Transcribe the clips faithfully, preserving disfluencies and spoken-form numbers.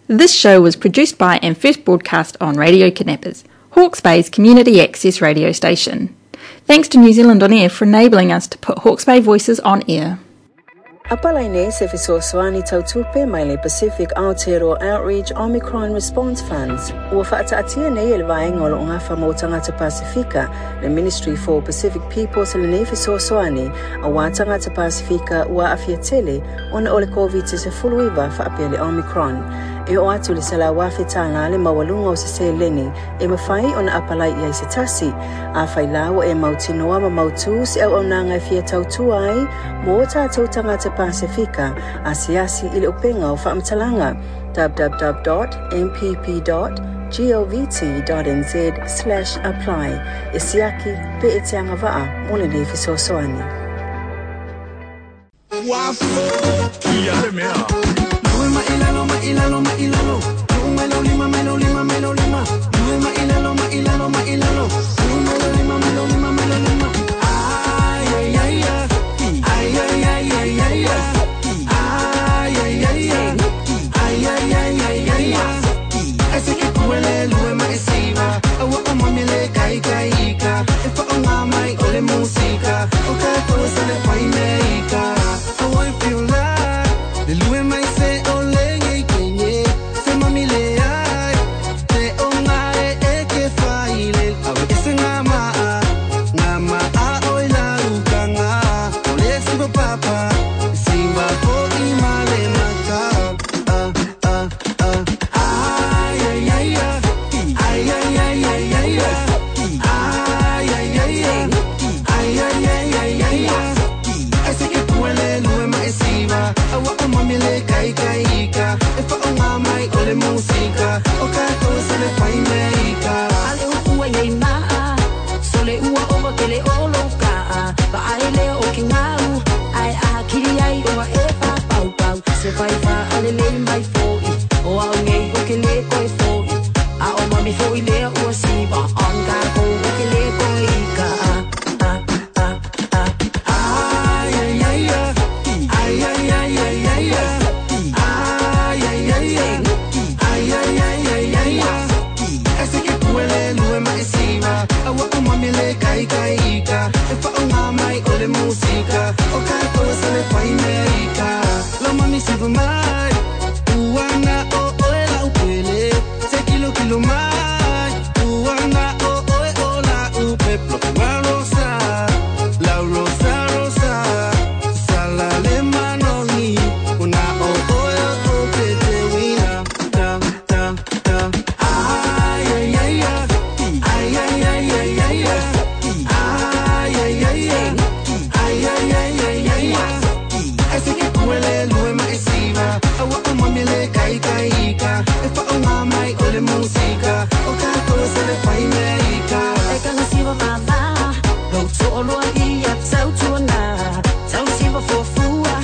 This show was produced by and first broadcast on Radio Kidnappers, Hawke's Bay's community access radio station. Thanks to New Zealand On Air for enabling us to put Hawke's Bay voices on air. Apalai nei se fesoasoani tautupe mai le Pacific Aotearoa Outreach Omicron Response Funds. Ua faataatia nei e le vaega o loo gafa mo tagata Pasifika, le Ministry for Pacific Peoples lenei fesoasoani, auā tagata Pasifika ua aafia tele ona o le Koviti sefuluiva faapea le Omicron. E oo atu le selau afe tālā le maualuga o se seleni e mafai ona apalai i ai se tasi. Afai la ua e mautinoa ma mautū se auaunaga e fia tautua ai mo tatou tagata Pasifika, asiasi i le upega o faamatalaga w w w dot m p p dot govt dot n z slash apply e siaki pe e te agavaa mo lenei fesoasoani. Ua fokia le mea. Lue ma ilalo ma ilalo ma ilalo. Lue mai lo lima mai lo lima mai lo lima. Lue ma ilalo ma ilalo ma ilalo. Lue mai lo lima mai lo lima mai lo lima. Ay ay ay ay. Ay ay ay ay ay ay. Ay ay ay ay. Ay ay ay ay ay ay. Ese ke kuele lue ma esiva. Awa o mami le kai kai ika. E fa o ngā mai o le musika. O ka koe sa le whai me ika. Awa e feel like. Le lue mai se o le ngei kenye. Se mami le ai. Te o ngā e e ke whaile. Awe ese ngā maa. Ngā maa o i la ukanga. O le siwa papa. Siwa po i male maka. Ah, ah, ah. Ay, ay, ay, ay. Ay, ay, ay, ay, ay, ay. Ay, ay, ay, ay. Ay, ay, ay, ay, ay, ay. Ese ke kuele lue ma esiva. Awa o mami le kai kai ika. E fa o ngā mai o le musika. O ka koe sa le whai me ika. Ale upu ai nei maa Sole ua ova ke le olo kaa Va ai leo o ke ngau Ai a kiri ai o a e pa pau pau Se fai fa ale le mai foi O au ngei o ke le koe foi A o mami foi lea ua siva On ka ko o ke le koe i ka. Ah, ah, ah. Ay, ay, ay, ay. Ay, ay, ay, ay, ay, ay. Ay, ay, ay, ay. Ay, ay, ay, ay, ay, ay. Ese ke kuele lue ma esiva. Awa o mami le kai kai ika. E fa o ngā mai o le musika. O ka koe sa le whai me ika. Lo mami siva mai. Uana o oe la upele. Se kilo kilo mai. Uana o oe o la upe. Plo rosa. La rosa rosa. Sala le manongi. Una o oe o te te wina. Ta ta ta. Ay ay ay ay. Ay ay ay ay ay ay. Ay ay ay ay. Ay ay ay ay ay ay. Ese ke kuele lue ma esiva. Awa o mami le kai kai ika. E fa o ngā mai o le musika. O ka koe sa le whai me ika. E kanga siwa mama Lou to'oloa ia tautuana Tau siwa fuafua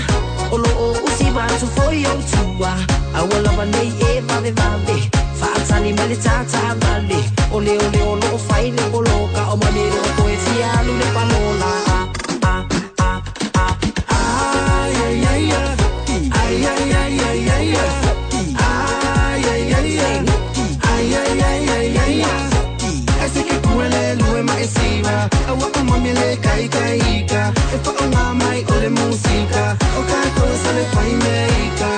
O lo o usiva atu foi o tua Aua lava nei e vave vave Faatali mai le tata vale O leo leo lo o fai le poloka O mami le o koe fia alu le palola. Ah, ah, ah, ah. Ay ay ay ay. Ay ay ay ay ay ay. Ay ay ay ay. Ay ay ay ay ay ay. Ese ke kuele lue ma esiva. Awa o mami le kai kai ika. E fa o ngā mai o le musika. O ka koe sa le whai me ika.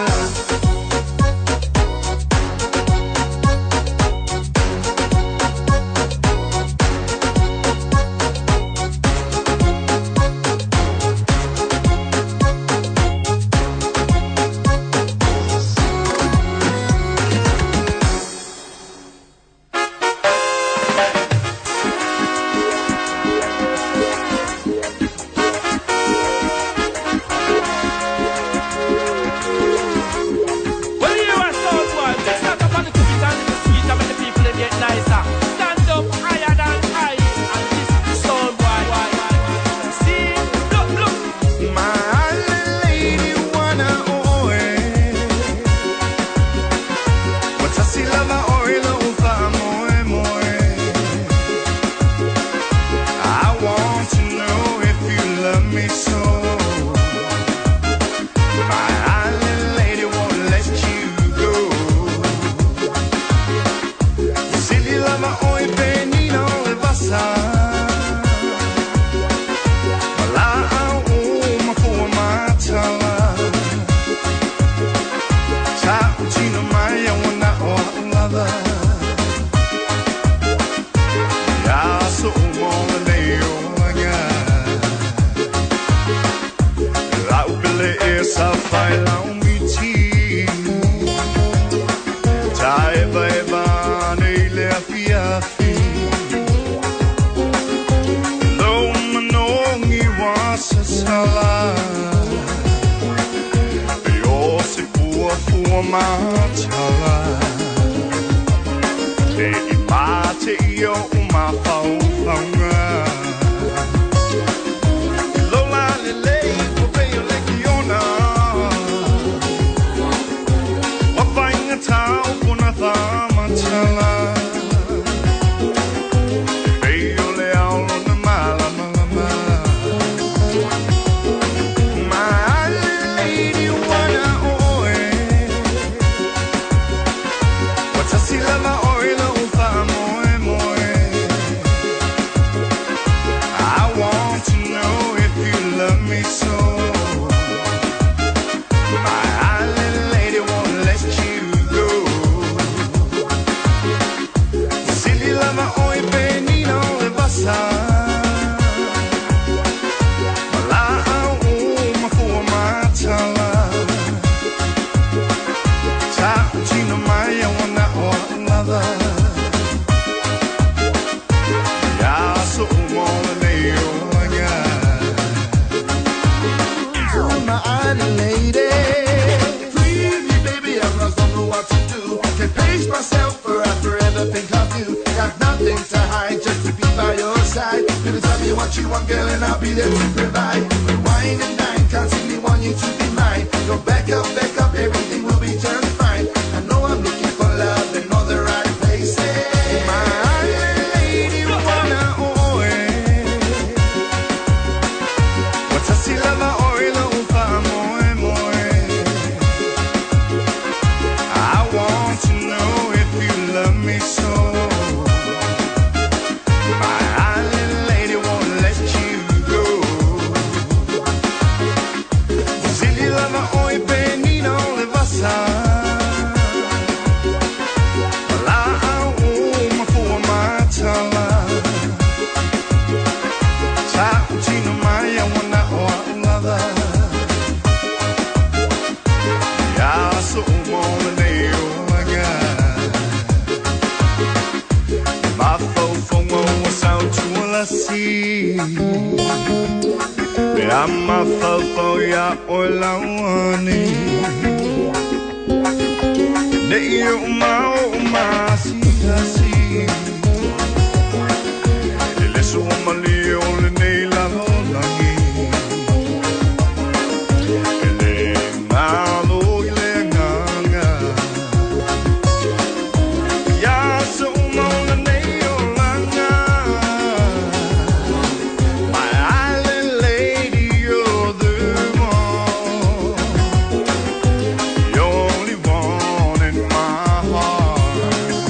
Matala Te i mate i o mafaufauga Lola lelei o pei o le kiona Wafainga tau kona whamatala Pei o le ao lona malamalama My lady wana oe Watasi lava oe lo moe moe I want to know if you love me so My island lady won't let you go Silly lava oi penina o le vasa Mala au mafua matala Ta tino mai a wana o lava Ya so mo le o laga My island lady. Free me, baby, I'm lost, don't know what to do. Can't pace myself for I forever think of you. Got nothing to hide, just to be by your side. Baby, tell me what you want, girl, and I'll be there to provide. We wine and dine, constantly want you to be mine. Go back up, back up, everything will be just fine. I know I'm looking for love in all the right places. My island lady wana oe Watasi lava oe lo moe moe I want to know if you love me so My island lady won't let you go Zili lava oi penina o le vasa La au mafua matala Ta utino mai a wana o lava Ya so mo le o laga Mafaufauga ua sautualasi Pe a mafaufau ia oe lauani Nei o mao o masiasi E leso o malie o le nei lalolagi E le ngalo i le nganga Ia so mo le nei o langa My island lady, you're the one The only one in my heart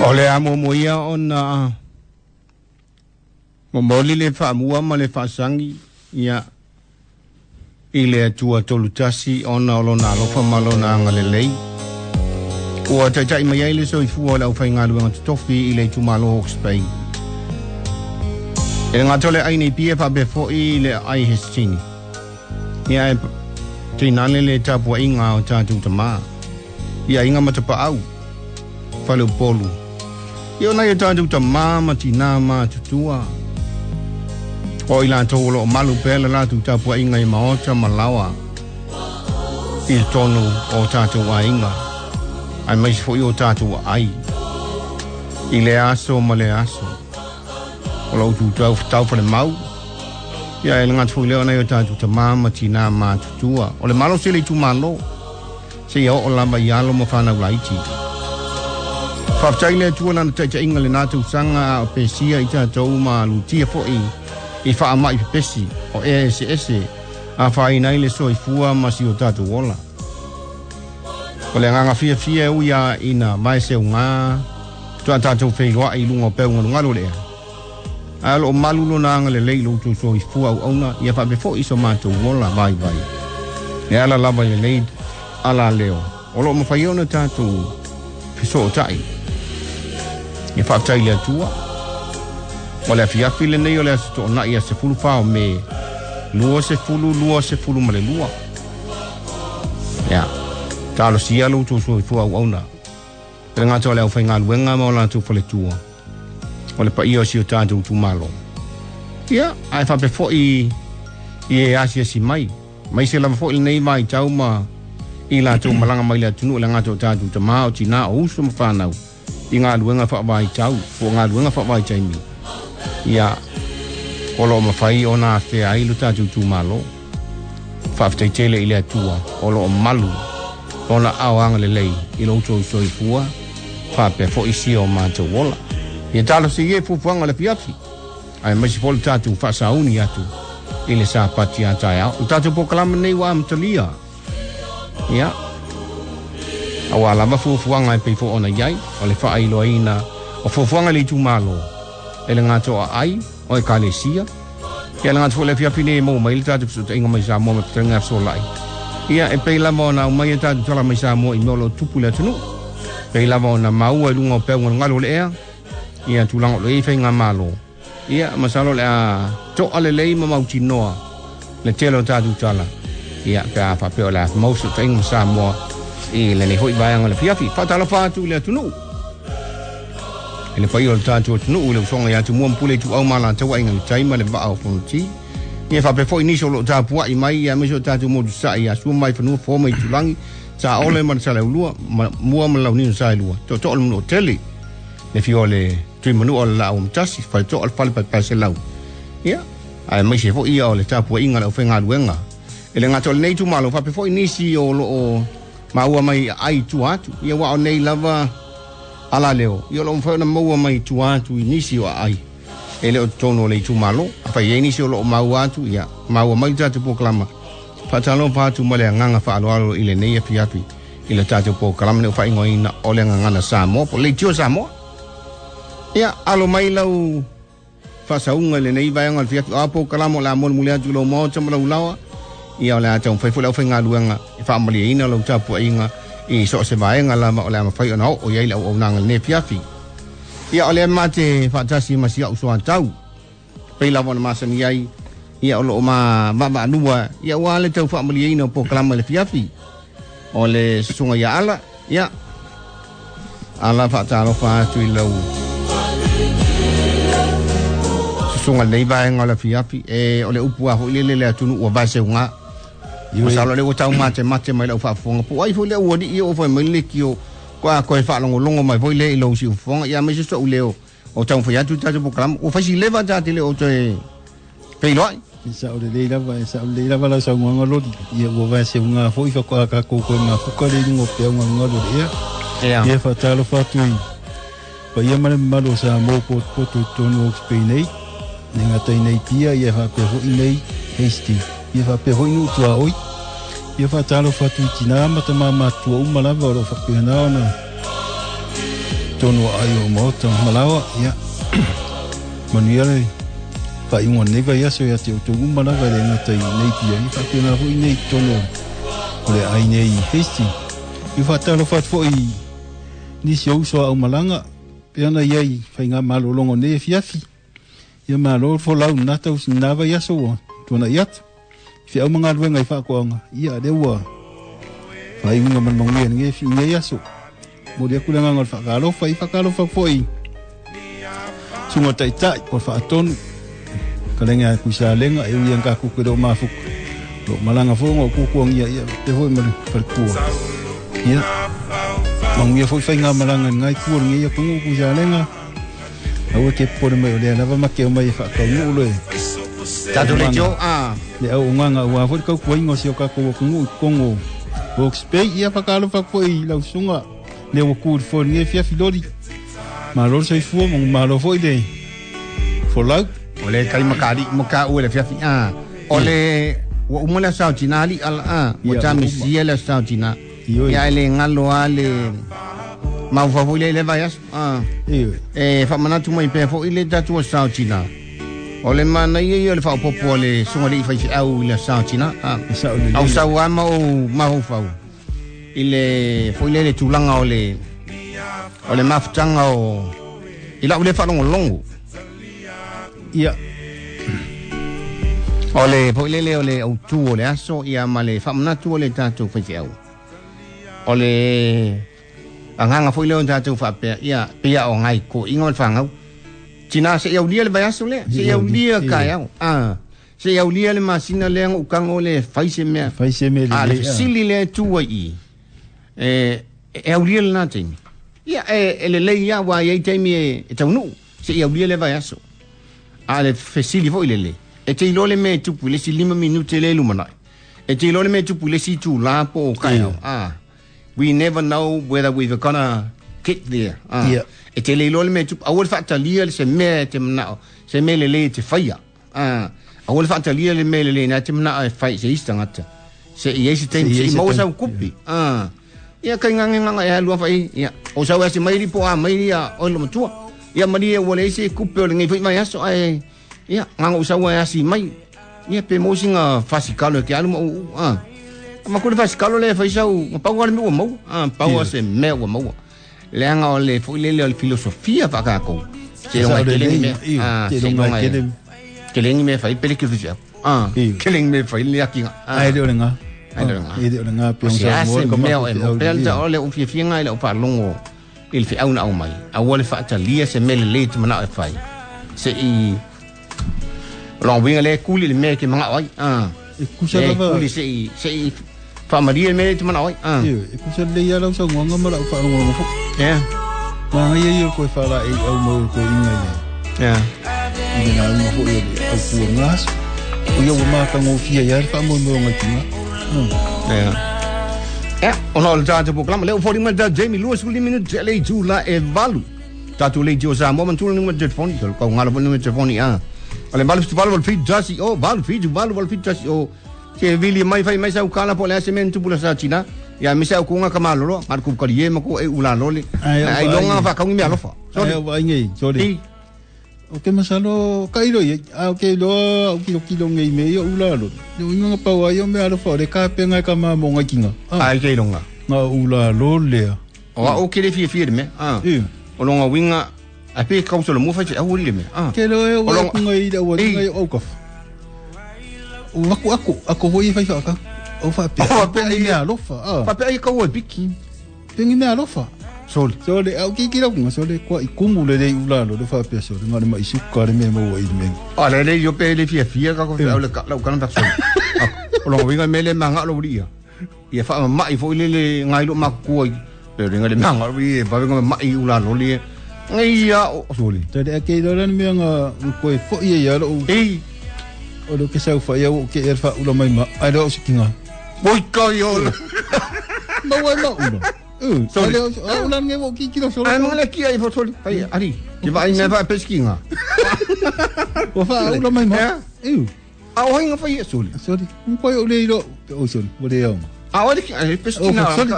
O le amo mo ia ona momoli le faamua ma le faasagi ia i le Atua tolutasi ona o lona alofa ma lona agalelei. Ua taitai mai ai le soifua o le aufaigaluega totofi i le itumalo Hawke's Bay. E le gata o le ai nei pia faapea foʻi le ai Hestini. Ia e teinale le tapuaiga o tatou tamā. Ia aiga ma tapaau, faleupolu. Ia ona i o tatou tamā ma tinā matutua. O i latou o loo malu pea le latou tapuaiga i maota ma laoa i totonu o tatou aiga, aemaise foʻi o tatou aai i le aso ma le aso. O lou tutau tau falemau. Ia e le gata foi lea ona i o tatou tamā ma tinā matutua. O le malosi o le itumalo seia oo lava i alo ma fanau laiti. Faafetai le Atua lana taitaiga lenā tausaga a o pesia i tatou ma lutia foʻi i faamaʻi pepesi o ea eseese afaina ai le soifua ma si o tatou ola. O le agaga fiafia e ui a ina vaeseugā toa tatou feiloaʻi i luga o peugalugalu o le ea. Ae o loo malu lona agalelei i lo outou soifua auauna ia faapea foʻi so matou ola vaivai. E ala lava i lenei ala leo o loo mafai ona tatou fesootaʻi. Ia faafetai i le Atua. O le afiafi lenei o le aso toonai a sefulu fa o Me lua sefulu lua sefulu ma le lua. Ia talosia lo outou soifua auauna. E le gata o le aufaigaluega ma o latou faletua. O le paia o si o tatou itumalo. Ia ae faapea foʻi i e asiasi mai. Mai se lava foʻi lenei vaitau ma i latou malaga mai le atunuu le gata o tatou tamā o tinā o uso ma fanau i galuega faavaitau po o galuega faavaitaimi. Ia o loo mafai ona afea ai lo tatou itumalo. Faafetai tele i le Atua o loo malu ona ao agalelei i lo outou soifua faapea foʻi sia o matou ola. Ia talosia e fuafuaga o le afiafi aemaise foi le tatou faasauni atu i le Sapati a taeao. O tatou polokalame nei ua amatalia. Ia auā lava fuafuaga e pei foi ona iai o le faailoaina o fuafuaga i le itumalo e le gata o aai o ekalesia. Ia le gata foi le afiafi nei e maua mai le tatou fesootaiga mai Samoa ma fetalaiga fesolai. Ia e pei lava ona aumai e tatou tala mai Samoa i mea o loo tupu i le atunuu. Pei lava ona maua i luga o peugalugalu o le ea ia tulaga o lo i ai faigamalo. Ia masalo o le a toa lelei ma mautinoa le tele o tatou tala. Ia pe a faapea o le a maua fesootaiga ma Samoa i lenei foi vaega o le afiafi. Faatalofa atu i le atunuu. E le paia o le tatou atunuu i le usoga ia Tumua ma Pule Ituau ma Alataua Aiga i le Tai ma le Vaa o Fonoti. Ia faapea foi nisi o loo tapuaʻi mai ia aemaise o tatou motu saʻi ia Sua ma Vaifanua Fofo ma Aitulagi Saole ma le Saleulua ma Mua ma le Launiu na Saelua. Tootoo o le Manuatele le fio o le Tuimanua o le Laau Amatasi Faletoa o le Fale Paepaeselau. Ia aemaise foi ia o le tapuaiga a le aufaigaluega. E le gata o lenei itumalo faapea foi nisi o loo maua mai ai tua atu. Ia ua o nei lava ala leo. Ia o loo mafai ona maua mai tua atu i nisi o aai. E le o totonu o le itumalo. Afai ai nisi o loo maua atu, ia maua mai le tatou polokalama. Faatalofa atu ma le agaga faaaloalo i lenei afiafi i le tatou polokalame nei ua faaigoaina o le Gagana Samoa po o le Leitio Samoa. Ia alo mai lau faasauga i lenei vaega o le afiafi. O a polokalama o le a molimoli atu i lou maota ma lau laoa. Ia o le a taumafai foi le aufaigaluega e faamalieina lau tapuaiga i so o se vaega lava o le a mafai ona oo i ai le auaunaga i lenei afiafi. Ia o lea mate faatasi ma si au soatau. Pei lava ona masani ai ia o loo ma vaavaalua ia ua le tau faamalieina o polokalama i le afiafi. O le susuga ia Ala. Ia ala faatalofa atu i lau susuga lenei vaega o le afiafi. E o le upu a foi lele le atunuu ua vaeseugā. Masalo le ua tau matemate mai lau faafofoga. Po o ai foi le ualii o foi mai le leitio koa koe faalogologo mai foi le i lou siufofoga. Ia aemaise soʻu leo o taumafai atu i tatou polokalama. Ua faisi leva ta te le o toe feiloai. E sao lelei lava, e sao lelei lava lau saunoaga Loli. Ia ua vaeseugā foi faatoa tatou toe mafuka le i luga o peaugalugalu o le ea. Ia. Ia faatalofa atu i paia ma le mamalu o Samoa potopoto i totonu o Hawke's Bay nei. Le gata i nei pia, ia faapea foi nei Hastings. Ia faapea foi nuu tuaoi. Ia faatalofa atu i tinā ma tamā matutua uma lava o loo faapena ona Tonu ai o maota malawa ia manuia le faaiuga lenei vaiaso ia te outou uma lava e le gata i nei pia ia faapena foʻi nei totonu o le ai nei Hastings. Ia faatalofa atu foʻi nisi o uso a aumalaga pe ana iai faiga malologa nei e fiafi. Ia malo le folau lena tausi lena vaiaso ua tuanaʻi atu feau ma galuega i faakoaga ia lea ua faaiuga ma le manuia lenei nei aso. Mo le aku le agaga o le faakalofa i faakalofa foʻi suga taʻitaʻi po le faatonu kalege a kuisalega e ui aga kuku e leo mafuka lo malaga foʻi ona o kukuagia ia pe foʻi ma le falekua ia manuia foʻi faiga malaga lenei kua lenei atunuu kuisalega aua ke popole mai o lea lava ma ke omai e faakaunuu le tatou leitio a le auaugaga auā foʻi le tautuaina o si o tatou atunuu i totonu o Hawke's Bay. Ia faakalofa foʻi lau susuga le ua ku i le foe lenei fiafi loli malo le soifua ma malo foʻi le folau o le kalimakaliʻi mo ka ua le fiafi a o le ua uma le aso tina aliʻi ala a ua tamisia le aso tina ia e le galo a le maufau foʻi le i le vaiaso a e faamanatu mai pea foʻi le tatou aso tina o le manaia ia o le faaopopo a le suga leʻi faifeʻau i le aso tina a au sau a ma ou mafaufau i le foʻi le le tulaga o le o le mafutaga o i lau le faalogologo ia o le foʻi lele o le autū o le aso ia ma le faamanatu o le tatou faifeʻau o le agaga foʻi lea o tatou faapea ia pei o gai koʻiga o le fagau tina seʻi aulia le vaiaso lea seʻi aulia kaeao a seʻi aulia le masina lea ga ukaga o le fai se mea fai se mea a le fesili lea e tu ai i e e aulia lena taimi ia e e lelei ia ua iai taimi e e taunuu seʻi aulia le vaiaso a le fesili foʻi lele e te iloa le mea e tupu i le isi lima minute le lumanaʻi e te iloa le mea e tupu i le isi itulā po o kaeao a we never know whether we're gonna get there a Yeah. e te le iloa le mea e tupu aua le faatalia le se mea e te manao se mea lelei e te faia a aua le faatalia le mea lelei na te manao e fai se isi tagata se i ai se taimi Se i ai se i se maua taimi. sau kupi a ia kai gagegāga e alua fai ia o sau ase mai li po a mai ia o lo matua ia malie ua leai se kupe o lenei foʻi mai aso ae ia gaga ou sau ae asi mai ia pe mo singa fasikalo e ke alu ma uu a ma kule fasikalo le fai sau ma pau le mea ua maua a pau Ia. se mea ua maua leaga o le foʻi lele o le filosofia faakākou se Sa loga o e le kelegi lei, mea ia, a te se longa loga e e kele kelegi mea fai pele ke fisi a Ia. kelegi mea fai le akiga ai le o le gā Ai le o le gā. e le o le gā pe se sa a mo se ka mea o e mafu mo pea le le o le ufiafiaga i lau faalogo i le feau na au mai aua le faatalia se mea lelei te manao e fai se i o loga uiga lea e kuli le mea e ke magao ai a e kusa e lava kuli se i se i faamalie le mea lea te manao ai a ia e kusa lelei a lau saunoaga ma lau faalogologo foʻi ia magaia ia o le koe faalaei au mau o koeʻiga i le ia i le lauga foʻi o le aupua gaso o ia ua makagofia ia le faamoemoe o gaikiga ia ia ona o le tatou polokalama lea ua foliga mai le tatou Jamie lua sefulu lima minute le itulā e valu tatou leitio Samoa manatu le numera telefoni o le kaugalo foi le numera telefoni a o le valu fitu valu valu fitu tasi o valu fitu valu valu fitu tasi o se vili mai fai mai sau kala po o le a se mea na tupu le sa tina ia me sau kuga ka malolo ngā ku kali ma ko e ula lole Ai, o ai vaai. longa whakaungi mea alofa ai sorry au vaaiga i sole i o ke masalo ka ilo ia a o ke iloa au kilokilo ngei me ia ula lo le uiga pau ai o mea alofa o le kapenga e ka mamo ngaikiga a ai ke longa nga ula lo lea o a o ke le fia fia le mea a ia o longa winga a pe kausa lo mo fai se au le mea a ke lo e O o longa- kunga i le ua Ei. tinga i au kafa o aku aku ako hoi fai whaaka o whapea O whapea i ia. mea alofa a Whapea ai kau e piki pengi mea alofa sole sole au ki ki lau sole kwa i kumu le le ula lo le whapea sole ngā le mai suka le mea maua i le mea a le le yo pe le fia fia ka ko au le ka lau kana ta sole o longa winga me le manga lo lia ia fa mai fo le le ngai lo makua pe le ngai le manga lo ia pa venga mai ula lo le ngai ia o sole Tele ake i lora ni mea ngā koe fo ia ia lo ei o lo ke sau wha ia o ke e wha ula mai ma ai lo o sikinga oi ka yo Maua e ma ula Uh, Sorry. ale o a ula nge mo ki ki lo sole ai manga le kia i fo sole ai ari ke vai me fa peskinga o wha ula mai ma Yeah. Eu a o hinga fa ia sole sorry un koe o le ilo o sole o le au a o le ki ai O peskinga sorry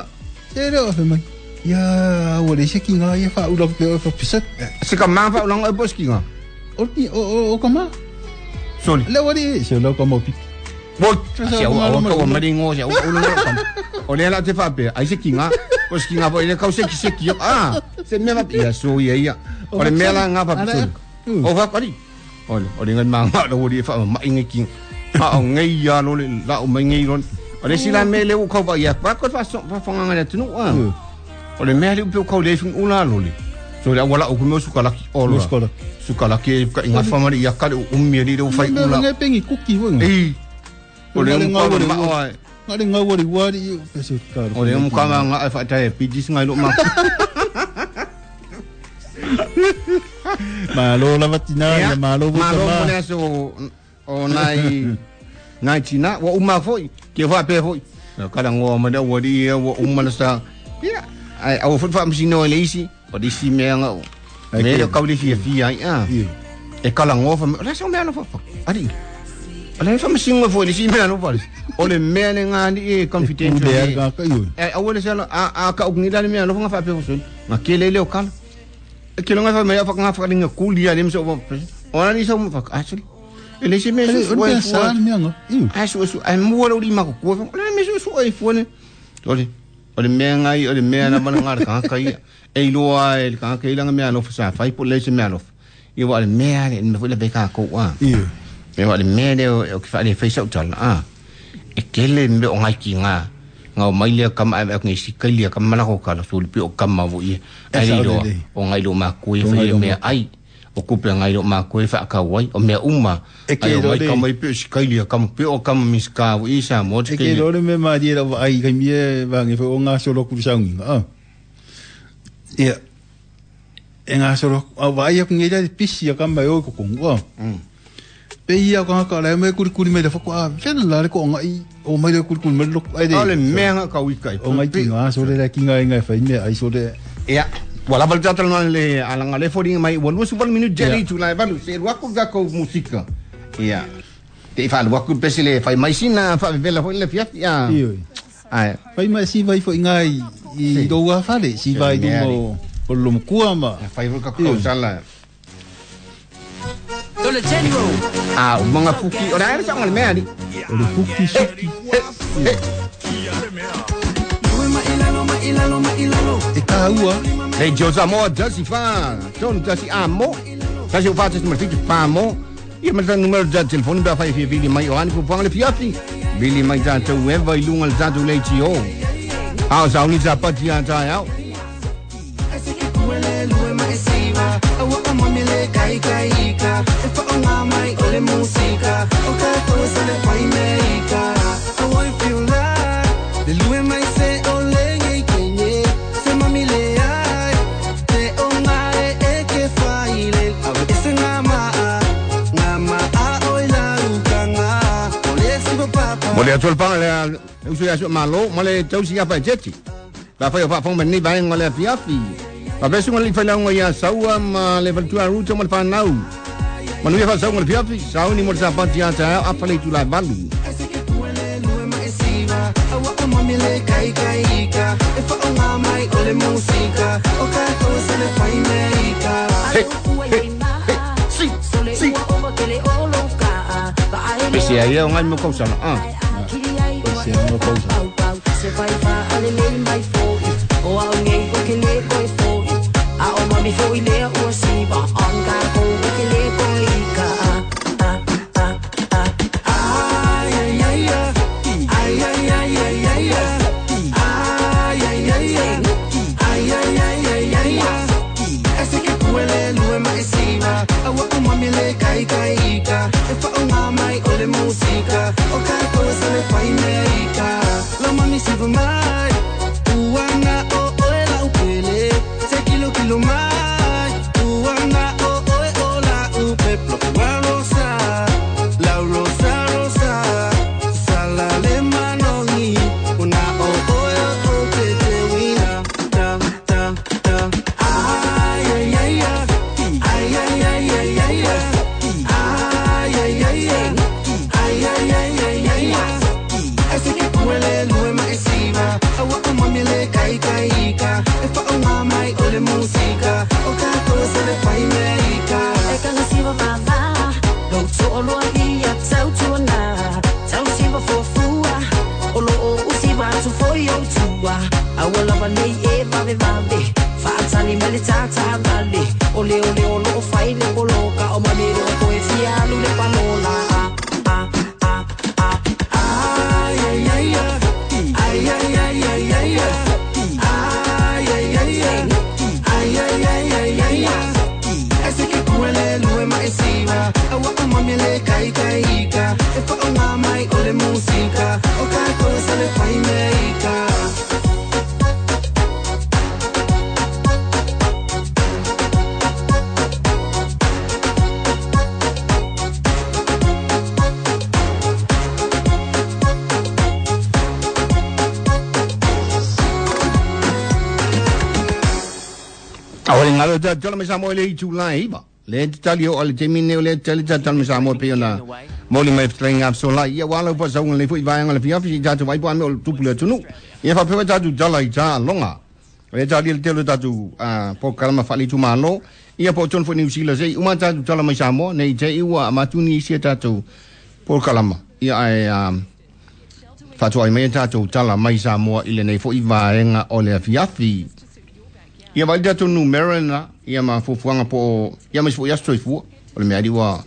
Te le o fe mai Ia ua le se kinga ia fa ula pe fa pisa. Se ka ma fa ula po skinga. O o o kama. Soli. Le wari se lo kama pi. Bo se o o ko ma ringo se o o lo kam. O le la te fa pe ai se kinga. O skinga po ile kau se ki se ki. Ah, se me va ia so ia ia. O le mea la nga fa pisa. O fa kali. O le o le ngai ma nga lo ri fa ma inge ki. Ha o ngai ya lo le la o mai ngai lo. O le sila me le o kau va ia. Pa ko fa so fa fa nga le tunu ah. O le mea le upe o kau le fing ula lole. So le awala o kumeo sukalaki o loa. Sukalaki e ka inga whamari ia kare o umi ali leo whai ula. Ngai pengi kuki wanga. Ei. O le umu ka maoa e. Ngare ngau wari wari i pese karo. O le umu ka maa nga e whaatai e pijis ngai lo maa. Malo lava tina ia malo buta Malo ma. mo le aso o nai nai tina wa uma foi. Ke wha pe foi. Kala ngoa ma leo wari ia wa uma la sa. Ia. Ai au foi fa msino le isi o disi mea ngau me le kau le fia fia ai a e kala ngo fa le so mea no fa ari o le fa msino foi le si mea no fa o le mea le ngani e confidential e e au le sala a a ka ngi la mea no fa fa pe so ma ke le le o kala e ke longa fa mea fa nga fa linga kulia le mso o na ni so fa actually e le si mea so so mea ngo ai so so ai mo lo li ma ko ko le me so so ai fo ne ole o le mea ngai o le mea na mana ngā ka kai e iloa e ka kai langa mea alofa sa fai po le se mea alofa i wa le mea le me foi le ka ko wa me wa le mea le o ki fa le face out tala a e kele me o ngai ki ngā ngā o mai lea kama ai ngai si kai lea kama mana ko kala so le pi o kama vo i ai iloa o ngai lo ma ku e fai le mea ai o kupe ngai lo ma ku e fa ka wai o mea uma ai o mai kama i pi o si kai lea kama pi o kama miska vo i sa mo te ke lo le me ma di la ai kai mie va ngi fo nga solo ku sa ngi a ia e nga solo a va ia ngi la pisi ya kama yo ko ko pe ia ka ka le me kuri kuri me le fa ko a fe la le ko ngai o mai le kuri kuri me lo ai de o le mea nga ka ui kai o ngai ki nga so le ki ngai ngai fa me ai so le ia wala bal tata no le alanga le fori mai wa lusu bal minute jeri tu la balu se wa ko ga ko musika ia te fa wa ko pese le fa mai sina fa vela fo le fiat ia ai fai mai si vai fo ngai i do wa fa le si vai do mo o lo mkua ma fai ka ko sala le general ah manga fuki ora era sanga le mea ni le fuki suki e kaua le josa mo jasi fa ton jasi amo jasi fa jasi mo fiki pa mo ia ma le numero de telefone ba fa fi vili mai o ani fu le fiafi vili mai ta te web i lunga le tatu le tio a sa uni sa pati a ta au Mole atu le panga le usu ia su malo, mole tausi ia fa jeti. Ba fa fa fa ni ba ngole fiafi. Ba besu ngole fa longo ia saua ma le valtua ruto mo fa nau. Manu ia fa saua ngole fiafi, sau ni mo sa pati ia ta a fa le tu la valu. Hey, hey, hey, si, si. Pese ai o ngai mo kausa ah. Pese ai mo kausa. I le tātāvale O le o le o loo fai le poloka O mamiro o koe fialu le palola Ah, ah, ah, ah Ai, ai, ai, ai Ai, ai, ai, ai, ai Ai, ai, ai, ai Ai, ai, ai, ai, ai Ese ke kuele lue ma e siwa Awa o mami le kai kai ika E fa o ngā mai o le musika O kai koe sa le fai meika Awale ngalo ta tala me sa mo le itu la iba. Le tali o le temi ne le tali ta tala me sa mo pe ona. Mo le mai string up so la ia wala pa sa le fu vai ngale fia fi ta tu vai pa me o tu pule tu nu. Ia fa pe ta tu tala i ta longa. Le tali le tele ta tu a po kalama fa li tu malo. Ia po ton fu New Zealand sei uma ta tu tala me sa mo nei te iwa matuni sia ta tu po kalama. Ia ai a fa tu ai me ta tu tala mai sa mo ile nei fu i vai nga o le fia fi. Ia vai tatu numera na ia ma fufuanga po ia mas fu ia stoi fu o le mea ua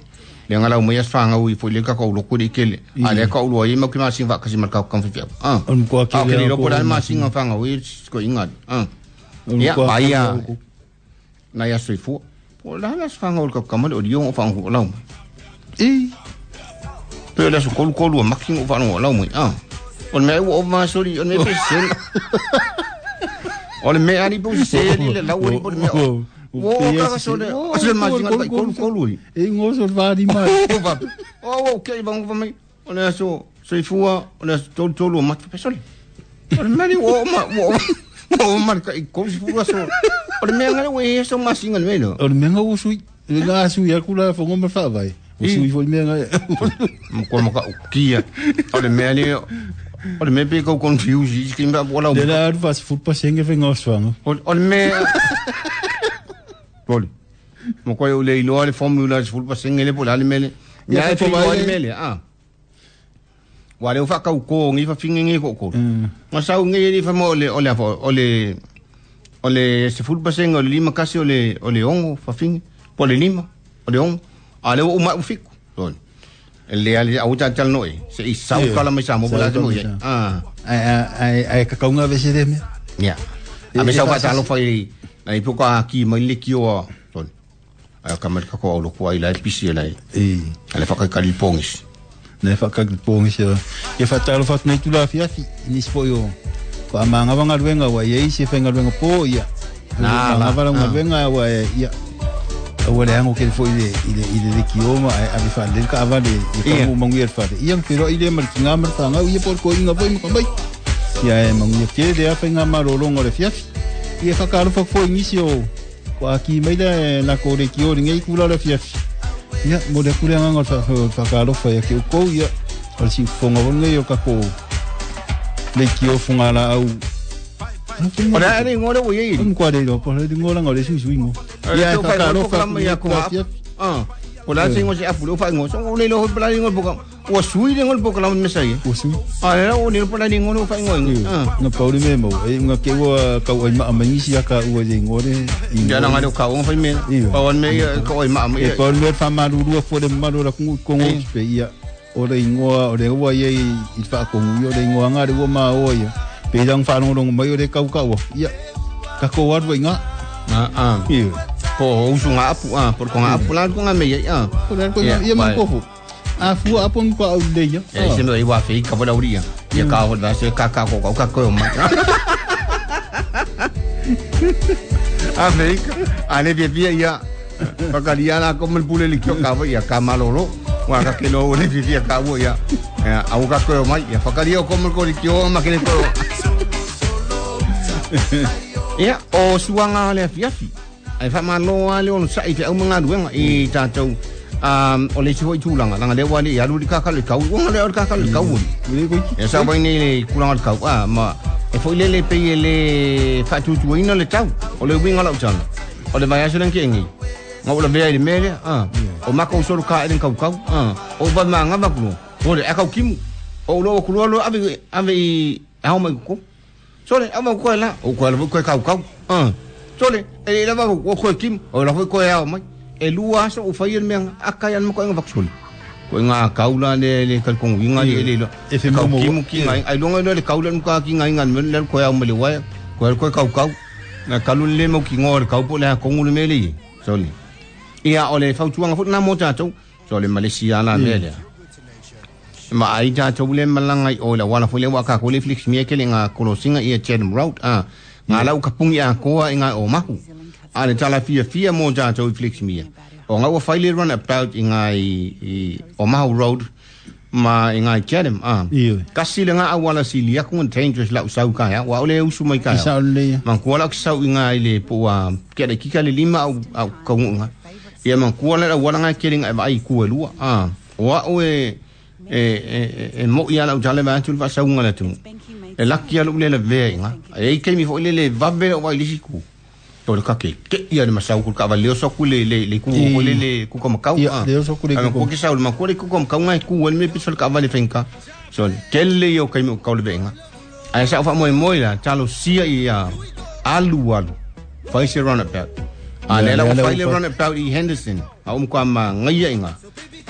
le ngala o mai asfanga ui fu le ka ko lo kuri kele a le ka ulo ia ma ki ma singa ka si marka ka fi ah On ko ke le lo ko ma singa fanga ui ko inga ah ia ai ia na ia stoi fu po la la asfanga o ka ka mo o dio o fanga o lau e pe la su ko ko lo making o fanga o lau mai ah o me o ma sori o me pe sel O le mea ni po se ni le lau ni po le mea. O ka so le o se ma singa kai kolu kolu ni. E ngo so va di mai. O o ke va va mai. O le so so fua o le tolu tolu ma pe so le. O le mea ni o ma o o ma kai kolu fua so. O le mea ngale we so ma singa le no. O le mea ngo sui. Le nga sui ya kula fo ngo ma fa vai. O sui fo mea nga. Mo ko ma ka kia. O le mea ni O le mea pe kau confuse i ki mea wala. Le la aru fas fut pa senge fe ngoswanga. O le mea Poli. Mo koe o le iloa le formula se fut pa senge le pola le mele. Ia e fi le mele ah. Wa le fa kau ko ngi fa finge ngi ko ko. Ma sau ngi ni fa mo le o le o le o le se fut pa senge o le lima kasi o le o le ongo fa finge po le lima o le ongo. A le o ma u fiku. Toli. Le ale au ta tal noi se i sau kala mai sa mo la mo ye ah ai ai ai ka kaunga ve se me ya a me sau pa sa lo fai nai po ka ki mai le ki o ton ai ka mer ka ko lo ko ai la pisi la e ale fa ka ka pongis ne fa ka pongis e fa ta lo fa nei tu la fia fi ni spo yo ko amanga wanga luenga wa ye se fenga luenga po ya na la va la luenga wa ya o le hango ke fo ile ile ile le kioma a vi fa le ka avale e ka mo mangu fa ia pero ile mar kinga mar tanga ia por ko inga foi mo mai ia e mangu ke de a fenga marolongo le fiaf ia fa ka fa fo inisio ko aki mai la la ko le kio ngai kula le fiaf ia mo le kula nganga fa fa ka lo fa ia ke ko ia o si fonga ngai o ka ko le kio fonga la au Ora ari ngore wo ye. Um kwa le po le ngola ngore su su ingo. Ya ka ka lo ka ya ko ah. Pola singo se apu lo fa ngo so le lo pola ngo po ka. Wo sui le ngo po ka la me sai. Wo sui. Ah le o le pola ngo lo fa ngo. Ah. No pa uri me mo e nga ke wo ka o ma ma ngi sia ka o ye ngo le. Ya na ngalo ka o fa me. Pa on me ka o ma ma. E pa le fa ma lu lu fo le ma lo la ku ko ngo pe ia. O le ngo o le wo ye i fa ko ngo le ngo nga le wo ma o ia. Pe dang fa long long mai o le kau kau ia ka ko waru inga ah ah ia po usu nga apu ah por ko nga apu la ko nga me ia ko la ko ia ma ko fu a fu apu ko au le ia e se me iwa fe ka vola uria ia ka ho da se ka ka ko ka ko ma a fe a le bia ia pa ka lia la ko me pule li ko ka ia ka malolo wa ka ke lo le bia ka wo ia au ka ko mai ia fa ka lia ko me ko li ko ma ke le ko ia o suanga le fiafi ai fa malo le on sai te au manga luenga i tatou um o le soi tulanga langa le wali ya lu ka ka le kau nga le ka ka le kau e sa wai nei le kulanga le kau a ma e foi le le pe le fa tu tu ina le tau o le winga la utana o le vai aso ke ngi nga o le vea le mele a o mako so ka e kau kau a o ba manga ba ku o le akau kimu o lo ku lo ave ave au mai ku so le au ko la o ko le ko kau kau a Sole e lava o ko kim o la ko e au mai e lua aso o fai le mea aka ia mo ko nga vaksole ko nga kaula le le kal kongu inga le le e fe mo mo ki ngai ai longa le kaula no ka ki ngai ngan le ko au me le wa ko ko kau kau na kalu le mo ki ngor kau po le kongu le mele sole ia o le fautuanga fo na mo tatou sole Malaysia la mele ma ai tatou le malanga o la wala fo le wa ka ko le Felix mie ke le nga kolosinga ia Chatham Road a nga lau kapungi a koa inga o mahu a le tala fia fia mo tatou Felix mie o nga ua fai le runabout i ngai i Omaha Road ma i ngai Chatham a kasi le nga awala sili aku ngan dangerous lau sau ka ya wa ole usu mai ka ya man kuala ku sau i ngai le po a ke le kika le lima au au ka ngunga ia man kuala la wala ngai kele ngai vai ku lua a wa o e e e mo ia lau tale va tu va sau nga la tu e laki alu le le ve nga e ke mi fo le le va ve o vai le siku o le kake ke ia le masau ku ka va le so ku le le le ku ko le le ku ko makau a le so ku le ku ki sau ma ku le ku ko makau ngai ku le me pisol ka va le fenka so ke le yo kai mo ka le venga ai sa fa moi moi la talo sia ia alu alu fai se runabout a le la fai le runabout i Henderson a um kwa ma ngai inga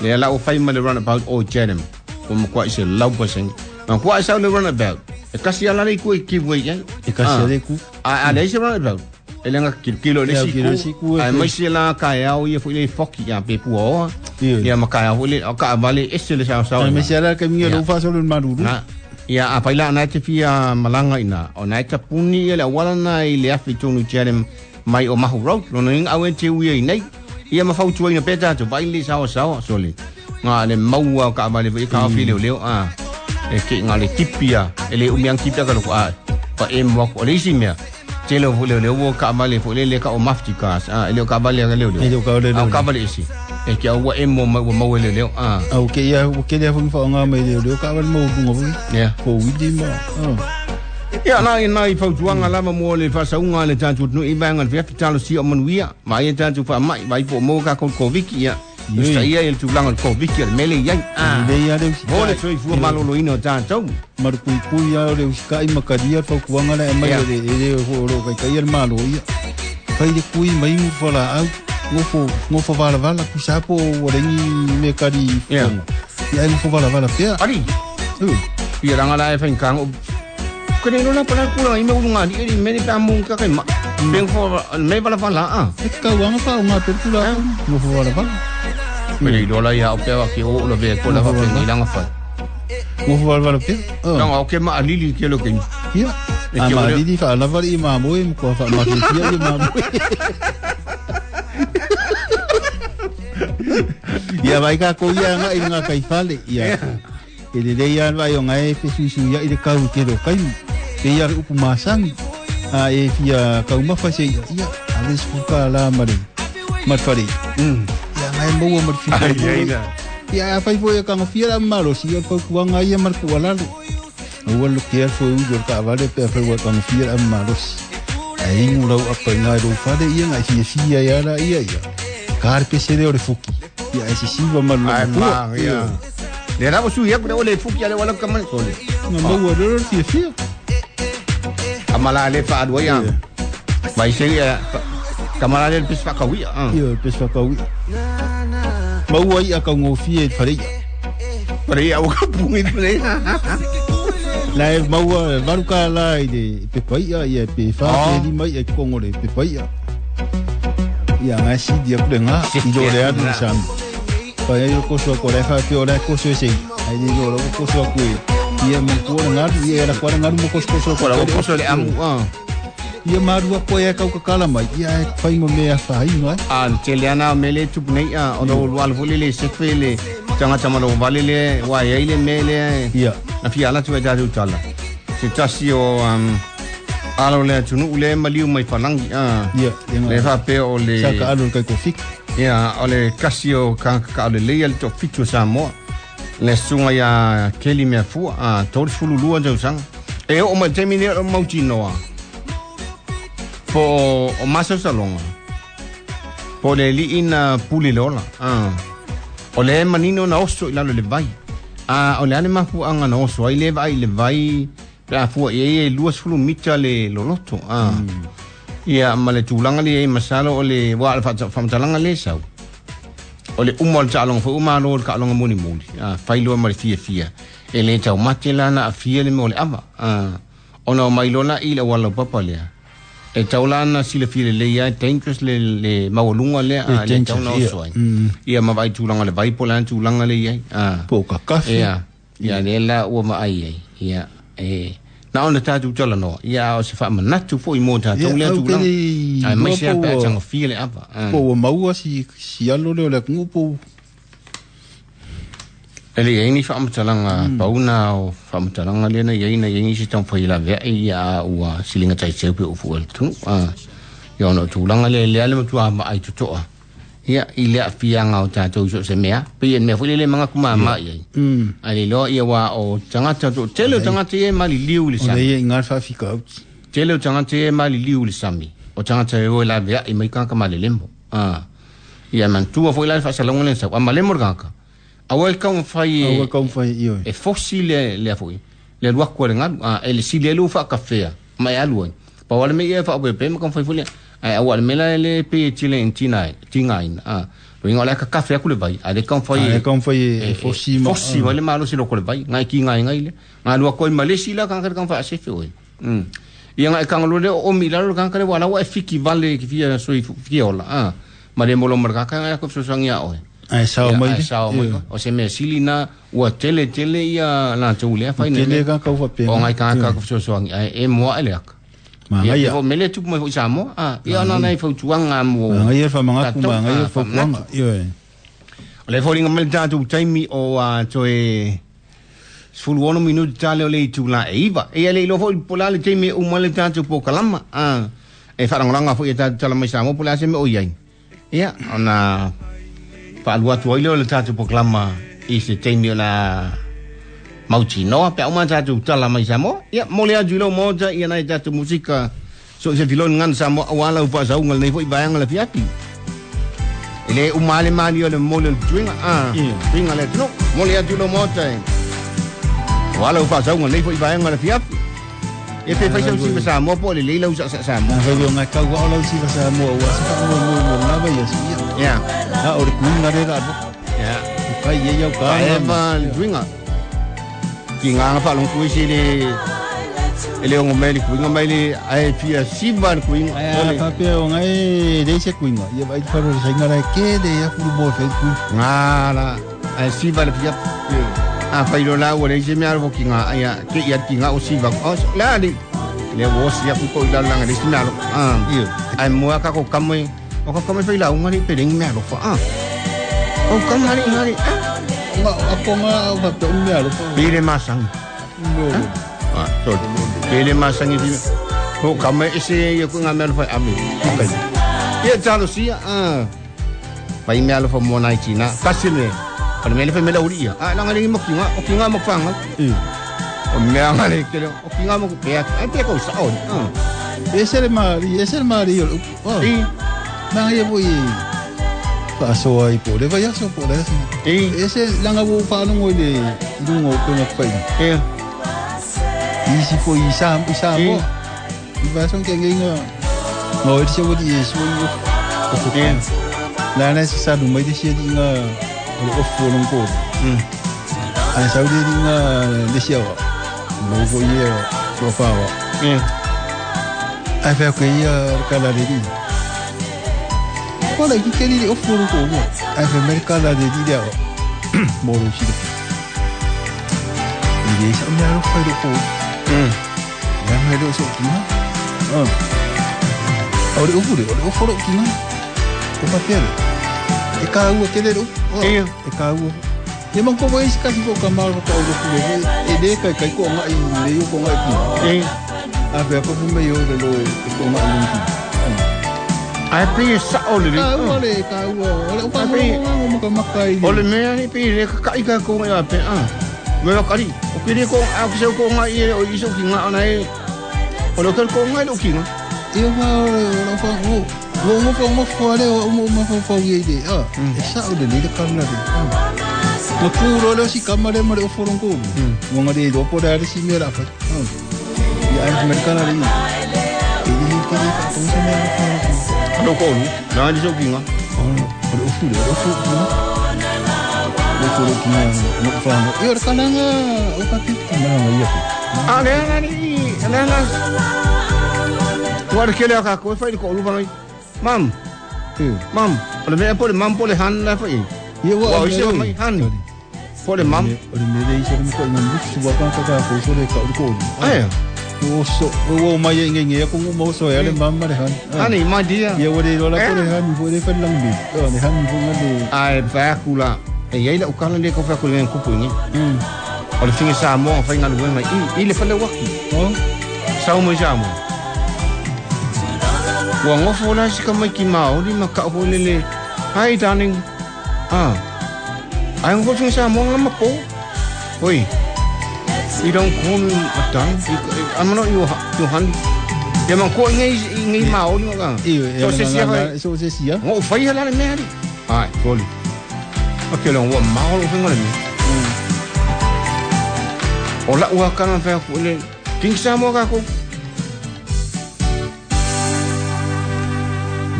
le la o fai ma le runabout o Chatham ko mo kwa se lau pa sen ma kwa sa le runabout e kasi ala le ku e ki voi e kasi le ku a a le se runabout ele nga kilo le siku ai mai se la ka ya o ia foi le foki ya pe pu o ia ma ka ya foi le ka vale ese le sa sa ai mai se la ka mi lo fa so le maruru na ia a paila na te fia malanga ina o na ta puni ele wala na ile afi tonu Chatham mai o Mahu Road lo no inga au te ui nei ia ma fau tuai na peta to vai le sa sa so le nga le maua ka vale foi ka fi le le a e ke nga le tipia ele umiang tipia ka lo a pa e mo ko le si mea tele o le le o ka vale fo le le ka o mafti ka a ele o ka vale le le ele o ka le le ka vale isi e ke o e mo mo mo le le a o ke ia o ke le fo fa nga me le le ka vale mo bunga fo yeah fo wili ma ia na na i fautuanga lava mo le fasaunga le tatou no i vanga le fitalo si o manuia mai tatou fa mai mai po mo ka ko koviki ia Usta ia el tulanga ko viki le mele ia a le ia le mo le toi fu malolo ino tatou marupuipui ia le uskai makaria fautuanga le mai le le ho ro kai kai el malo ia fai le kui mai mu fala au ngofo ngofo vala vala ku sapo o lengi me kari ia ia ngofo vala vala pea ari ia ranga la e fain kang ko ne no pa ku la i me unga ni ri me ni pa mun ka kai ma ben fo me vala vala a e ka wanga fa unga pe ku la ngofo vala vala me le dola ia o pe wa ki o lo ve ko la fa ni langa fa ngofo vala vala pea no o ke ma alili ke lo ke ia a ma alili fa la vala i ma moe ko fa ma ki ia ma moe ia vai ka ko ia nga i nga kai fale ia e le ia vai o ngai fe su ia i le kau ke lo kai pe ia upu masangi a e fia kau ma fa se ia a les fuka la mare matfare mm ia ngai mo mo fi ai ia a fai foi ka ngofia la malo si ia ku nga ia mar ku alalo o lo ke fo u do ka vale pe fe wa ka ngofia la malo ai ngu lau apa ngai ro fale ia ngai fia fia ia la ia ia ka pe se le ore fuki ia e si va malo ai ma ia le rabo su ia ku le fuki ale wala ka man sole na mo wa ro fia fia amala le fa adwa ya vai se ia kamala le pis fa kawi ah ia pis fa kawi maua ia ka ngofia e fare fare ia o ka pungi fare la e maua varuka la i le pe pai ia ia pe fa pe ni mai e kongo le pe pai ia ia ngai si dia ku le nga i do le adu sam pa ia ko so ko le fa pe o le ko so se ai ni lo ko so ku ia mo ko nga ia la ko nga mo ko so ko la ko so le amu ah ia marua ko ia kau kakala mai ia e fai mo mea fai no a tele ana mele tup nei a o lo wal vole le se fele tanga tama lo vale le wa ia ile mele ia na fia ala tu e tatu tala se tasi o um alo le tunu le maliu mai falangi a ia le fa pe o le sa ka alo kai ko fik ia o le kasi o ka ka le le to fitu Samoa le sunga ia keli mea fua a tolu fulu lua tausaga e oo mai le taimi lea o mautinoa po o masausaloga po le ali'i na pule le ola a o le manino na oso i lalo le vai a o le a le mafu'aga na oso ai le vaai i le vai pe a fua i ai e luasefulu mita le loloto a Ia ma le tulaga lea i masalo o le ua le faamatalaga le sau. O le uma o le taaloga foi uma alo o le taaloga mulimuli. Ah, failoa ma le fiafia. E le taumate la na afia le mea o le ava. Ah, ona o mai lola i le auala laupapa lea. E tau la na silafia lelei ai dangerous le le maualuga lea Le a le tau na dangerous, ia. oso ai. Mm. Ia ma vaai tulaga o le vai po o le a le tulaga le i ai. Ah. Po o kakafi. Ia, ia lea la ua maai ai. Ia, e na ona tatou talanoa. Ia o se faamanatu foi mo tatou Ia, lea au ke tulaga. le Ai iloa mai se po pe ua- tagofia le ava. Ah. po ua maua si si alo lea o le atunuu po E le iai ni faamatalaga pauna o faamatalaga lea na iai na iai nisi taumafai laveai ia a ua siliga taiseu pe ufu le atunuu. Ah. Ia ona o tulaga lea lea le matua maai totoa. Ia i le aafiaga o tatou i so o se mea. Pei e le mea foi lele manatu māmā i ai. Mm. Ae le iloa ia ua o tagata toatele o tagata ia e maliliu i le O sami. le ia i ngā whaafikaauti. Tele o tagata ia e maliliu i le sami. O tagata e o e laveai mai tagata malelemo. Ah. Ia manatua foi la le faasalauga lea na sau. A malemo le tagata. Aua e taumafai Aua e kaumawhai i oe. e fosi le le foi le alu atu a le galu a e le sili ai le faakafea ma e alu ai pau a le mea ia e faaopeopea ma taumafai foi lea ae aua le mea la e le pei e tile tiga tigaina a loiga o le a kakafe atu le vai a le taumafai A e e kaumawhai e fosi ma. fosi mai le malosi loko le vai ngai kigaegai lea galu atu ai ma le isi la tagata le taumafai asefe oe mm ia ngai kagaloa lea o omi i lalo le tagata lea ua la ua e fiki vale ki fia soi fia ola a ma le molo ma le tagata ngai aku fesoasoani iā oe. Ai sao Ia, mai ae le. sao mai Ia. o se mea sili na ua tele tele ia latou lea fai nei Tele ka kau whapea. o ngai tagata ka fesoasoani ae e moa e le aka. Ma Ia ngai te fo mele tupu mai foi Samoa a ia ona nai fautuaga mo Ma ngai e whamangaku tatou, ma ngai ah, e whakuanga. faamanatu. Ia e. O le foliga mai le tatou taimi o a toe sefulu ono minuti tale o le itulā e iva. Ia le iloa foi po o le a le taimi e uma ai le tatou pokalama. A e faalagolaga foi e tatou tala mai Samoa po o le a se mea o i ai. Ia ona faalua atu ai lea o le tatou pokalama i se taimi o la mautinoa pe a uma tatou tala mai Samoa. Ia mo le atu i lau maota ia nai tatou musika so se filoni gana Samoa auā lau faasauga lenei foi vaega le afiafi. E le uma le mali o le momoli o le tuiga a Ia. tuiga le atunuu. Mo le atu i lau maota e auā lau faasauga lenei foi vaega le afiafi. E pe fai sau siva Samoa po o lelei lau saasaa Samoa. Nā whai o ngai kau ao lau siva sa mua ua se wha mua mua mua ngā vai asu ia. Ia. Ha o le kuinga re rā bo. Ia. O kai e iau ka Faeva le tuiga. Ki ngā whaalongo isi le e le ongo mai le kuinga mai le ae fia siva le kuinga. Ai O a le whapea o ngai rei se kuinga. Ia vai te wharo le sainga rai ke le ia furu mua whai kuinga. Ngā la ae siva le fia. A whairo la ua le se mea alo ki ngā ai a ke ia ki ngā o siva. O la le le o si aku ko i lalo langa le si mea alo. Ah. Ia. Ai mua ka ko kamoi. O ka kamoi whai la unga ni pe rengi mea alo fa. Ah. O kamari ngari. Ah. Nga ako nga au whapea o mea alo. Pere masangi. Ah, sorry. Pere masangi fi. Ko kamoi ese ia ko ngā mea alo whai ame. Okay. Ia talo sia. Ah. Whai mea alo fa mo nai tina. Kasi le. O le mea le whai mea uri ia. Ah, langa lengi mo ki ngā. O ki ngā mo whanga. Ia. O mea ngā le kele. O ki ngā mo pea. Ai pea kau sa o. Ah. Ese le mari, ese le mari o le upu. Oh. I. Nā ia po i whaasoa i po le vai aso po le aso. I. Ese langa wo whaalongo i le i lunga o penga whaina. Ia. Isi po i sa i sa I. mo. I vason ke nginga. No e se wodi e so i o. Ia. La na se sa mai de se di nga o le ofu o longo. Mm. Ai sa di nga le se wa. Mo go ye so fa wa. Ia. Ai fa ko ia ka la le di. Ko la ki ke ni ofu o longo mo. Ai fa me ka la le di le wa. Mo ro si de. I de sa me ro fa ro ko. Mm. La me ro so ki na. Ah. O le ofu le, o le ofu ro ki na. Ko pa pere. E ka ua ke le ro. Ia. E ka ua. Ia man ko wai si kasi ko ka maro ka o ku le e le kai kai ko ngai le yo ko ngai ki. I. A fe ko me yo le lo e ko ngai le ki. Ai pe e sa o le. Ka ua le ka ua. O le pa mo mo mo ka makai. O le mea ni pe le ka i ka ko ngai pe ah. Me wa kari. O ke le ko a ke se ko ngai e o iso ki ngā ona e. O le ko ngai lo ki ngā. Ia fa o le o fa o. Wo mo fa mo fa le o mo mo fa fa ye de. Ah, e sa o le le ka la de. Ma ku ro le si ka mare mare o foron ko. Mo ngari do po le si me la fa. Ia ai me ka la le. E ke le ka tong se me lo ko lu na ni so kinga o le ufu le ufu na le ufu le kinga no fa no e o kalanga o ka pi na na ia a le na ni le na wa ke le ka ko fa ko lu fa mam mam o le me po le mam po le han la fa i ia wa i se mai han po le mam o le me le i se me ko na lu su wa ka ka ko so le ka ko ai o so o mai nge nge ko mo so ya le mam le han honey my dear ia o le la ko le han fo le fa lang bi o le han fo le ai fa kula e ia le ukala le ko fa ko le kupu nge o le finga sa mo fa nga le mai i le fa le waki o sa mo ja mo wa ngofo la si ka mai ki maoli ma ka ho le le hi darling ah ai ngofo finga sa mo nga ma po oi. You don't call me a darling. I'm not your your honey. Ya man ko ngai ngai maoli nga. So se sia so se sia. Ngo fai hala le me ali. Ai, soli. Okay, lo wa maoli finga le me. O la ua kana fa ko le king sa mo ka ko.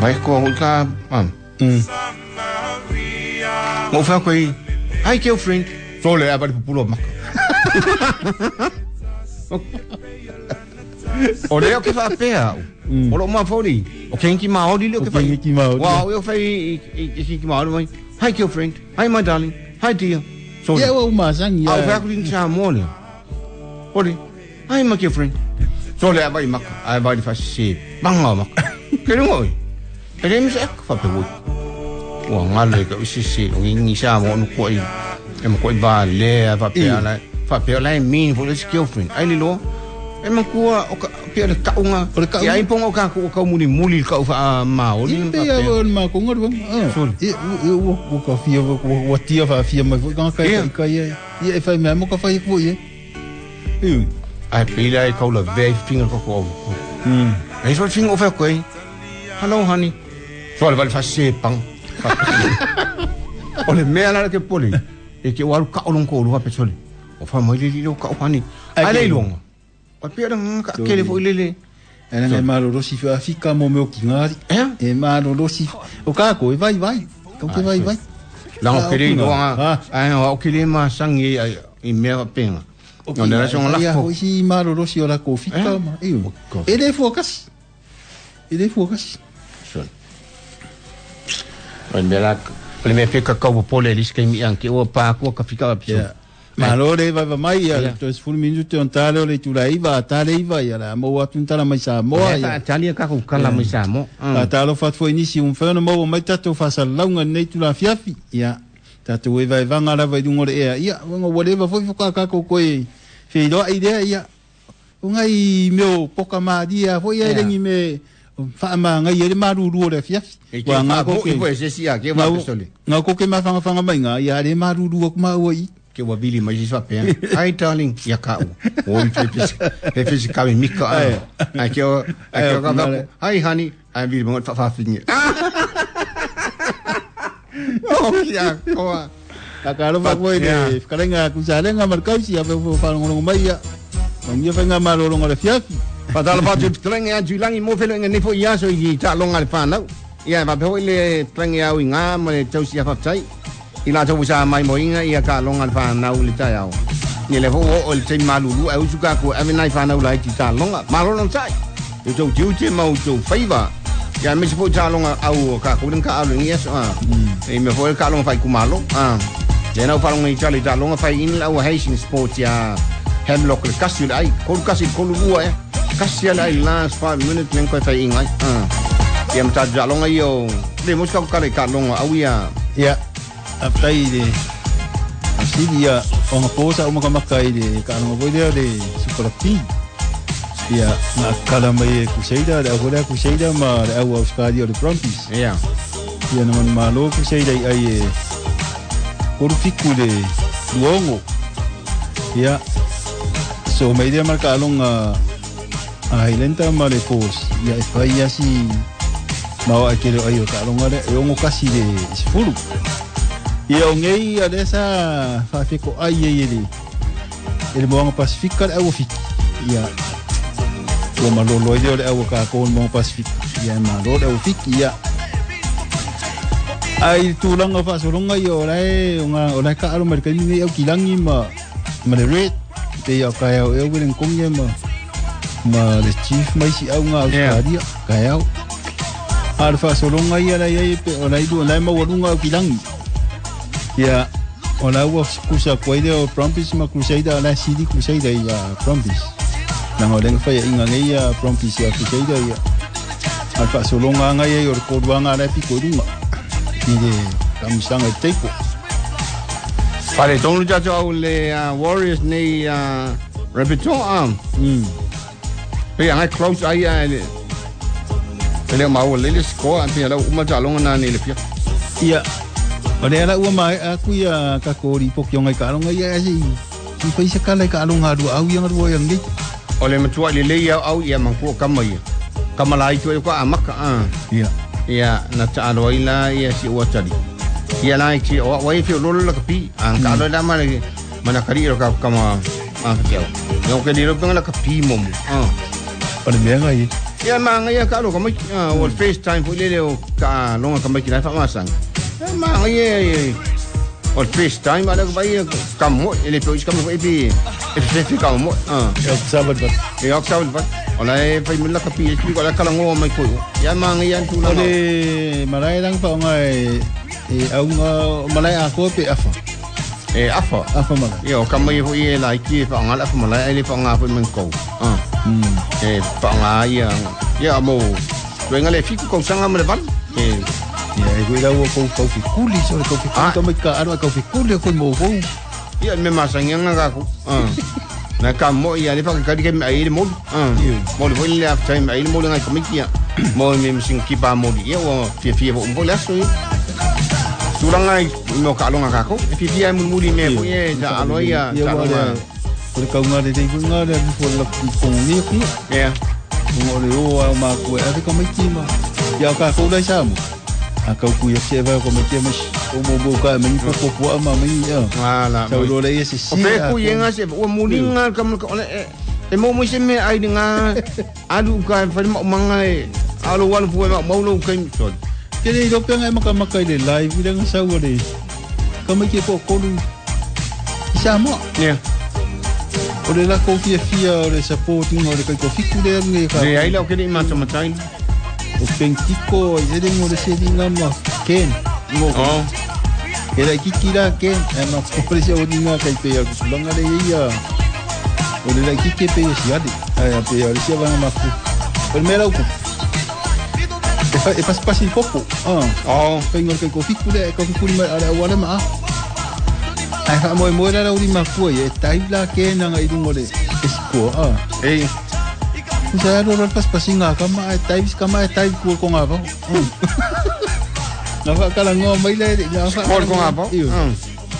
Mai ko ka am. Mm. Ngo fa ko hi girlfriend. Sole a ba le pulo maka. O leo ke whaapea o lo ma fori o kenki maori leo ke whai wa o whai i kenki maori mai hi girlfriend hi my darling hi dear so ia o masangi au wha kuling sa mo leo ori hi my girlfriend so le abai maka ai bai fa se banga maka ke rungo oi e le misa ek whape woi wa ngale ka usi se o ngi sa mo no ko i e mo ko i va le va pe ala fa pe ala mean for this girlfriend ai le lo e makua o ka pe le kaunga ia ai pongo ka ko ka muli muli ka fa maoli pe ia o ma ko ngor e o o ka fia o tia fa fia mai ka ka ka ia ia e fa me mo ka fa ko ia e ai pe la e ka la ve finger ko ko mm e so finger over ko hello honey so le va fa se pang o le me ala ke poli e ke waru ka olon ko lu ha pe sole o fa mai le lo ka o hani ai le longa o pe ra ka ke le fo ile le e na malo ro si fa fika mo me o ki ngari e malo ro si o ka ko e vai vai ko ke vai vai la o ke le longa ai o ke le ma sangi i me penga o ne ra son la ko si malo ro si o la ko fika ma e e le fo kas e le fo kas son o me la le me pe ka ko pole lis ke mi an ke o pa ko ka fika pa. Malo le vai mai ia to sefulu minutu on tale o le tula iva tale iva ia la mo atu tala mai sa mo ia tali ka ko kala mai sa mo a talo fat foi nisi un fano mo mai tato fa sa launga nei tula fiafi ia tato e vai vanga la vai dungo le ia ia ngo whatever foi foi ka ko ko e fe do idea ia ungai meo poka ma dia foi ia lengi me fa ma ngai le maruru le fiafi wa nga ko ke se sia ke va pistole nga ko ke ma fanga fanga mai nga ia le maruru ko ma oi ke wa bili mai sa pe ai darling ia ka o o pe pe pe ka mi ka ai ke o ai ke ka ai honey ai bili mo fa fa finge o ia ko a ka lo fa ko ile ka lenga ku sa lenga markau si a fa ngo mai ia ngi fa nga malo ngo le fiafi fa dal fa ju tlenga ju langi mo fe lenga ni fo ia so i ta longa le fa nau ia va pe le tlenga au nga mo le tau si fa tai i la tau sa mai mo inga ia ka longa le whanau le tai au. Ni le ho o le te malulu au suka ko ave nai whanau lai ti ta longa. Malo non tai. I tau tiu te mau tau whaiva. Ia me se po ta longa au ka ko ka au ngi so a. E me ho ka longa whai kumalo. A. Le nau whalonga i tali ta longa whai in au Hastings Sport ia Hemlock le kasi le ai. Kolu kasi kolu ua e. Kasi le ai last five minutes men koe whai ingai. A. Ia mta ta longa i o. Le mo ka ka ka longa au ia. Ia. Aftai le asili ia o ngā o makamaka i le kaanonga voi lea le Super Rugby ia ngā kala mai e Crusader le au lea Crusader ma le au Australia o le Brumbies ia ia na manu malo Crusader i ai e koru fiku le luongo ia so mai lea ma le kaalonga a Highlander ma le Force ia e whai asi maua a kere o ai o kaalonga le e ongo kasi le sefulu. Ia o ngei a lesa whaafeko ai e le e le moanga Pasifika le au fiki. Ia Ua malolo ai lea o le au a kākou o le Mauga Pasifika ia e malo le au fiki ia ai le tulaga o faasologa ia o lae o lae kaalo mai le kaimi nei aukilagi ma ma le red pei o kaeao ea Wellington ma ma le chief mai si au ngā Australia kaeao a le faasologa ia la iai pe o lai lua lai maualuga aukilangi ia o la ua kusa koe lea o Brumbies ma Crusader o la sili Crusader ia Brumbies na o lenga fai inga nei ia Brumbies ia Crusader ia a le faasologa aga ia o le koluaga la e piko i luga i le kamisaga i teiko. Fale tonu tatou au le uh, Warriors nei uh, Rabbitoh um. Mm. Pe anga close ai a le le mau le le score pe la uma talonga na ni le pia. Ia o le ala ua mai aku ia ka kori poki ongai ka alonga ia si si fai se kala ka alonga lu au ia ngaru ia ngi. O le matua le le ia au ia mangku kama ia. Kama lai tu ko amaka a. Ia. Ia na ta alo ila ia si ua tali. Ia lai ti o wai fi lolo la kapi an ka lo la ma le mana kari ro ka kama a fa yo ke ni ro penga la kapi mo mo ah o le mea ngai ia ma ngai ia ka lo ka mai o first time fo le le o ka longa ka mai ki la fa ma sang ma ngai ye o first time ala ka bai ka mo ele pe ka mo e pe e fe ka mo ah e sa va e o sa va o la e fai la kapi e ko la kala ngo mai ko ia ma ngai an tu la o le marai lang fa ngai e aunga malai a ko pe afa e afa afa malai ia o kama ia foi e lai ki fa ngala afa malai ele fa nga foi men ko ah e fa nga ia ia mo tu ngale fiku ko sanga male van e ia e ko ila ko ko fi kuli so ko fi kuli to ka aro ko fi kuli ko mo ko ia me ma sanga nga ko ah na ka mo ia le fa ka di ke ai le mo ah mo le foi le after time ai le mo le ngai komiki mo me sing ki pa mo ia o fia fia mo le so tulanga no ka longa ka ko e fifi ai mulmuli me po ye ja alo ia ja alo o le kaunga le te kunga le fo la ko ni ku yeah mo le o a ma ku e ka mai tima ya ka ko le sa mo a ka ku ya se va ko me tima o mo mo ka me ko ko ko ma me ya wala sa lo le se si o pe ku ye nga se o muli nga ka mo le e mo mo se me ai nga alu ka fa mo manga e alo wal fu ma mo lo ka so Ke le ilope ngai maka maka ile live ile nga sau le kama ke po kolu isa mo yeah o le la ko fia fia o le supporting o le kai ko fiku le ngai ka le ai la ke ni ma tamatai o penkiko ile ngo le se dinga ma ken mo oh e la kiki la ken e ma ko le se o dinga kai pe ya ku langa le ia o le la kiki pe si ade ai pe ya le se va ma ku o me la ku e pas pas il popo ah oh pengo ke ko fikule ko fikule ma ala wala ma ai ha mo mo la uri ma ku e tai la ke na ngai dungo le esko ah e sa ro ro pas pasinga ka ma tai ka ma tai ku ko nga ba na fa kala ngo mai le na fa ko ko nga ba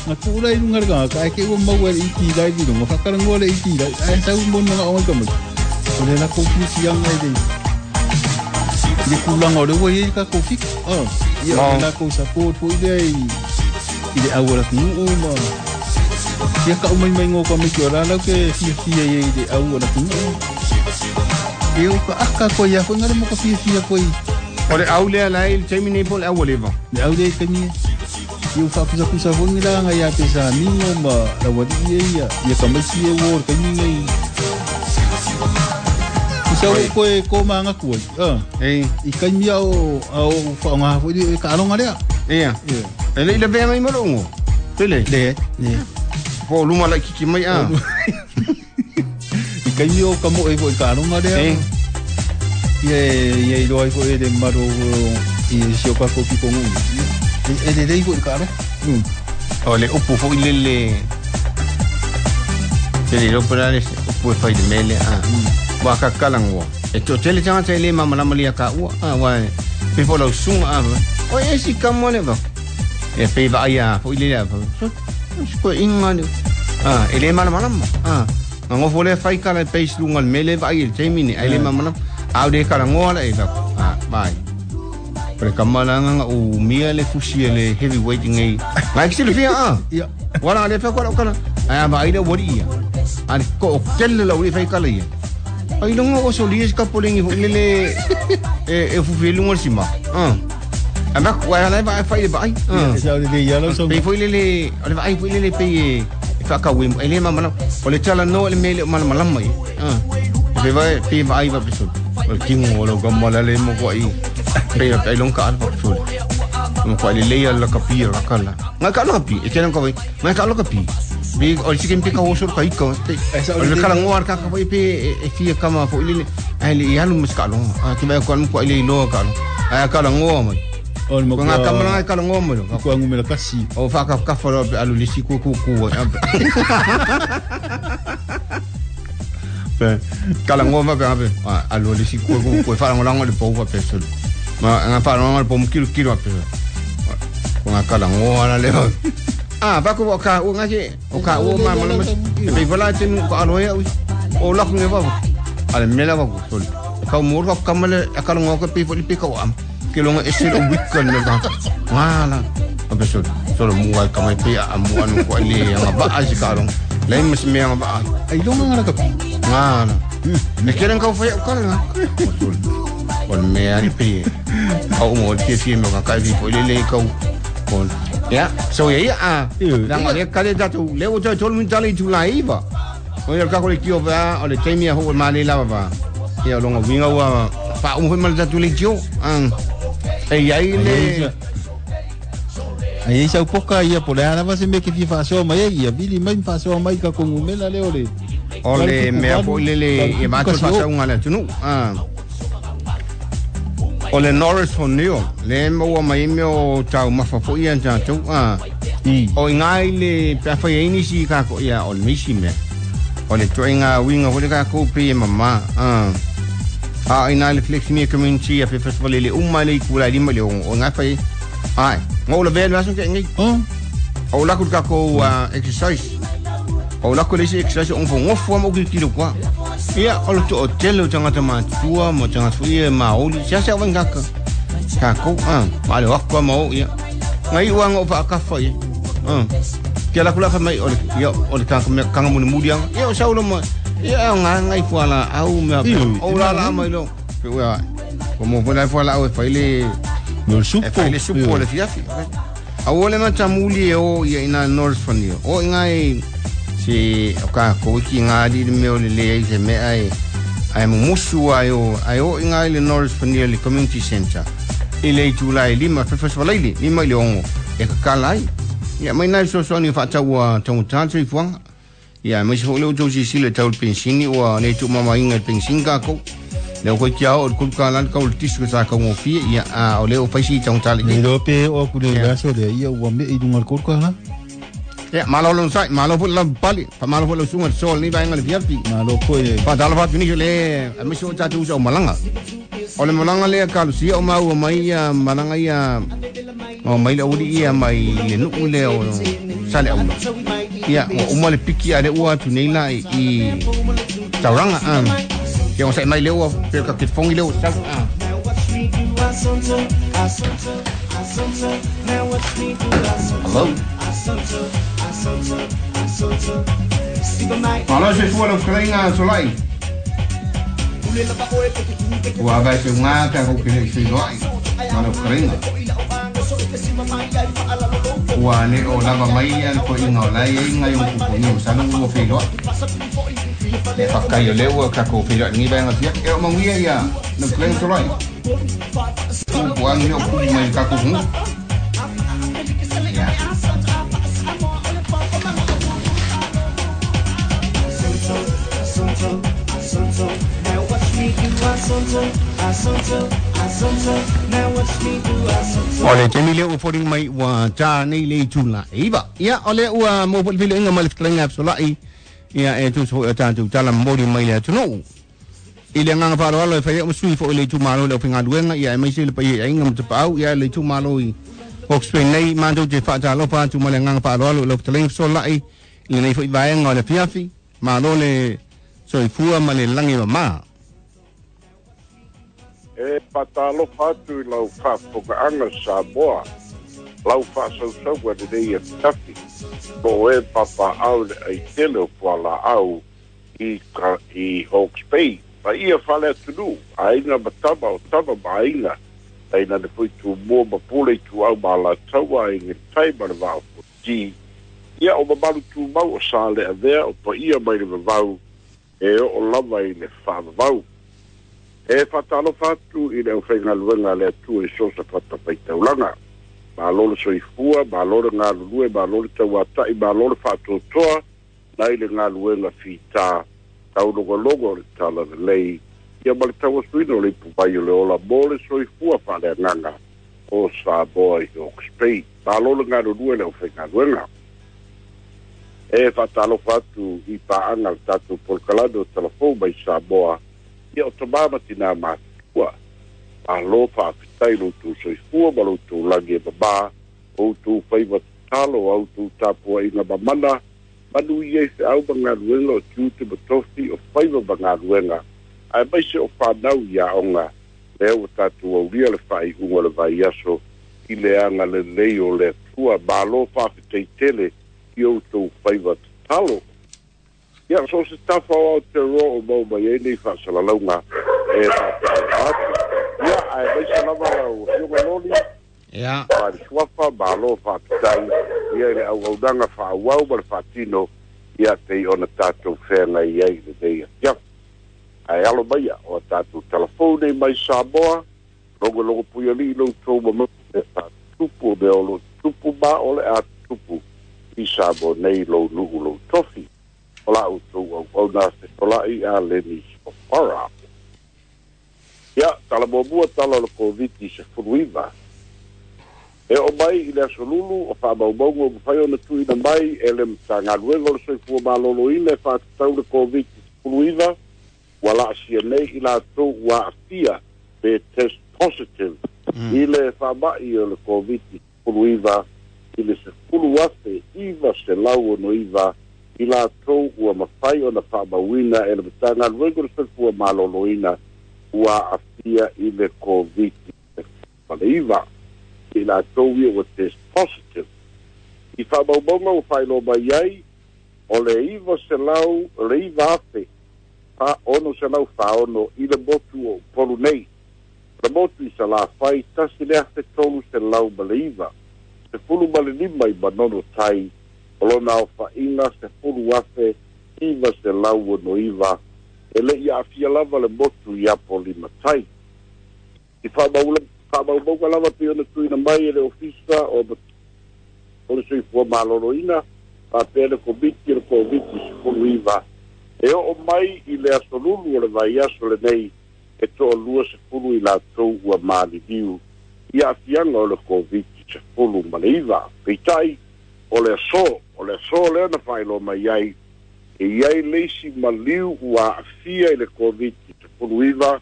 na ku la lunga ga ka ke o mo le i dai bi ngo fa kala ngo le i dai ai sa mo na o ka mo o le la ko ku si yang ngai dei le kulanga o le ua i ka kofi ah ia o la ko support foi le i le au la nuu ma ia ka umai mai ngo ka me ki ora la ke fia fia i le au la nuu e o ka aka ko ia ko ngare mo ka fia fia ko i o le au le la i temi nei pol au le va le au le ka ni i o fa kusa kusa fo ngi la nga ia pe sa mingo ma la wa di ia ia ka mai si e wo ka ni ngai Sa ko e ko manga ku ah e i kai mia o o fa nga fo i ka alonga lea ia e le ile ve mai mo longo tele le le po luma la kiki mai a i kai mia o ka mo e fo i ka alonga lea e ia ia i loa fo e le maro i si o ka ko ki ko ngu e le le fo i ka alo o le upu fo i le le le lo pera le upu e fai de mele a wa ka kalangwa e to tele tanga tele mama la malia ka ua a wa pe fo lo sunga a o e si ka mo le va e pe va ia fo ile la so ko inga ni a e le mana mana a ngo fo le fai kala pe lunga mele va i te mini ai le mama a de kala ngo la e va a vai pre kamala nga o mia le fusi le heavyweight ngai ngai ki le fia a ia wala le fa ko kala a va ai le wori ia a ko tele la uri fai kala ia Ai longa o solia se kapolengi ho lele e e fufi lunga sima. Ah. Ama ko ala va fa ile vai. Ah. Sa le ya lo so. Pe foi lele, ole vai foi lele pe e fa ka we ele mama na. Ole tala no le mele mala mala mai. Ah. Pe vai pe vai va pe so. O kingo lo ga mala le mo ko ai. Pe ai longa alfa so. Mo ko le le la kapia la kala. Nga ka lo kapi, e tena ko vai. Nga ka lo kapi. Pe o se ke ka oso ka iko. O le kala ngoar ka ka foi pe e fia kama foi lele. Ai le alu muskalo. A ki vai ko ko ile lo ka lo. Ai kala ngoa mai. O mo ko nga kamala kala ngoa mai. Ko ngumela kasi. O fa ka ka fa alu le si ku ku ku. Pe kala ngoa ma pe alu le si ku ku ku fa ngola ngol po fa pe solo. Ma nga fa ngol po kilo kilo pe. Ko nga kala ngoa la le. Ah, va ko ka o nga ke o ka o ma ma ma pe vola te ko alo ya o la ko nge va. Ale mela va ko sol. Ka mo ro ka male ka ngo ko pe pe ka o am. Ke longa ese o weekend le ka. Wala. A pe sol. Sol mo wa ka mai pe a mo anu ko le nga ba a si ka long. Le mas me nga ba. Ai longa nga ka. Wala. Me keren ka fa ka la. Sol. Kon me ari pe. O mo te fi me ka ka vi po le le ka. Kon. Ya, so ia a. Langa le ka le tatu le o tau tolu tali tu la iva. O ia ka ko le kio va o le taimi a ho ma le lava va. Ia longa winga wa fa o mo ma tatu le kio. An. E ia le Ai sa poka ia po le ala va se me ke fi fa so mai ia vili mai fa so mai ka ko ngumela le ole. O le me a po le le e ma to fa sa unga le tunu. Ah. O le Norris Honio, le maua mai me o tau mawhafo ia tātou. Ah. O i ngai le peawhai eini si kako ia o le misi mea. O le toenga winga hore kako pe e mama. Ah. A i nai le Fleximia Community a fe festival le uma le kula lima le o ngai whai. Ai, ngau la vele aso ke ngai. O la ku kako exercise. O la ku le exercise on fo ngofo mo ki kilo kwa. Ia o le to tele o tangata matua mo tangata foi maoli sia sia wanga ka ka ko ah ma le wakwa mo ia ngai uanga o pa ka fa ia ah kia la kula fa mai o le ia o le ka ka mo muri ia o saulo mo ia nga ngai fo ala au me o la la mai lo pe ua ko mo fo la fo ala au fa ile no supo fa ile supo le fia fi au le ma tamuli o ia ina North Fanio o ngai si o ka ko ki ngā di me o le le se me ai ai musu ai o ai o ngai le Norris Fanio le Community Center i le July lima fe festival le lima le ongo e ka kalai ia mai nai so so ni fa tau tau tantri fuanga ia mai so le o si si le tau pensini o le tu mama inga pensin ka ko le ko kia o ku ka lan ka o tisu sa ka ngo fi ia a o le o faisi tau tali ni lo pe o ku le gaso le ia o me i dunga ko ka ha. Ya, malo lo sai, malo fo la pali, pa malo fo lo sunga sol ni vainga le fiafi. Malo fo e. Pa dalo fa tuni le, a miso ta tu so malanga. O le malanga le ka lu sia o mau mai ia malanga ia. O mai le uri ia mai le nu le o sale o. Ia, o mo le piki a le ua tu nei la i tauranga a. Ke o sai mai le ua pe ka ke fongi le o sa. Hello. Malo se fua lau fetalaiga solai. Ua vai se uga ka ko kele se loai. Malo fetalaiga. Ua ne o lava mai ia le poiga o lai ai ngai o kupu ni o salu ua feiloai. E whakai o leo ka ko feiloai ni vaenga fia. E o manguia ia lau fetalaiga solai. Kupu angi o kupu mai ka ko hunga. O le temi leo foring mai ua tā nei le tula iwa. Ia o le ua mō po le filo inga ma le fetalaiga fesolai. Ia e tusa foi o tātou tala mori mai le atunuu. I le agaga faaaloalo e fai ai o masui foi le itumalo le aufaigaluega ia e maise le paia i aiga ma tapaau ia le itumalo i Hawke's Bay nei matou te faatalofa atu ma le agaga faaaloalo i lau fetalaiga fesolai i lenei foi vaega o le afiafi. Malo le soifua ma le lagi mamā. E patalofa atu i lau faafofogaʻaga Samoa, lau faasausauga lenei afiafi, po e papaʻau le aitele o Fualaau i, ka, i Hawke's Bay. Paia faaleatunuu, aiga ma tama o tama ma aiga, tainane foi Tumua ma Pule Ituau ma Alataua, Aiga i le Tai ma le Vaa o Fonoti. Ia o mamalu tumau o sa le avea o paia mai le vavau e oo lava i le faavavau. E faatalofa atu i le aufaigaluega a le Atua i so o se fatafaitaulaga. Malo le soifua, malo le galulue, malo le tauata'i, malo le faatoatoa nai le galuega fitā taulogologo o le talalelei ia ma le tauasuina o le ipuvai o le ola mo le soifua faaleagaga o Samoa i Hawke's Bay. Malo le galulue le aufaigaluega. E faatalofa atu i paaga le tatou polokalame o Talafou mai Samoa, ia o tamā ma tinā matutua. Malo faafetai lo outou soifua ma lo outou lagi e mamā, o outou faiva tatalo, a outou tapuaʻiga mamana, manuia i feau ma galuega o tiute ma tofi o faiva ma galuega, aemaise o fanau i aoga, lea ua tatou aulia le faaiuga o le vaiaso i le agalelei o le Atua. Malo faafetai tele i outou faiva tatalo. Ia, so o se tafa o Aotearoa o maua mai ai nei faasalalauga e faatalofa atu. Ia, aemaise lava lau Afioga Loli. Ia. Faale-Suafa, malo faafetai ia i le auaunaga faaauau ma le faatino ia pei ona tatou feagai ai i lenei afiafi. Ae alo maia o a tatou talafou nei mai Samoa, logologo puialii lo outou mamalu e faatutupu o mea o lo o tutupu ma o le a tutupu i Samoa nei lou nuu lou tofi. O la outou auauna fetola'i a Leni Sofara. Ia, tala muamua tala o le Koviti sefuluiva. E oo mai i le aso Lulu o faamaumauga ua mafai ona tuuina mai e le Matagaluega o le Soifua Maloloina e faatatau le Koviti sefuluiva, ua laasia nei i latou ua aafia pe test positive i le faama'i o le Koviti sefuluiva i le sefulu afe iva selau ono iva i latou ua mafai ona faamauina e le Matagaluega o le Soifua Maloloina ua aafia i le Koviti iva. I latou ia ua test positive. I faamaumauga ua faailoa mai ai, o le iva selau, o le iva afe fa ono selau faono i le motu o Upolu nei. O le motu i Salafai, tasi le afe tolu selau ma le iva. Sefulu ma le lima i Manono Tai, o lona aofaʻiga sefulu afe iva selau ono iva, e leʻi aafia lava le motu i Apolima Tai. I faamaumauga lava pei ona tuuina mai e le Ofisa o o le Soifua Maloloina faapea le Komiti o le Koviti sefuluiva, e oo mai i le aso Lulu o le vaiaso lenei e toalua sefulu i latou ua maliliu i aafiaga o le Koviti sefulu ma le iva. Peitai, o le aso, o le aso lea na faailoa mai ai, e i ai le isi maliu ua aafia i le Koviti sefuluiva,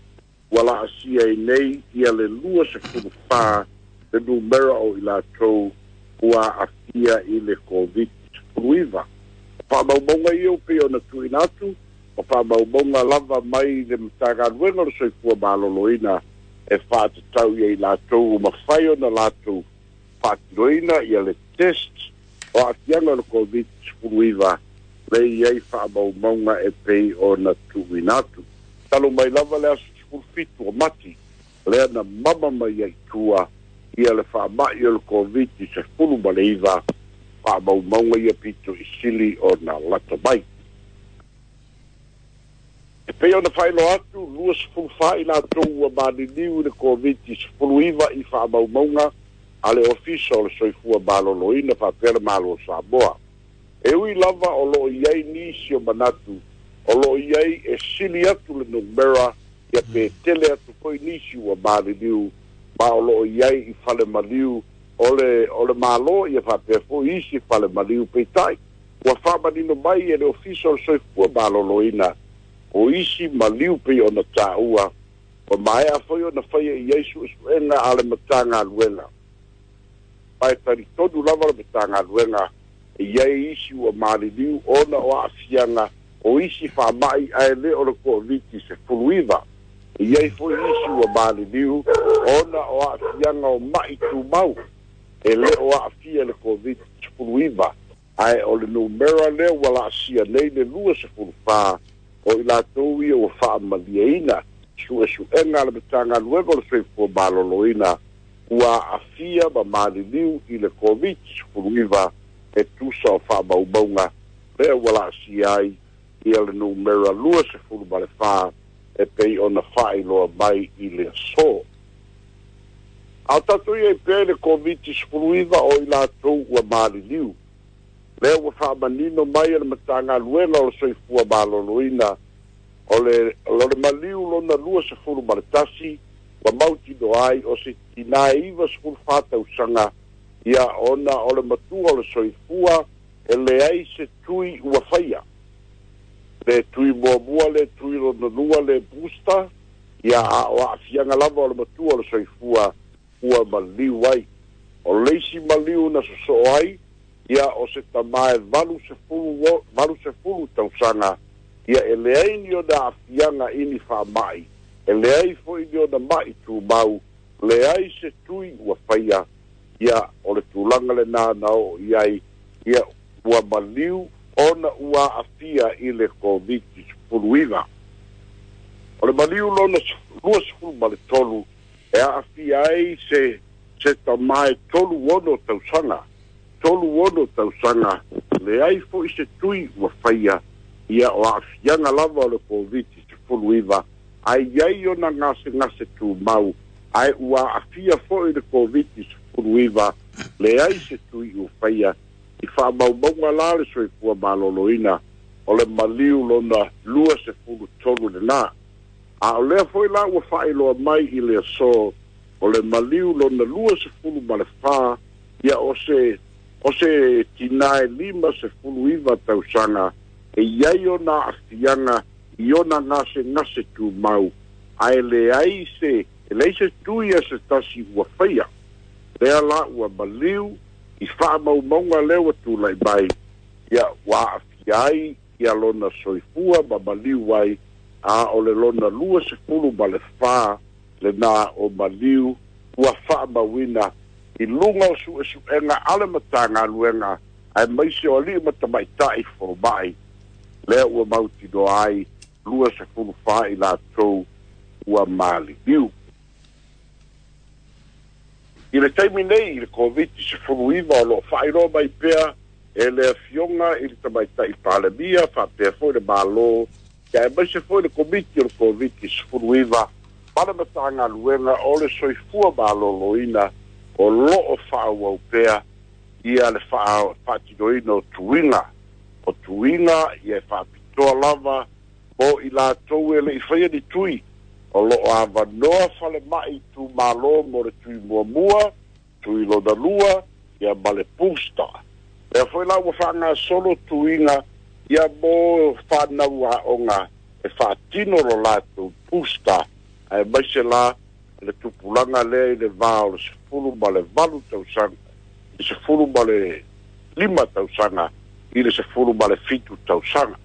ua laasia ai nei ia le lua sefulu fa le numera o i latou ua aafia i le Koviti sefuluiva. O faamaumauga ia pei ona tuuina atu, o faamaumauga lava mai le Matagaluega o le Soifua Maloloina e faatatau ia i latou ua mafai ona latou faatinoina ia le test o aafiaga o le Koviti sefuluiva, le i ai faamaumauga e pei ona tuuina atu. Talu mai lava le aso sefulu fitu o Mati, lea na mama mai ai tua ia le faama'i o le Koviti sefulu ma le iva, faamaumauga ia pito i sili ona lata mai. E pei ona faailoa atu, lua sefulu fa i latou ua maliliu i le Koviti sefuluiva i faamaumauga a le Ofisa o le Soifua Maloloina faapea le Malo o Samoa. E ui lava o loo i ai nisi o manatu, o loo i ai e sili atu le numera, ia pe tele atu foi nisi ua maliliu, ma o loo i ai i fale maliu o le, o le Malo, ia faapea foi isi fale maliu. Peitai, ua faamanino mai e le Ofisa o le Soifua Maloloina, o isi maliu pei ona taua, o maea foi ona faia i ai suesuega a le Matagaluega. Ma e talitonu lava le Matagaluega, e i ai isi ua maliliu ona o aafiaga o isi faama'i ae le o le Koviti sefuluiva. E i ai foi isi ua maliliu ona o aafiaga o ma'i tumau, e le o aafia le Koviti sefuluiva, ae o le numera lea ua laasia nei le lua sefulu fa O i latou ia ua faamalieina suesuega a le Matagaluega o le Soifua Maloloina ua aafia ma maliliu i le Koviti sefuluiva e tusa o faamaumauga lea ua laasia ai ia le numera lua sefulu ma le fa e pei ona faailoa mai i le aso. A o tatou ia i pea i le Koviti sefuluiva o i latou ua maliliu, lea ua faamanino mai e le Matagaluega o le Soifua Maloloina o le, o le maliu lona lua sefulu ma le tasi ua mautinoa ai o se tinā e iva sefulu fa tausaga ia ona o le matua o le soifua e leai se tui ua faia. Le tui muamua, le tui lona lua, le booster, ia a o aafiaga lava o le matua o le soifua ua maliu ai. O le isi maliu na sosoo ai, ia o se tamā e valu sefulu, valu sefulu tausaga, ia e leai ni ona aafiaga i ni faamai, e leai foi ni ona mai tumau, leai se tui ua faia, ia o le tulaga lenā na oo i ai, ia ua maliu ona ua aafia i le Koviti sefuluiva. O le maliu lona lua sefulu ma le tolu e aafia ai se se tamā e tolu ono tausaga, tolu ono tausaga, leai foi se tui ua faia, ia o aafiaga lava o le Koviti sefuluiva, ae iai ona gasegase tumau, ae ua aafia foi le Koviti sefuluiva, leai se tui ua faia. I faamaumauga la le Soifua Maloloina o le maliu lona lua sefulu tolu lenā. A o lea foi la ua faailoa mai i le aso o le maliu lona lua sefulu ma le fa, ia o se, o se tinā e lima sefulu iva tausaga e iai ona aafiaga i ona gasegase tumau, ae leai se, e leai se tui a se tasi ua faia. Lea la ua maliu i faamaumauga lea ua tulai mai, ia ua aafia ai ia lona soifua ma maliu ai, a o le lona lua sefulu ma le fa lenā o maliu ua faamauina i luga o suesuega a le Matagaluega aemaise o alii ma tamaitai fomai, lea ua mautinoa ai lua sefulu fa i latou ua maliliu. I le taimi nei i le Koviti sefuluiva o loo faailoa mai pea e le afioga i le tamaitai Palemia faapea foi le Malo, ia aemaise foi le Komiti o le Koviti sefuluiva ma le Matagaluega o le Soifua Maloloina o loo faaauau pea ia le faatinoina o tuiga, o tuiga ia e faapitoa lava mo i latou e lei faia ni tui. O loo avanoa falemai itumalo mo le tui muamua, tui lona lua, ia ma le booster. Lea foi la ua faagasolo tuiga ia mo fanau aoga e faatino lo latou booster, aemaise la le tupulaga lea i le va o le sefulu ma le valu tausaga, i sefulu ma le lima tausaga i le sefulu ma le fitu tausaga.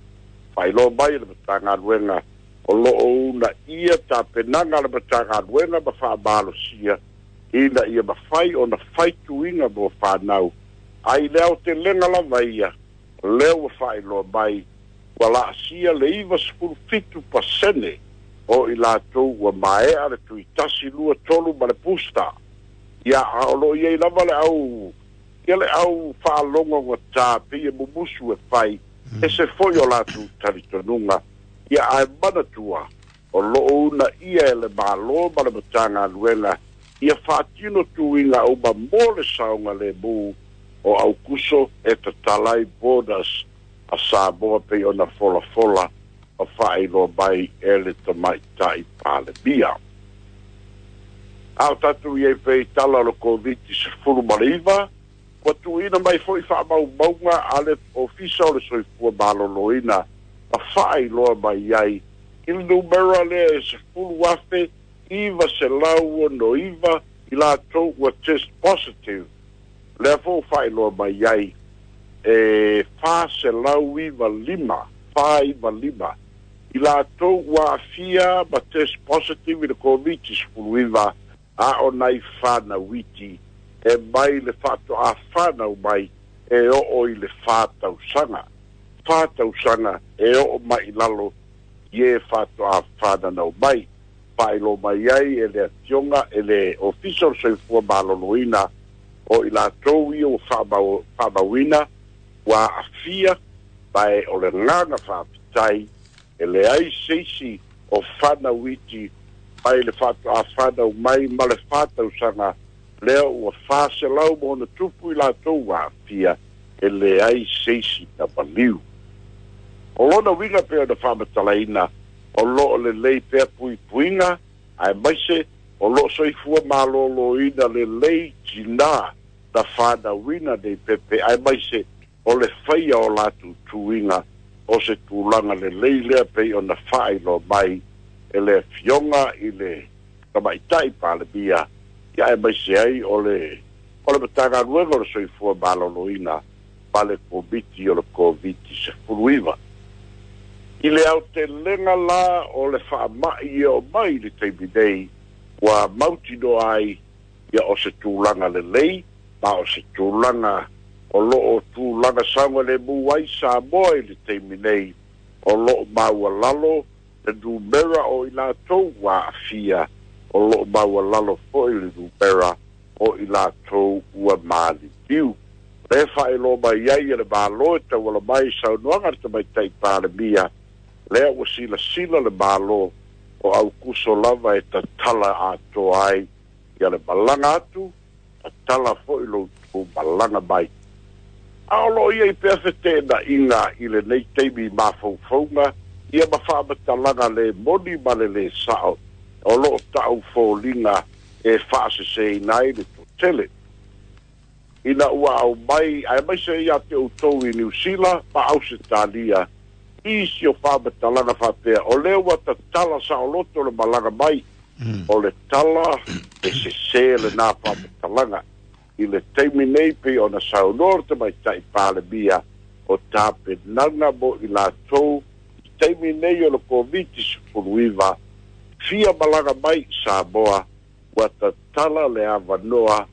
Faailoa mai e le Matagaluega o loo una ia tapenaga a le Matagaluega ma faamalosia ina ia mafai ona fai tuiga mo fanau. Ai le aotelega lava ia, lea ua faailoa mai ua laasia le iva sefulu fitu pasene o i latou ua maea le tui tasi lua tolu ma le booster. Ia a o loo iai lava le au, ia le au faalogogata pei e mumusu e fai, ese foi o latou talitonuga. Ia ae manatua o loo una ia e le Malo ma le Matagaluega ia faatino tuiga uma mo le saogalemu o Aukuso e tatala ai borders a Samoa pei ona folafola ma faailoa mai e le tamaitai Palemia. A o tatou iai pea i tala o le Koviti sefulu ma le iva, ua tuuina mai foi faamaumauga a le Ofisa o le Soifua Maloloina ma faailoa mai ai i le numera lea e sefulu afe iva selau ono iva i latou ua test positive. Lea foi ua faailoa mai ai e fa selau iva lima, fa iva lima i latou ua aafia ma test positive i le Koviti sefuluiva, a o nai fanau iti e mai le faatoa fanau mai e oo i le fa tausaga. Fa tausaga e oo mai i lalo I e fa'ato'a fananau mai fa'ailoa mai ai e le afioga e le Ofisa o le Soifua Maloloina o i latou ia ua fa'amauina ua a'afia ma e o le gaga fa'apitai e leai se isi o fanauiti mai le fa'ato'a fanau mai ma le fatausaga lea ua faselau ma ona tupu i latou ua a'afia e leai se isi na maliu. O lona uiga pei ona fa'amatalaina o lo'o lelei pea puipuiga ae maise o lo'o soifua malōlōina lelei tinā na fanauina nei pepe ae maise o le faia o latou tuiga o se tulaga lelei lea pei ona fa'ailoa mai e le afioga i le tamaita'i Palemia ia ae maise ai o le o le Matagaluega o le Soifua Maloloina ma le Komiti o le Koviti sefuluiva. I le aotelega la o le fa'ama'i e o mai le taimi nei ua mautinoa ai ia o se tulaga lelei ma o se tulaga o lo'o tulaga saogalemu ai Samoa i le taimi nei o lo'o maualalo le numera o i latou ua a'afia o lo'o maualalo fo'i le numera o i latou ua maliliu. Le fa'ailoa mai ai e le Mālō e tauala mai saunoaga le tamaita'i Palemia lea ua silasila le Mālō o Aukuso lava e tatala atoa ai ia le malaga atu tatala fo'i loutou malaga mai. A o loo ia i pea feteena'iga i lenei taimi mafaufauga ia ma fa'amatalaga le moni ma le lē sa'o o loo ta'u foliga e fa'aseseina ai le to'atele ina ua au mai ae maise ia te outou i Niusila ma Ausetalia isi o fa'amatalaga fa'apea o lea ua tatala sa'oloto le malaga mai o le tala e sesē lenā fa'amatalaga i le taimi nei pei ona saunoa le tamaita'i Palemia o tapenaga mo i latou i taimi nei o le Koviti sefuluiva fia malaga mai Samoa ua tatala le avanoa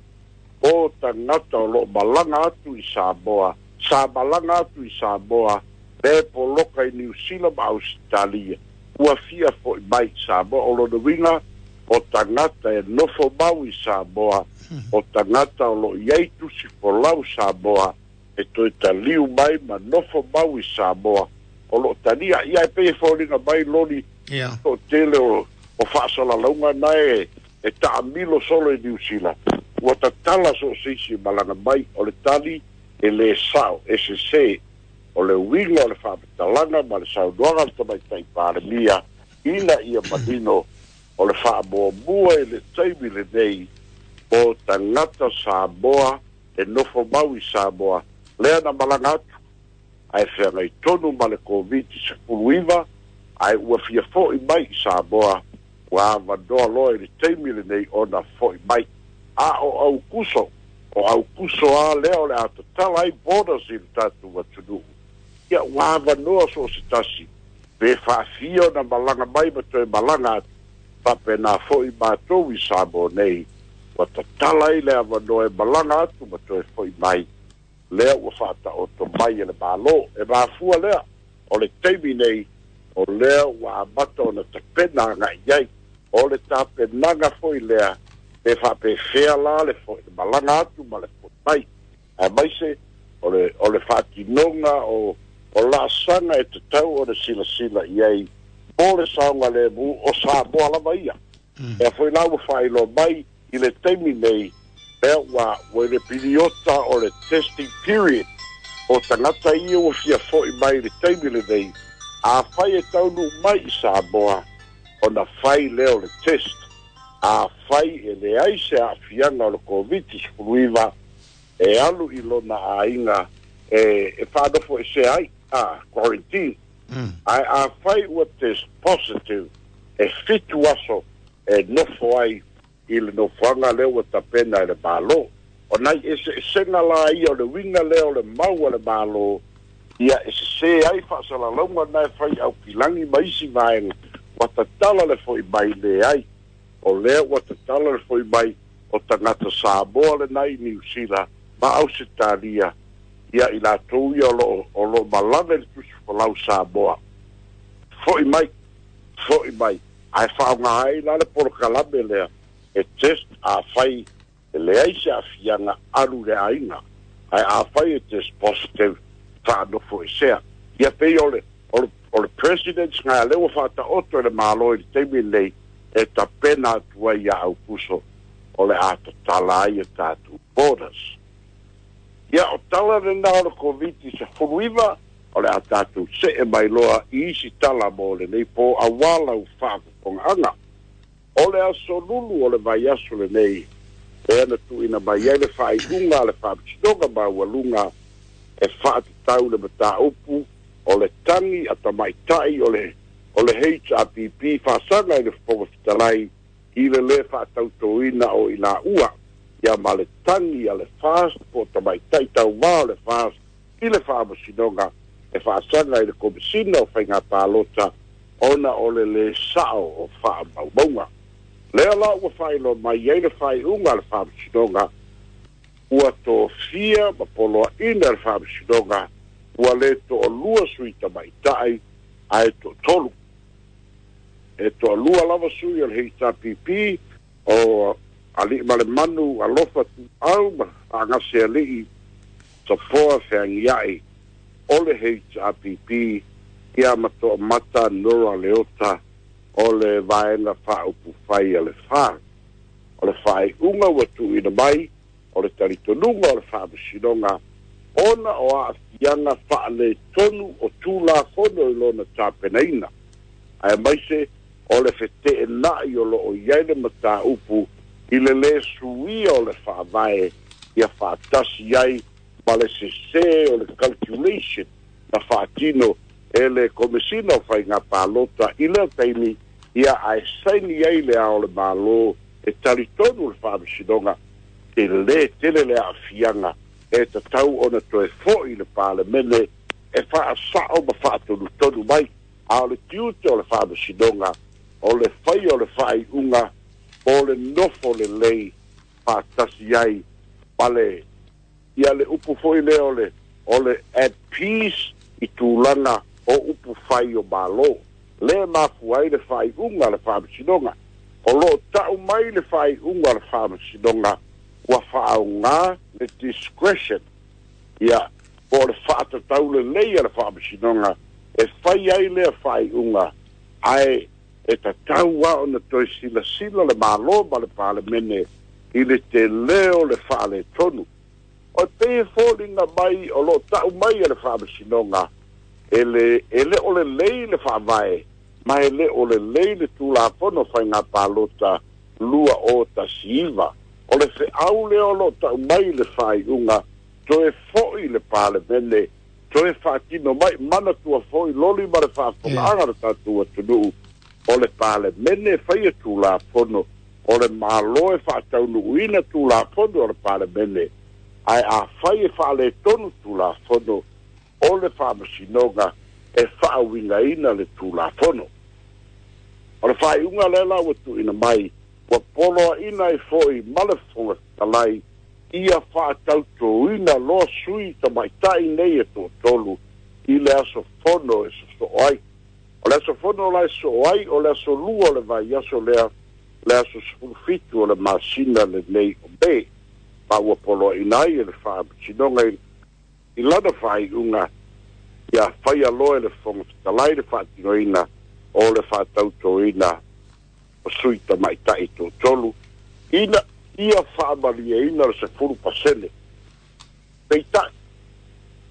o tagata o lo'o malaga atu i Samoa sa malaga atu i Samoa le poloka i Niusila ma Ausetalia ua fia fo'i mai Samoa o lona uiga o tagata e nofo mau i Samoa o tagata o lo'o iai tusi folau Samoa e toe taliu mai ma nofo mau i Samoa o lo'o talia ia e pei e foliga mai loli to'atele o o fa'asalalauga na e e ta'amilo solo i Niusila ua tatala so o se isi malaga mai o le tali e lē sa'o e sesē o le uiga o le fa'amatalaga ma le saunoaga le tamaita'i Palemia ina ia manino o le fa'amuamua i le taimi lenei o tagata Samoa e nofo mau i Samoa lea na malaga atu ae feagai tonu ma le Koviti sefuluiva ae ua fia fo'i mai i Samoa ua avanoa loa i le taimi lenei ona fo'i mai a o Aukuso o Aukuso a lea o le a tatala ai borders i le tatou atunuu ia ua avanoa so o se tasi pe fa'afia ona malaga mai ma toe malaga atu fa'apenā fo'i matou i Samoa nei ua tatala ai le avanoa e malaga atu ma toe fo'i mai lea ua fa'ata'oto mai e le Mālō e mafua lea o le taimi nei o lea ua amata ona tapena aga'i ai o le tapenaga fo'i lea pe fa'apefea la le fo'i le malaga atu ma le fo'i mai ae maise o le o le fa'atinoga o o la'asaga e tatau ona silasila i ai mo le saogalemu o Samoa lava ia ea foi la ua fa'ailoa mai i le taimi nei lea ua ua i le piliota o le testing period o tagata ia ua fia fo'i mai i le taimi lenei afai e taunuu mai i Samoa ona fai lea o le test afai e leai se a'afiaga o le Koviti sefuluiva e alu i lona aiga e e fa'anofo ese ai a quarantine ae afai ua test positive e fitu aso e nofo ai i le nofoaga lea ua tapena e le Mālō o nai eseesega la ia o le uiga lea o le mau a le Mālō ia e sesē ai fa'asalalauga na e fai aukilagi ma isi vaega ua tatala le fo'i mai leai o lea ua tatala le fo'i mai o tagata Samoa lenai i Niusila ma Ausetalia ia i latou ia o lo'o o lo'o malaga i le tusi folau Samoa fo'i mai Fo'i mai ae faaaogā ai la le polokalame lea e test afai e leai se aafiaga alu le aiga ae afai e test positive faanofo esea. Ia pei o le o le o le presidents nga lea ua faataoto e le Malo i le taimi lenei e tapena atu ai ia Aukuso o le a tatala ai e tatou borders. Ia o tala lena o le Koviti sefuluiva o le a tatou se'e mai loa i isi tala mo lenei po auā lau faafofogaaga. O le aso Lulu o le vaiaso lenei lea na tuuina mai ai le faaiuga a le Faamasinoga Maualuga e faatatau le mataupu o le tagi a tamaita'i o le o le H R P P faasaga i le Fofoga Fetalai i le lē faatautoina o i laua ia ma le tagi a le F A S po o tamaita'i tauvā o le F A S i le Faamasinoga e faasaga i le Komesina o Faiga Palota ona o le lē sa'o o faamaumauga. Lea la ua faailoa mai ai le faaiuga a le Faamasinoga ua tofia ma poloaʻina le Faamasinoga ua lē to'alua sui tamaita'i ae to'atolu e toalua lava sui o le H R P P o Aliimalemanu Alofa Tuuau ma Faagasea Safoa Feagia'i o le H R P P ia ma Toamata Nora Leota o le Vaega Faaupufai a le F A. O le faaiuga ua tuuina mai o le talitonuga o le Faamasinoga ona o aafiaga faaletonu o Tulafono i lona tapenaina ae maise o le feteenai o loo i ai le mataupu i le lē suia o le faavae ia faatasi ai ma le sesē o le calculation na faatino e le Komesina o Faiga Palota i lea taimi ia ae saini ai le Ao o le Malo. E talitonu le Faamasinoga e lē tele le aafiaga e tatau ona toe fo'i le Palemene e faasa'o ma faatonutonu mai a o le tiute o le Faamasinoga o le faia o le faaiuga o le nofo lelei faatasi ai ma le ia le upu foi lea o le o le at peace i tulaga o upu fai o Malo lea mafua ai le faaiuga a le Faamasinoga. O loo ta'u mai le faaiuga a le Faamasinoga ua faaaogā le discretion ia po o le faatatau lelei a le Faamasinoga e fai ai lea faaiuga ae e tatau a ona toe silasila le Malo ma le Palemene i le telē o le faaletonu o pei e foliga mai o loo ta'u mai e le Faamasinoga e le e le o lelei le faavae ma e le o lelei le Tulafono Faiga Palota lua o tasi iva. O le feau lea o loo ta'u mai le faaiuga toe fo'i le Palemene toe faatino mai manatua foi loli ma le faafogaaga le tatou atunuu o le Palemene faia Tulafono o le Malo e faataunuuina Tulafono o le Palemene ae afai e faaletonu Tulafono o le Faamasinoga e faauigaina le Tulafono. O le faaiuga lea la ua tuuina mai ua poloaʻina ai fo'i ma le Fofoga Fetalai ia faatautoina loa sui tamaita'i nei e toatolu i le aso fono e sosoo ai. O le aso fono la e sosoo ai o le aso lua o le vaiaso lea le aso sefulu fitu o le masina lenei o Me ma ua poloaʻina ai e le Faamasinoga i lana faaiuga ia faia loa e le Fofoga Fetalai le faatinoina o le faatautoina o sui tamaita'i toatolu ina ia faamalieina le sefulu pasene. Peita'i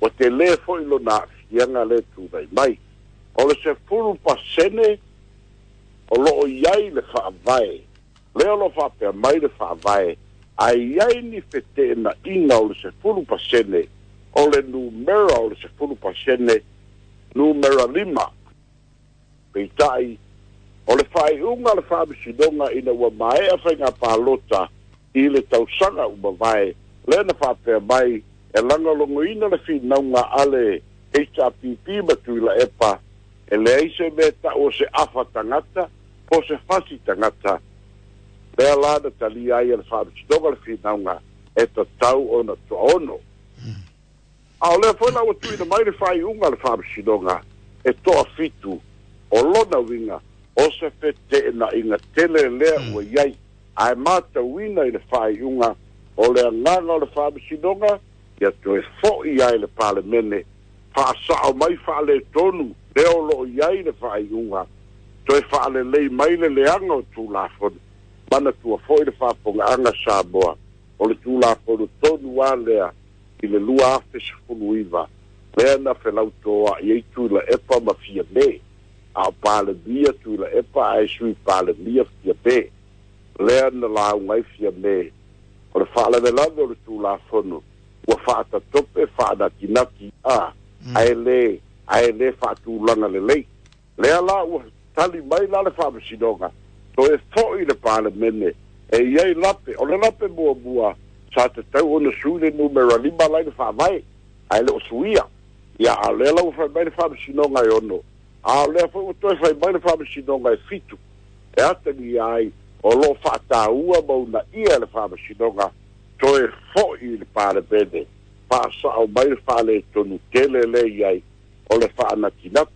ua telē fo'i lona aafiaga le tulai mai o le sefulu pasene o loo i ai le faavae lea o lo faapea mai le faavae ae iai ni feteenaʻiga o le sefulu pasene o le numera o le sefulu pasene numera lima. Peitaʻi o le faaiuga le Faamasinoga ina ua maea faiga palota i le tausaga uma vae lea na faapea mai e lagolagoina le finauga a le H R P P ma Tuilaepa e leai se mea ta'u o se afa tagata po se fasi tagata lea la na talia ai e le Faamasinoga le finauga e tatau ona toaono a o lea foi la ua tuuina mai le faaiuga a le Faamasinoga e toafitu. O lona uiga O se fete'ena'iga tele lea ua iai ae matauina i le faaiuga o le agaga o le faamasinoga ia toe fo'i ai le Palemene faasa'o mai faaletonu lea o lo'o iai le faaiuga toe faalelei mai le leaga o Tulafono manatua fo'i le faapogaaga Samoa o le Tulafono tonu a lea i le lua afe sefuluiva lea na felautoa'i ai Tuilaepa ma Fiamē a o Palemia Tuilaepa ae Sui Palemia Fiamē lea na lauga ai Fiamē o le faalavelave o le Tulafono ua faatatope faanatinati a ae lē ae lē faatulaga lelei lea la ua tali mai la le faamasinoga toe fo'i le Palemene e iai lape o le lape muamua sa tatau ona sui le numera lima lai le faavae ae le o suia ia a lea la ua fai mai le faamasinoga e ono a o lea foi ua toe fai mai le faamasinoga e fitu e atagia ai o loo faataua ma unaia le faamasinoga toe fo'i le Palemene faasa'o mai le faaletonu tele le iai o le faanatinati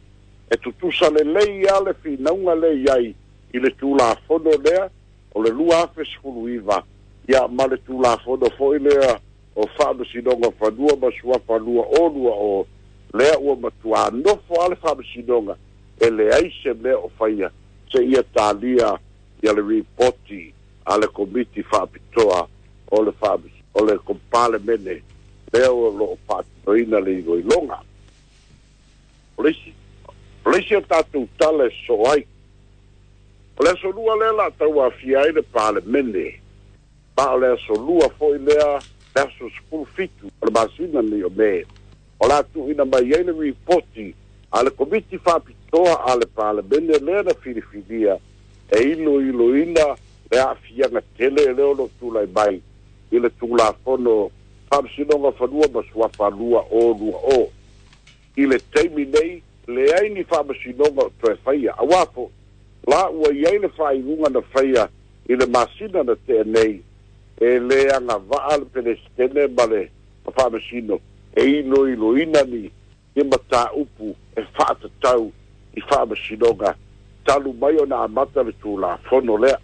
e tutusa lelei a le finauga le iai i le Tulafono lea o le lua afe sefuluiva ia ma le Tulafono foi lea o Faamasinoga Fanua ma Suafa lua o lua o lea ua matuā nofo a le faamasinoga e leai se mea o faia seia talia ia le ripoti a le Komiti Faapitoa o le faamas o le Palemene lea o loo faatinoina le iloiloga. O le isi o le isi o tatou tala e sosoo ai o le aso lua lea la tauafia ai le Palemene ma o le aso lua foi lea le aso sefulu fitu o le masina nei o Me o la tuuina mai ai le ripoti a le Komiti Faapitoa a le Palemene lea na filifilia e iloiloina le aafiaga tele lea o loo tulai mai i le Tulafono Faamasinoga Fanua ma Suafa lua o lua o i le taimi nei leai ni faamasinoga o toe faia auā fo'i la ua iai le faaiuga na faia i le masina na tea nei e lē agavaa le Pelesitene ma le faamasino e iloiloina ni ia mataupu e faatatau i faamasinoga talu mai ona amata le Tulafono lea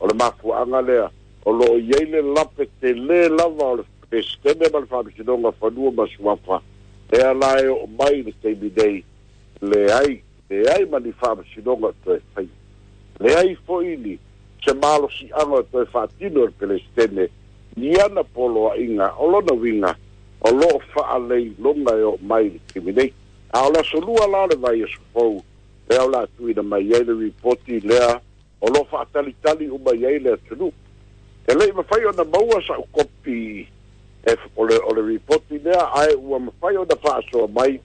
o le mafuaaga lea o loo iai le lape telē lava o le Peresetene ma le Faamasinoga Fanua ma Suafa lea la e oo mai le taimi nei leai leai ma ni faamasinoga o toe faia leai fo'i ni se malosi'aga o toe faatino e le Pelesitene ni ana poloa'iga o lona uiga o loo faaleiloga e oo mai le taimi nei a o le aso lua la o le vaiaso fou lea o le a tuuina mai ai le ripoti lea o loo faatalitali uma i ai le atunuu e le'i mafai ona maua sa'u kopi e o le o le ripoti lea ae ua mafai ona faasoa mai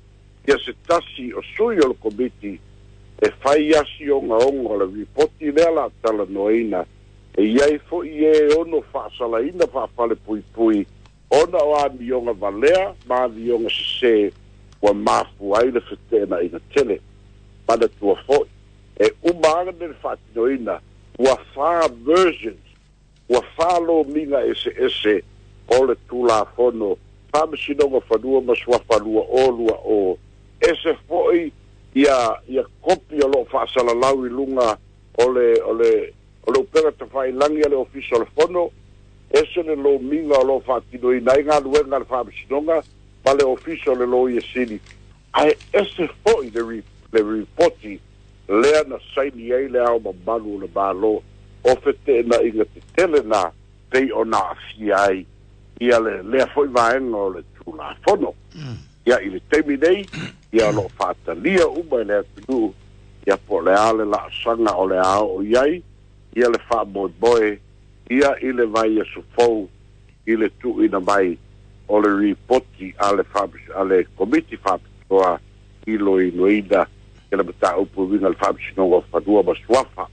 ia se tasi o sui o le komiti e fai asi ogaoga o le ripoti lea la talanoaina e iai fo'i e ono faasalaina faafalepuipui ona o amioga valea ma amioga sesē ua mafua ai le fete'ena'iga tele manatua fo'i e uma agane le faatinoina ua fa versions ua fa lomiga eseese o le Tulafono Faamasinoga Fanua ma Suafa lua o lua o ese fo'i ia ia kopi o loo faasalalau i luga o le o le o le upega tafailagi a le Ofisa o le Fono ese le lomiga o loo faatinoina ai galuega a le faamasinoga ma le Ofisa o le Loia Sili ae ese fo'i le le ripoti lea na saini ai le Ao Mamalu o le Malo o fete'ena'iga tetele na pei ona aafia ai ia le lea fo'i vaega o le Tulafono ia i le taimi nei ia o loo faatalia uma i le atunuu ia po o le a le laasaga o le a oo i ai ia le faamoemoe ia i le vaiaso fou i le tuuina mai o le ripoti a le a le Komiti Faapitoa iloiloina i le mataupu uiga le Faamasinoga o Fanua ma Suafa.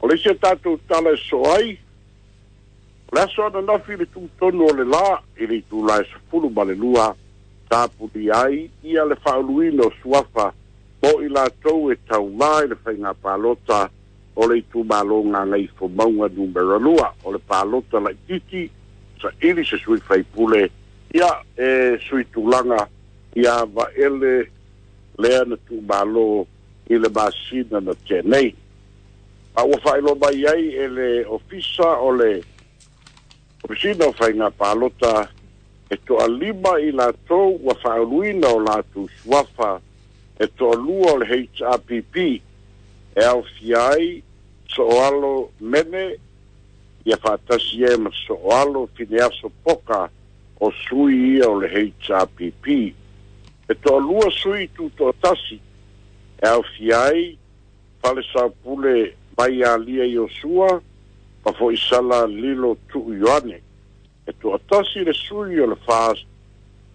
O le isi o tatou tala e sosoo ai o le aso ananafi i le tutonu o le lā i le itulā e sefulu ma le lua tapulia ai ia le faauluina o suafa mo i latou e taumā i le faiga palota o le itumalo Gagaifomauga numera lua o le palota laitiiti saili se sui faipule ia e sui tulaga ia Vaele lea na tuumalo I le masina na tenei. A ua faailoa mai ai e le ofisa o le Ofisina o Faiga Palota e toalima i latou ua faauluina o latou suafa e toalua o le H R P P e aofia ai Soalo Mene ia faatasi ai ma Soalo Fineaso Poka o sui ia o le H R P P. E toalua sui tutoatasi e aofia ai Falesaupule Maialia Iosua ma Foisala Lilo Tuu Ioane. E toatasi le sui o le F A S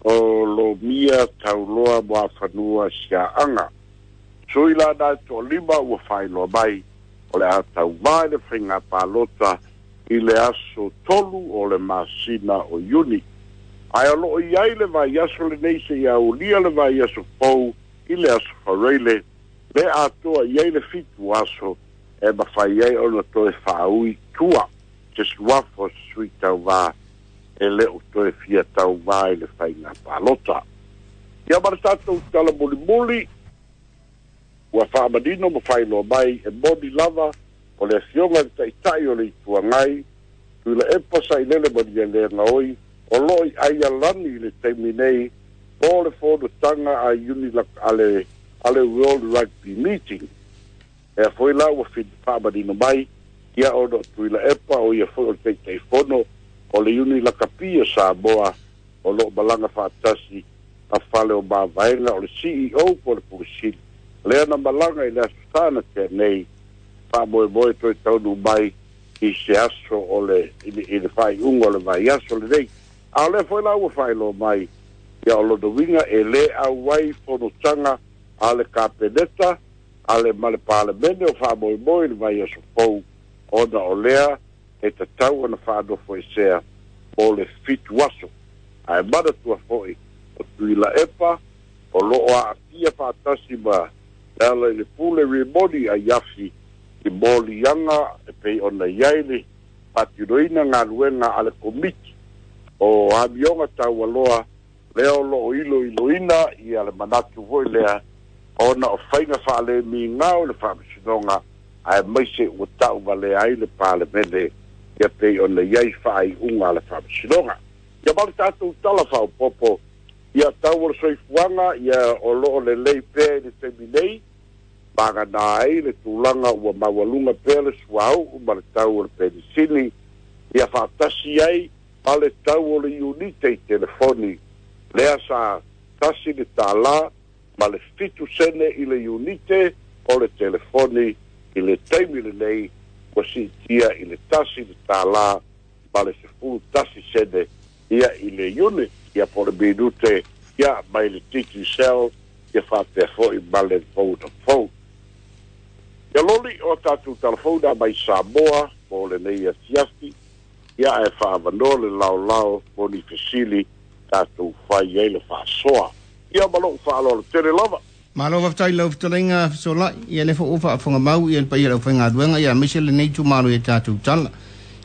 o Lomia Tauloa Moafanua Siaaga. Sui la na toalima ua faailoa mai o le a tauvā i le faiga palota i le aso tolu o le masina o Iuni. Ae o loo i ai le vaiaso lenei seia aulia le vaiaso fou i le aso Faraile le atoa i ai le fitu aso e mafai ai ona toe faaui tua se suafa o se sui tauvā e le o toe fia tauvā i le faiga palota. Ia ma le tatou tala mulimuli ua faamanino ma faailoa mai e moni lava o le afioga i le taitai o le Ituagai Tuilaepa Sailele Malielegaoi o loo i Aialani i le taimi nei po le fonotaga a Unila ale ale World Rugby Meeting. E foi la ua faamanino mai ia ona o Tuilaepa o ia foi o le taitaifono o le Unilakapi o Samoa o loo malaga faatasi a fale o mavaega o le C E O po le Pulesili. Lea na malaga i le aso sana tenei faamoemoe toe taunu mai i se aso o le i le faaiuga o le vaiaso lenei. A o lea foi la ua faailoa mai ia o lona uiga e lē auai fonotaga a le Kapeneta a le ma le Palemene o faamoemoe i le vaiaso fou ona o lea e tatau ona faanofoesea mo le fitu aso. Ae manatua foi o Tuilaepa o loo aafia faatasi ma le ala i le pule rimoni aiafi i moliaga e pei ona i ai le faatinoina galuega a le komiti o amioga taualoa lea o loo iloiloina ia le manatu foi lea ona o faiga faalemigao le faamasinoga ae maise ua tauvalea ai le Palemene ia pei ona i ai faaiuga a le faamasinoga. Ia ma le tatou tala faaopopo ia tau o le soifuaga ia o loo lelei pea i le taimi nei magana ai le tulaga ua maualuga pea le suauu ma le tau o le penisini ia faatasi ai ma le tau o le iunite i telefoni lea sa tasi le tālā ma le fitu sene i le iunite o le telefoni i le taimi lenei ua siitia i le tasi le tālā ma le sefulu tasi sene ia i le unit ia po le minute ia mai le Digicel ia faapea foi ma le Vodafone. Ia loli o tatou telefona mai Samoa mo lenei afiafi ia ae faavanoa le laolao mo ni fesili tatou fai ai le faasoa. Ia ma lou faaaloalo tele lava. Malo faafetai lau fetalaiga fesolai ia le foʻu faafogamau ia le paia lau faigaluega ia aemaise lenei itumalo ia tatou tala.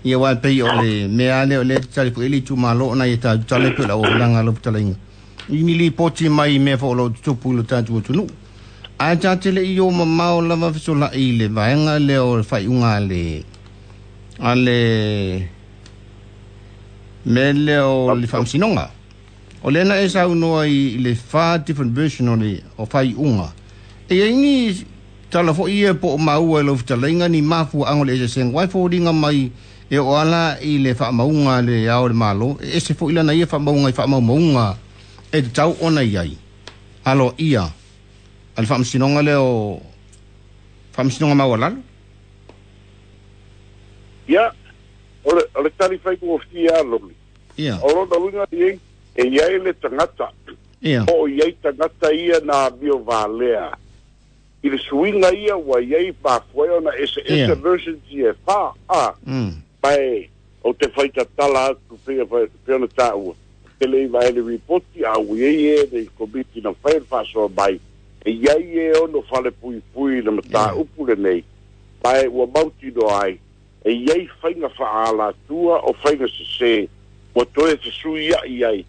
Ia uae pei o le mea lea o lea tatali foʻi le itumalo ona ia tatou tala e pei o le auaunaga lau fetalaiga. I ni lipoti mai mea foʻu o loo tutupu i lo tatou atunuu. Ae tatele i o mamao lava fesolai i le vaega lea o le faaiuga a le a le mea lea o le faamasinoga. O lea na e saunoa i le fa different version o le o faaiuga. E iai ni tala foʻi ia po o maua e lau fetalaiga ni mafuaaga o le eseesega uae foliga mai e oo ala i le faamauga le ao o le Malo e ese foʻi lana ia faamauga i faamaumauga e tatau ona i ai aloaia a le faamasinoga lea o faamasinoga maualalo. Ia o le o le tali faigofie a loli. Ia. O lona uiga i e iai le tagata. Ia. O iai tagata ia na amio valea. I le suiga ia ua iai mafuai ona eseese Ia. versions ia e fā a. Mm. Mae o te faitatala atu pei pei ona taua. Te le iva e le ripoti a ua iai e le komiti na fai le faasoa mai. E iai e ono fale puipui le mataupu lenei. Mae ua mautinoa ai. E iai faiga faaalatua o faiga sesē ua toe fesuiaʻi ai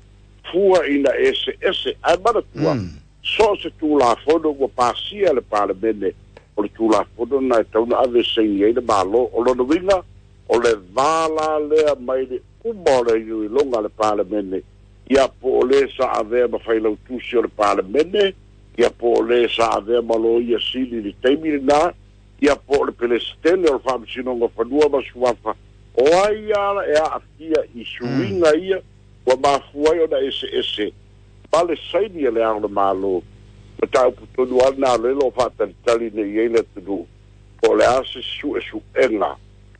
fua ina eseese ae manatua Mm. So se tulafono ua pasia le Palemene o le tulafono na e tauna ave saini ai le Malo. O lona uiga o le vala lea mai le uma o le iloiloga a le Palemene ia po o le sa avea ma failautusi o le Palemene ia po o le sa avea ma loia sili i le taimi lenā ia po o le Pelesitene o le Faamasinoga o Fanua ma Suafa o ai ala e aafia i suiga ia ua mafua ai ona eseese ma le saini e le Ao o le Malo mataupu tonu lava lena o lea o lo o faatalitali nei ai le atunuu po o le a se suesuega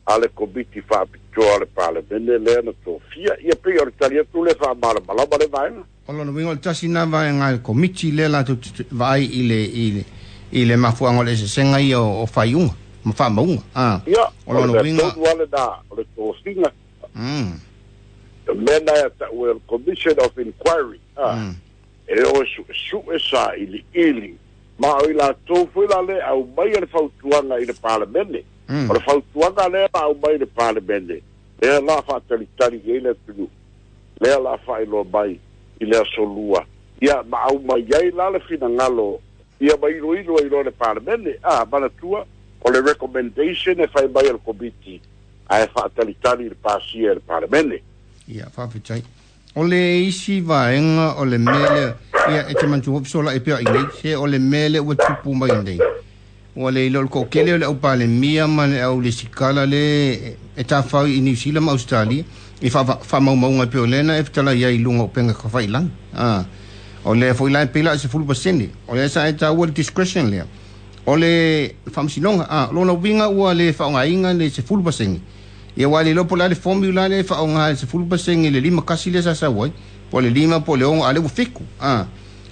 a le Komiti Faapitoa a le Palemene lea na tofia. Ia pei o le tali atu le faamalamalama le vaega. O lona uiga o le tasi lena vaega a le Komiti lea latou te vaai i le i le i le mafuaaga o le eseesega ia o, o faaiuga ma faamauga. Ah, Ia, o o le lona mea uiga tonu lava lena o le tofiga. Mm. O mea na e ta'u e o le Commission of Inquiry. Ah, Mm. e o e su'esu'e sa'ili'ili ma o i latou foi la le aumai le fautuaga i le Palemene. Mm. O le fautuaga lea la aumai i le Palemene lea la faatalitali i ai le atunuu lea la faailoa mai i le aso lua ia ma aumai ai la le finagalo ia ma iloilo ai loa le Palemene. A manatua o le recommendation e fai mai e le Komiti ae faatalitali i le pasia e le Palemene. Ia, faafetai. O le isi vaega o le mea lea, ia e te manatua foi sola e pea i nei, se o le mea lea ua tupu mai nei. Ua le iloa o le toatele o le au Palemia ma le au lesikala le e tafau i New Zealand ma Australia i faamaumauga e pei o lea na e fetalai ai i luga o upega tafailagi. Ah, o lea foi la e pei la e sefulu pasene. O lea sa e taua le discretion lea. O le faamasinoga, ah, lona uiga ua le faaaogaina le sefulu pasene. Ia ua le iloa po o le a le formula lea e faaaoga e sefulu pasene i le lima tasi lea sa sau ai. Po o le lima po o le ono a lea ua fitu. Ah,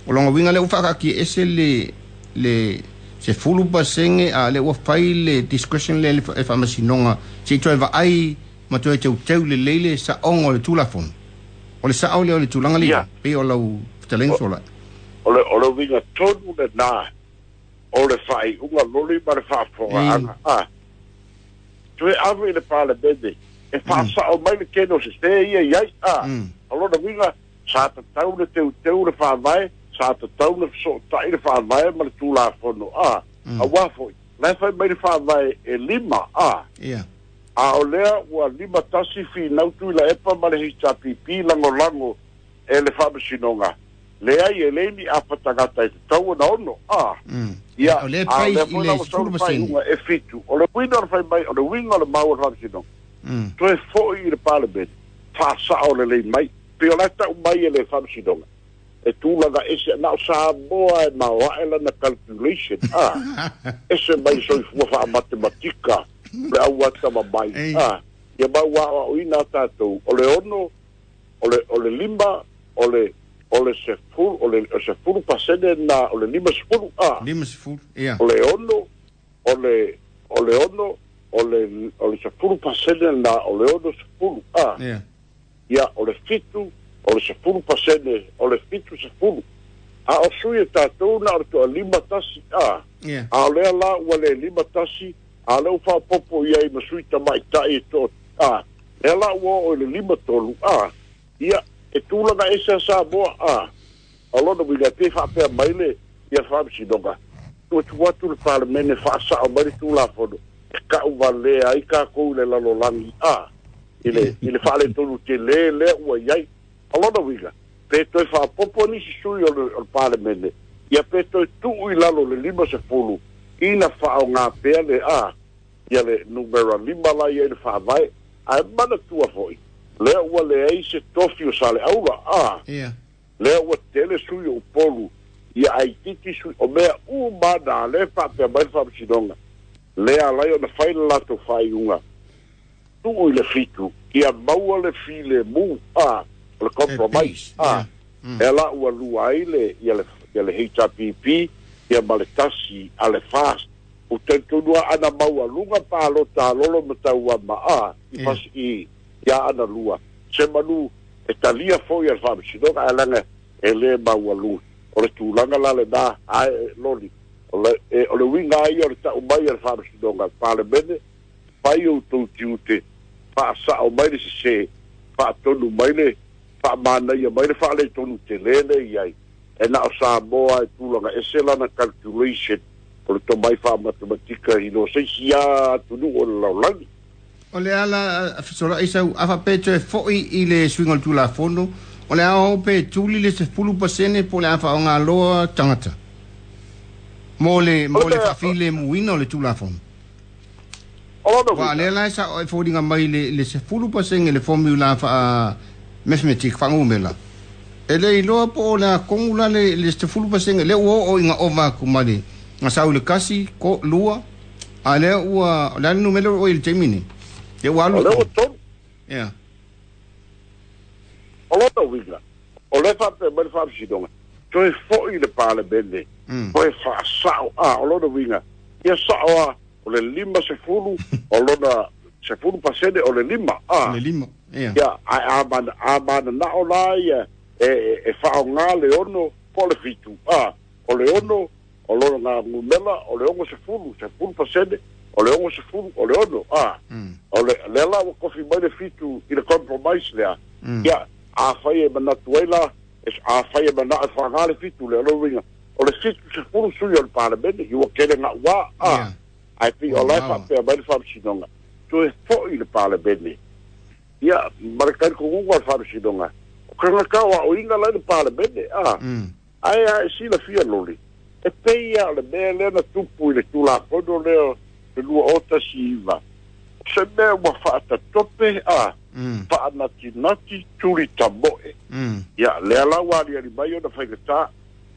o lona uiga lea ua faakaatia ese le le sefulu pasene a lea ua fai le discretion lea e faamasinoga se i toe vaai ma toe teuteu lelei le sa'oga o le tulafono. O le sa'o lea o le tulaga lea Ia. pei o lau fetalaiga sola. O le o le uiga tonu lenā o le faaiuga loli ma le faafofogaaga. A toe ave i le Palemene e faasa'o mai le kene o sesē ia i ai. A Mm. o lona uiga sa tatau le teuteu le faavae sa tatau le fesoota'i le faavae ma le tulafono. A Mm. auā fo'i la e fai mai le faavae e lima. A Ia. a o lea ua lima tasi finau tui la epa ma le H R P P lagolago e le faamasinoga leai e lei ni afa tagata e tatau ona ono. A Mm. ia O lea a fai lea i foi le la ua sau sefulu le pasene. faaiuga e fitu. O le uiga o le fai mai o le uiga o le mau o le faamasinoga Mm. toe fo'i i le Palemene faasa'o lelei mai pei o la e ta'u mai e le faamasinoga e tulaga ese na o Samoa e maoa'e lana calculation. A ese mai soifua faamatematika le auata mamai. Ei. A ia mau aoaoina a tatou o le ono o le o le lima o le o le sefulu o le o sefulu pasene na o le lima sefulu. A Lima sefulu. Ia. o le ono o le o le ono o le o le sefulu pasene na o le ono sefulu. A Ia. ia o le fitu o le sefulu pasene o le fitu sefulu a o sui e tatou na o le toalima tasi. A Ia. a o lea la ua le lima tasi a lea ua faapopo i ai ma sui tamaita'i e to a lea la ua oo i le lima tolu. A ia e tulaga ese a Samoa. A o lona uiga pe faapea mai le ia faamasinoga tuatu atu le Palemene faasa'o mai le tulafono e ka'u valea ai kakou i le lalolagi a i le i le faaletonu telē lea ua i ai. O lona uiga pe toe faapopo nisi sui o le, o le Palemene ia pe toe tu'u i lalo le lima sefulu ina faaogā pea le a ia le numera lima la ia i le faavae ae manatua fo'i lea ua leai se tofi o sa le aula. A Ia. lea ua tele sui o Upolu ia aititi sui o mea uma na lea faapea mai le faamasinoga lea alai ona fai le latou faaiuga tu'u i le fitu ia maua le filemu a o le compromise. Peace. A Mm. e la ua lua ai le ia le ia le H R P P ia ma le tasi a le FAST o talitonu a ana maualuga palota a lolo ma tauama a i Ia. fasi i ia ana lua se manu e talia foi a le faamasinoga ae laga e lē maualuga o le tulaga la lenā ae loli o le e, o le uiga ai o le ta'u mai a le faamasinoga Palemene fai outou tiute faasa'o mai le sesē faatonu mai le faamanaia mai le faaletonu telē le i ai E na o Samoa e tulaga ese lana calculation o le tomai fa'amatematika i lo seisi a atunuu o le lalolagi. O le ala fesolai sau afa pe toe fo'i i le suiga o le Tulafono o le ao pe tuli le sefulu pasene po le a fa'aogāloa tagata mo le mo le fa'afilemuina o le Tulafono. Ua lea la e sa'o e foliga mai le le sefulu pasene le formula fa'a mathematic fa'agumela e le iloa po o le a kogu la le le sefulu pasene lea ua o'o iga ova aku ma le gasau le kasi ko lua a lea ua o le a le numele o i le taimi nei e ua alu O lea ua tolu. Ia. O lona uiga o le fa'apea mai le fa'amasinoga toe fo'i le Palemene toe fa'asa'o a o lona uiga ia sa'o a o le lima sefulu o lona sefulu pasene o le lima a le lima ia ia ae a mana a manana'o la ia e e fa'aogā le ono po o le fitu a o le ono o lona gagumela o le ogo sefulu sefulu pasene o le ogo sefulu o le ono a o le lea la ua kofi mai le fitu i le compromise lea ia afai e manatu ai la afai e manaʻo e faagā le fitu lea o lona uiga o le fitu sefulu sui o le Palemene i ua kele ga'uā a ae pei o la e faapea mai le faamasinoga toe fo'i le Palemene ia ma le talitonuga o le faamasinoga o tagata o a'oina la i le Palemene a ae a e silafia loli e pei a o le mea lea na tupu i le Tulafono lea le lua o tasi iva se mea ua fa'atatope a fa'anatinati tuli tamo'e ia lea la ua aliali mai ona faigatā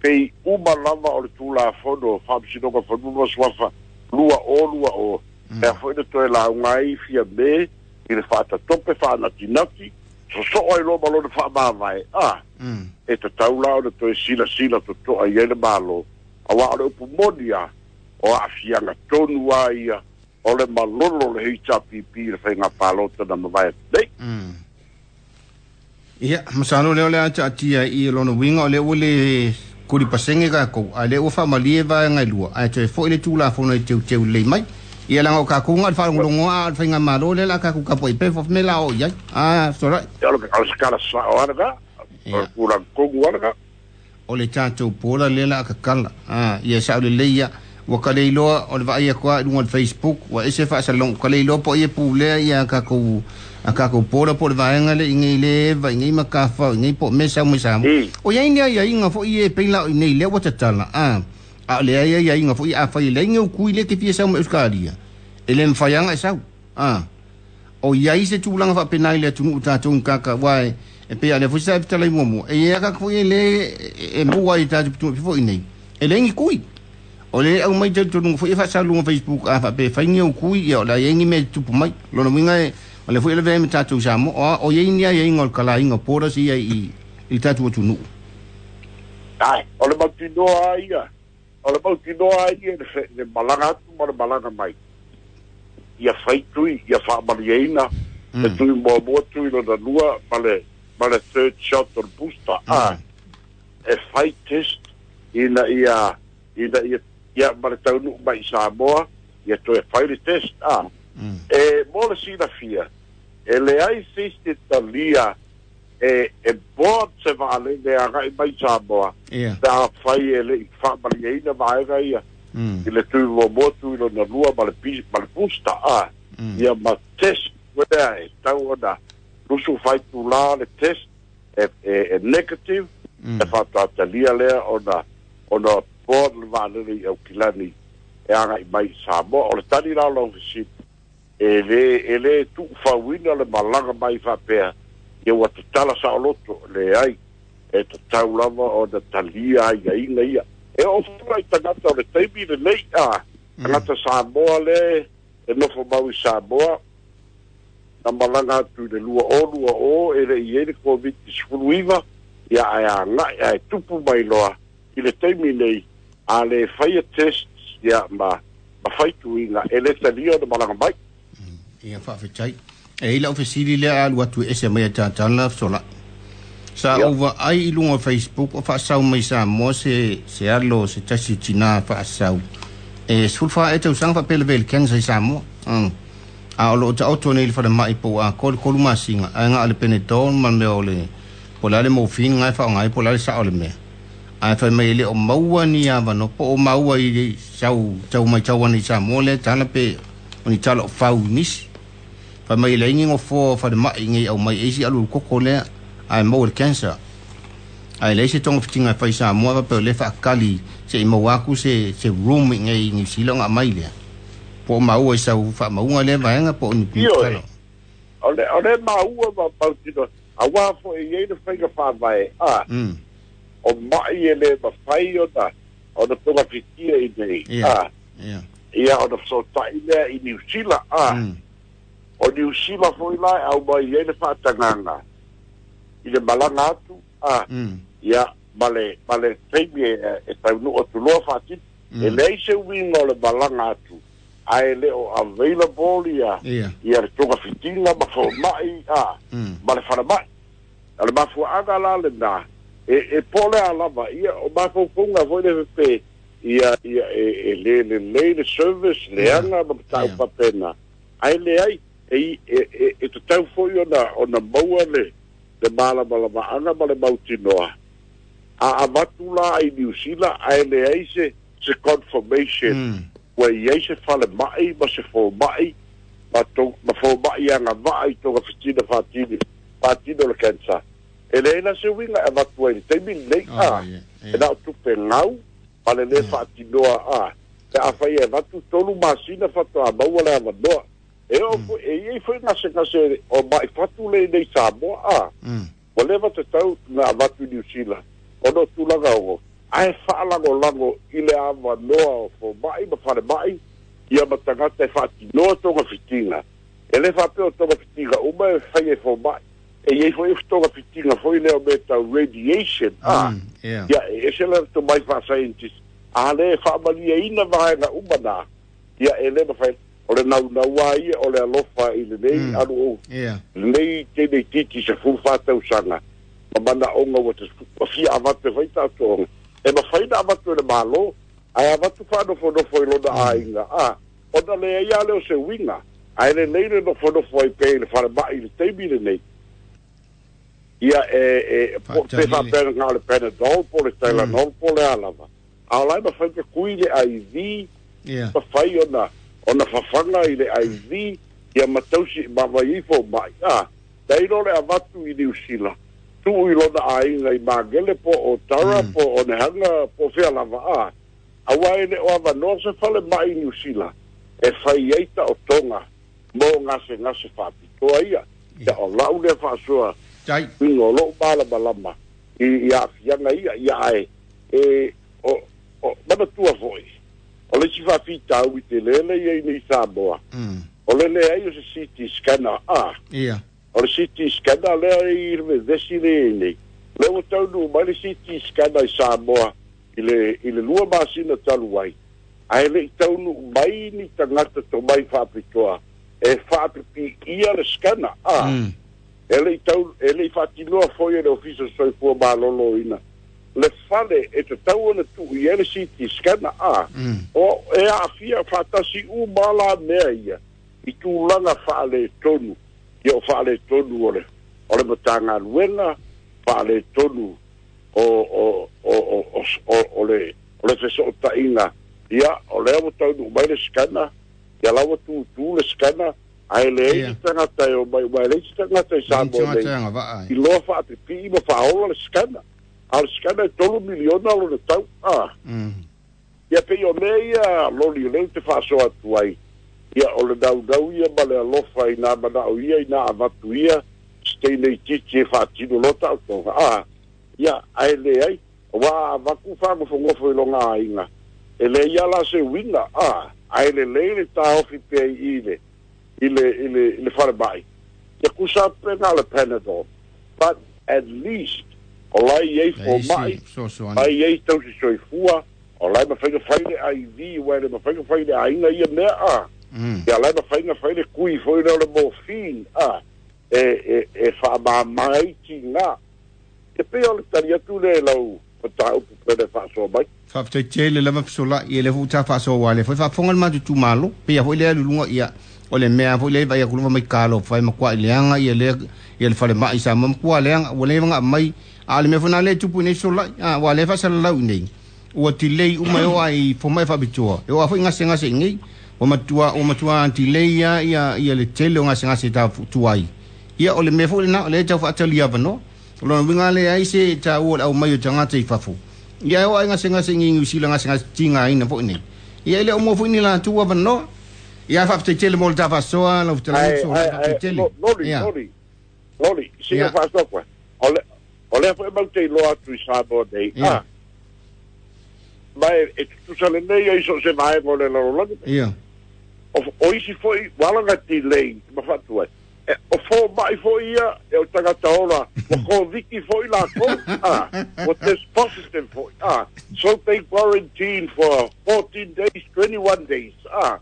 pei uma lava o le Tulafono Faamasinoga Fanua ma Suafa lua o lua o lea fo'i na toe lauga ai fia me i le fa'atatope fa'anatinati soso'o ai loa ma lona fa'amavae a e tatau la ona toe silasila toto'a i ai le Malo auā o le upu moni a o a'afiaga tonu a ia o le malolo le H R P P i le faiga palota na mavae atu nei. Ia, masalo lea o le a ta'atia i lona uiga o lea ua le kuli pasege kakou a lea ua fa'amalie vaega e lua ae toe fo'i le Tulafono e teuteu lelei mai ia laga o kakou ga o le fa'alogologoa a o le faigamālō lea la kakou kapua'i pe me la o i ai a fesolai. O le sekala sa'o a lena o le tulaga tonu a lena. O le tatou pola lea la a kakala a ia sa'o lelei ia ua kale iloa o le vaai aku a i luga o le Facebook ua ese fa'asalogo kale iloa po o ia pulea ia kakou a kakou pola po o le vaega le i nei le eva i nei makafa i nei po o mea sau mai Samoa o iai ni aiaiga fo'i e pei la o i nei lea ua tatala a a o leai aiaiga fo'i afai e leai ni ou kui lea te fia sau mai Ausetalia e le mafai aga e sau a o iai se tulaga fa'apena i le atunu'u tatou i kaka ua e e pei a lea foi sa e fetalai muamua e ia kaka fo'i e lē e mua ai tatou pitu'u fo'i nei e leai ni kui o le au mai talitonuga fo'i e fa'asaluga Facebook a fa'apea fai ni ou kui ia o le a iai ni mea tupu mai lona uiga e o le foi le vea me tatou Samoa o iai ni aiaiga o le kalaiga o borders ia i i le tatou atunu'u. Ae o le mautinoa ia o le mautinoa ia le le malaga atu ma le malaga mai ia faitui ia fa'amalieina le tui muamua tui lona lua ma le ma le third shot o le booster a e fai test ina ia ina ia ia ma le taunu'u mai i Samoa ia toe fai le test a e mo le silafia e leai se isi talia e e board se vaalele aga'i mai Samoa ia pe afai e le'i fa'amalieina vaega ia i le tui muamua tui lona lua ma le ma le booster a ia ma test uea e tau ona lusu faitulā le test e, e, e negative e fa'atatalia lea ona ona board le vaalele i Aukilani e aga'i mai i Samoa o le tali la o lau fesili e lē e lē tu'ufauina le malaga mai fa'apea ia ua tatala sa'oloto leai e tatau lava ona talia aiaiga ia e oo fua i tagata o le taimi lenei a tagata Samoa le e nofo mau i Samoa na malaga atu i le lua o lua o e le'i ai le Covid sefulu iva ia ae aga'i ae tupu mai loa i le taimi nei a le faia test ia ma ma faituiga e lē talia ona malaga mai. Ia fa'afetai e i la'u fesili lea alu atu e ese mai e tatala fesolai sa Ia. ou vaai i luga o Facebook o fa'asau mai Samoa se se alo se tasi tinā fa'asau e sefulu fā ea tausaga fa'apea le vele cancer i Samoa mm. A o lo'o ta'oto nei le falema'i po ua atoa le tolu masina ae ga'a le Panadol ma le mea o le po o le a le morphine ga e fa'aoga ai po o le a le sa'o o le mea Ae fai mai e le o maua ni avanoa po o maua i sau tau mai tau ana i Samoa lea tala pe o ni tala o fau i nisi. Fai mai e leai ni gofoa o falemai nei au mai e isi alu koko lea ae maua le cancer. Ae leai se togafitiga e fai Samoa faapea o lea faakali seʻi maua aku se se room i nei i Niu Sila ona aumai lea. Po o maua i sau faamauga lea vaega po o ni Ioe, tala. o le o le maua ma mautinoa auā foʻi i ai le faiga faavae a Mm. o maʻi e lē mafai ona ona togafitia i nei Ia. a Ia. ia ona fesotaʻi lea i Niusila a Mm. o Niusila foʻi la e aumai ai le faatagaga i le malaga atu a Mm. ia ma le ma le taimi e e taunuu atu loa faatino Mm. e leai se uiga o le malaga atu ae le o available ia Ia. ia le togafitiga ma fomaʻi a Mm. ma le falemai o le mafuaaga la lenā e e po o le a lava ia o mafaufauga foi le pepe ia ia e e lē lelei le service leaga ma matau Ia. faapena ae leai e e e e tatau foi ona ona maua le le malamalamaaga ma le mautinoa a avatu la i Niu Sila ae leai se se confirmation Mm. ua i ai se falemai ma se fomaʻi ma to ma fomaʻi agavaa i togafitiga faatini faatino le cancer e leai la se uiga e avatu ai i le taimi lenei Oh, a ia. e Ia. na o tupe gau ma le lē faatinoa a pe afai e avatu tolu masina faatoa maua le avanoa e oo foi e iai foi gasegase o maʻi fatu le nei Samoa a Mm. ua leva tatau na avatu i Niu Sila ona o tulaga ogo ae faalagolago i le avanoa o fomaʻi ma falemaʻi ia ma tagata e faatinoa togafitiga e lē faapea o togafitiga uma e fai e fomaʻi e iai foi togafitiga foi lea o mea tau radiation a Mm. Ia. ia e ese le tomai faa-scientist a lē faamaliaina vaega uma na ia e lē mafai o le naunauā ia o le alofa i lenei Mm. alu ou Ia. lenei tele titi se fulu fatausaga ma manaʻoga ua tas- ua fia avatu e fai taʻatoʻoga e mafai na avatu e le mālō ae avatu faanofonofo i lona aiga a ona leai a lea o se uiga ae lelei le nofonofo ai pea i le falemaʻi i le taimi lenei ia e e po- pe Faatali le- faapea na o le Panadol po o le Tylenol po o le a lava a o lae mafai pe kui le I V Ia. mafai ona ona fafaga i le I V ia ma tausi ma mai ifo mai a dai lo le avatu i Niu Sila tuu i lona aiga i Magele po o Tara Mm. po o Nehanga po o fea lava a aua e le o avanoa se fale mai i Niu Sila e fai ai taotoga mo gasegase faapitoa ia ia o lau lea faasoa Tai. uiga o lou malamalama i i aafiaga ia ia ae e o o manatua foi o le isi faafitau i telele ia i nei Samoa Mm. o le leai o se C T scanner a Ia. o le C T scanner lea i le vevesi le i nei lea ua taunuu mai le C T scanner i Samoa i le i le lua masina talu ai ae leʻi taunuu mai ni tagata tomai faapitoa e faapipiia le scanner a Mm. e leʻi tau e leʻi faatinoa foi e le ofisa o soifua malōlōina le fale e tatau ona tuu i ai le C T scanner a Mm. o e aafia faatasi uma la mea ia i tulaga faaletonu ia o faaletonu o le o le matagaluega faaletonu o o o o o, o, o le o le fesootaiga ia o lea ua taunuu mai le scanner ia la ua tutū le scanner ae leai Ia. se tagata e omai ua e leai se tagata i Samoa nei Tagata agavaa i ai. loa faapipii ma faaola le scanner a o le scanner e tolu miliona lona tau a Mm. ia pei o mea ia loli o lea ou te faasoa atu ai ia o le naunau ia ma le alofa i nā manaʻo ia i nā avatu ia se titi e faatino loa taʻotoga a ia ae leai ua avatu fagofogofo i loga aiga e leai a la se uiga a ae lelei le taofi pea i i le i le i le i le falemaʻi ia kusa pe na o le Panadol but at least o la i ai Leai fomaʻi se fesoasoani. ai ai tausi soifua o lae mafai na fai le I V ua e le mafai na fai le aiga ia mea a Mm. ia lae mafai na fai le kui foi lea o le morphine a e e e faamāmā ai tigā e pei o le tali atu lea i lau mataupu pele faasoa mai. Faafetai tele lava fesolaʻi e le foi ta faasoa le foi faafofoga le matou malo pei foi lea luluga ia o le mea foi lea vai aku mai kalo fai ma kwa leaga ia le ia le falemaʻi sa ma kwa leaga ua leva ga mai A le mea foi na le tupu nei solai a ua le faasalalau nei ua tilei uma e oo ai fomai faapitoa e oo a foi gasegase i nei ua matua ua matua tilei ia ia ia le tele o gasegase tafutuai ia o le mea foi lena o lea e tau faatali avanoa o lona uiga le ai se taua o le aumai o tagata i fafo ia e oo ai gasegase i Niu Sila gasegase tigaina foi nei ia e le o mua foi ni latou avanoa ia faafetai tele mo le tafaasoa lau fetalaiga solai faafetai tele Loli ia loli loli sina ia faasoa koe o le o lea foi mau te iloa atu i Samoa nei ia a ma e e tutusa lenei ai so o se vaega o le lalolagi ia o o isi foi ua ala delay ma faatu ai e o fomaʻi foi ia e o tagata ola ua koviti foi lakou a ua test positive foi a so they quarantine for fourteen days twenty-one days a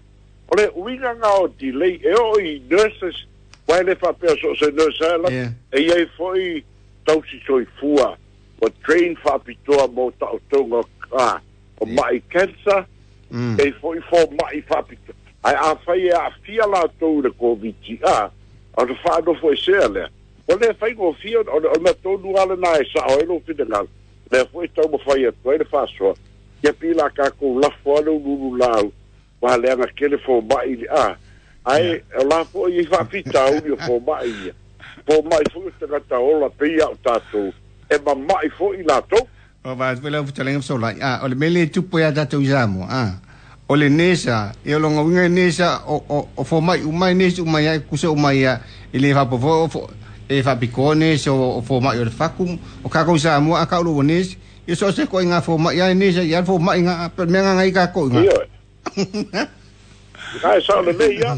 o le uiga ga o delay e oo i nurses ua e le faapea so o se nurse ala ia e iai foi tausi soifua ua train faapitoa mo taʻotoga a o ia maʻi cancer mm e foi fomaʻi faapitoa ae afai e aafia latou i le koviti a o le faanofo esea lea o le faigofie o le o le mea tonu lava lenā e saʻo ai lou finagalo lea foi taumafai atu ai le faasoa ia pila kakou lafo a le ululu lau ua leaga kele fomaʻi le a ia ae o la foi i faafitauli o fomaʻi ia fomaʻi foi o tagata ola pei a o tatou e mamaʻi foi latou O va foi lau fetalaiga solai a o le mea le tupu ia tatou i Samoa a o le nesa e o longa uiga nesa o o o fomai uma nesa uma ia kusa uma ia e le faapofo o fo e faapikoa nesa o o fomai o le faku o kakou Samoa a kaulo o nesa ia so se ko inga fomai ia nesa ia fomai nga pe mea nga i kakou nga ioe ae sao lelei ia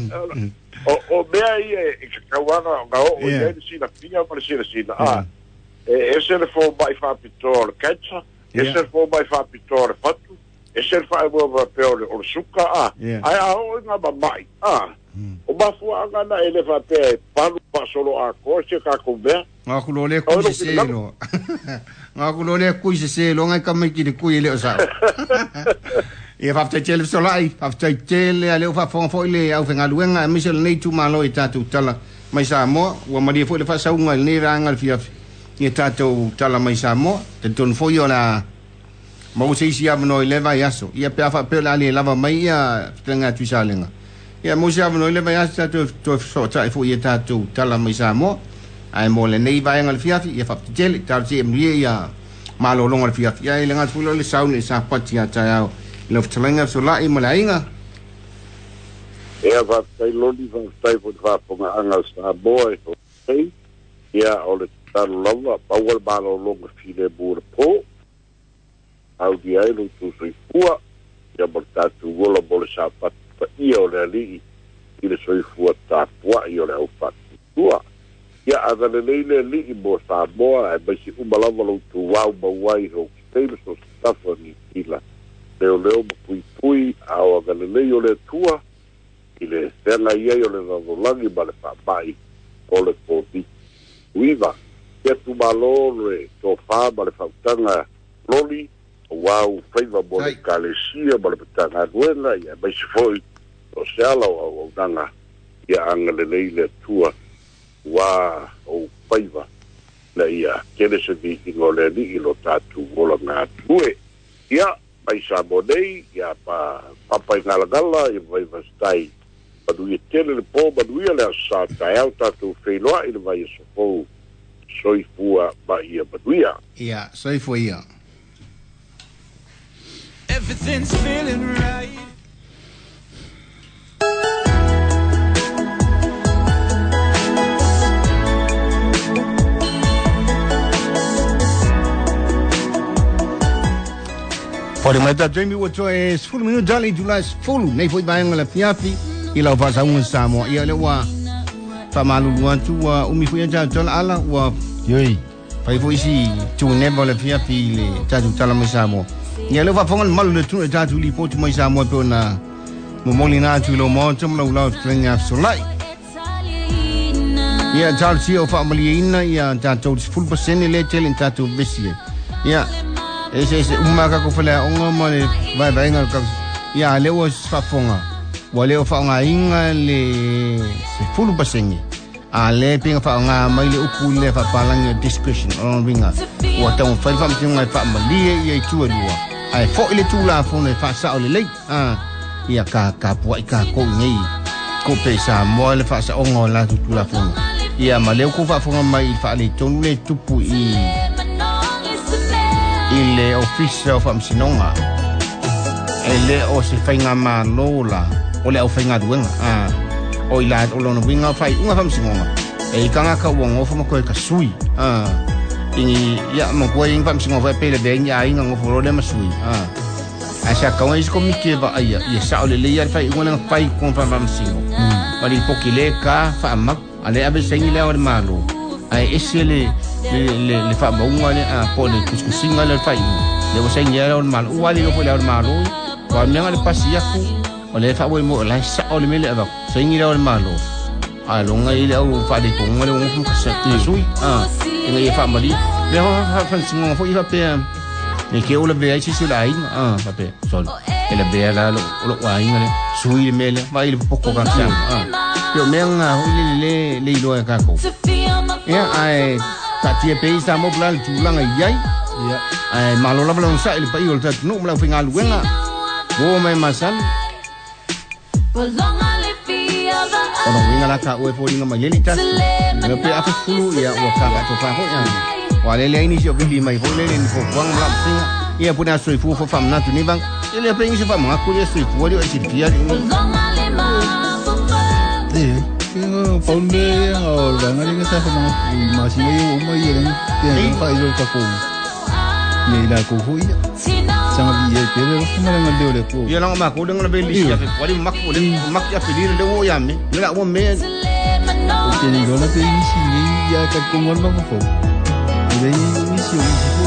o o mea ia e kakauaga ga oo i ia ai le silafia ma le silasila ia a e ese le fomaʻi faapitoa o le cancer ia ese le fomaʻi faapitoa o le fatu ese le faaemoe faapea o le o le suka a ia ae a oo i ga mamaʻi a o mafuaaga na e le faapea e palu faasolo atoa se kakou mea Nga ku lo le o kui lou se se finagalo lo. Nga ku lo le kui se se lo ngai kama ki le kui le o sao. Ia faafetai tele fesolai, faafetai tele a leo faafofoga foi le aufaigaluega aemaise o lenei itumalo i tatou tala mai Samoa ua malie foi le faasauga i lenei vaega le fiafi ia tatou tala mai Samoa talitonu foi o la maua se isi avanoa i le vaiaso ia pe a faapea o le a le lava mai ia fetalaiga atu i Salega ia maua se avanoa i le vaiaso tatou toe fesootai foi ia tatou tala mai Samoa ae mo lenei vaega le fiafi ia faafetai tele talosia ia manuia ia malologa o le fiafi ia e le gata foi lea o le sauni i le sapati ia taeao i lau fetalaiga fesolai ma le aiga Ia faafetai loli faafetai foi le faafogaaga o Samoa e foai ia o le tatalo lava maua le malologa filemu o le po auli ai lou tou soifua ia ma le tatou ola mo le sapati paia o le alii i le soifua tapuaʻi o le aufaatutua ia agalelei le alii mo Samoa ae maisi uma lava lou tuau mauai Hawke's Bay ma so o se tafa Niu Sila leoleo ma puipui a o agalelei o le Atua i le feagai ai o le lalolagi ma le faamaʻi o le koviti uiva ia tumalo le tofā ma le fautaga loli auā ufaiva mo le tai ekalesia ma le matagaluega ia maise foi o se ala o auaunaga ia agalelei le Atua ua ou faiva na ia kele se viiga o le alii lo tatou ola gatue ia mai Samoa nei ia pa papa i galagala ia vaivasitai manuia tele le po manuia le aso sa taeao tatou feiloaʻi le vaiaso fou soifua ma ia manuia ia soifua ia Everything's feeling right. Fale mai ta Jamie ua toe sefulu minuta le itula sefulu nei foi vaega le fiafi i lau faasauga Samoa ia lea ua faamalulu atu ua umi foi ia tatou tala ala ua Ioi. fai foi isi tuneva o le fiafi i le tatou tala mai Samoa ia lea ua faafofoga le malu le tunu e tatou lipoti mai Samoa e pei ona momoli na atu i lou maota ma lau lau fetalaiga fesolai ia talosia o faamalieina ia tatou le sefulu pasene lea tele i tatou vesi ai ia ese ese uma kako faleaoga ma le vaevaega o le kako ia lea ua faafofoga ua le o faaaogaina le sefulu pasene A le pinga fa nga mai le upu le fa palangi discretion o ringa ua tau fai fa mtinga fa malie ia i tua lua ai fo ile tula fo ne fa sa o le lei a ia ka ka pua i ka ko nei ko pe sa mo le fa sa ongo la tu tula fo ia ma le ko fa fo mai fa le tonu le tupu i i le office of amsinonga ele o se fainga malola o le au fainga duenga a o ila o lona winga fai unga famsingonga e kanga ka wongo fo mo ka sui a ini ya mo ko ing famsingonga fa pele be nya inga ngo fo le masui a a sa ka wais komite va ia ia sa o le le fai unga fai ko fa famsingo ma li pokile ka fa ma ale abe sengi le o malo ai ese le le le fa maunga le a po le kuskusinga le fai le o sengi le o malo o ali lo fo le o malo wa menga le pasi yaku o le fa mo la sa o le mele ava sengi le o malo a longa ile au fa de ko ngale ngo ka sa sui a inga ye fa mali le ho fa fa singo fo ifa pe le ke o le be ai si la inga a fa pe sol ele be la lo lo wa inga le sui le mele va ile poko ka sa a yo menga ho ile le le ilo ka ko ya ai ta tie pe sa mo plan tu langa yai ya ai malo la bla sa ile pa i o ta no mla finga luenga wo mai masal ona winga la ka ue fo linga mai leli ta me pe afa fulu ia ua ka ka tofa ho ia wa le le ini sio vili mai fo le ni fo wang la singa ia puna sui fu fo fam na tu ni bang ile pe ini fam ma ku le sui fu le si fia ni eh Paul me o la ngari ka sa ma ma si ngai o mai le te fa i ka ko ni la ko hui sanga vi e pele ro ma nga le le ko ia la ma ko le nga be li ya fe wali mak le mak ya fe le wo ya me le la wo me o te ni la pe ni si ni ya ka ko ngol ma fo le ni si o si fo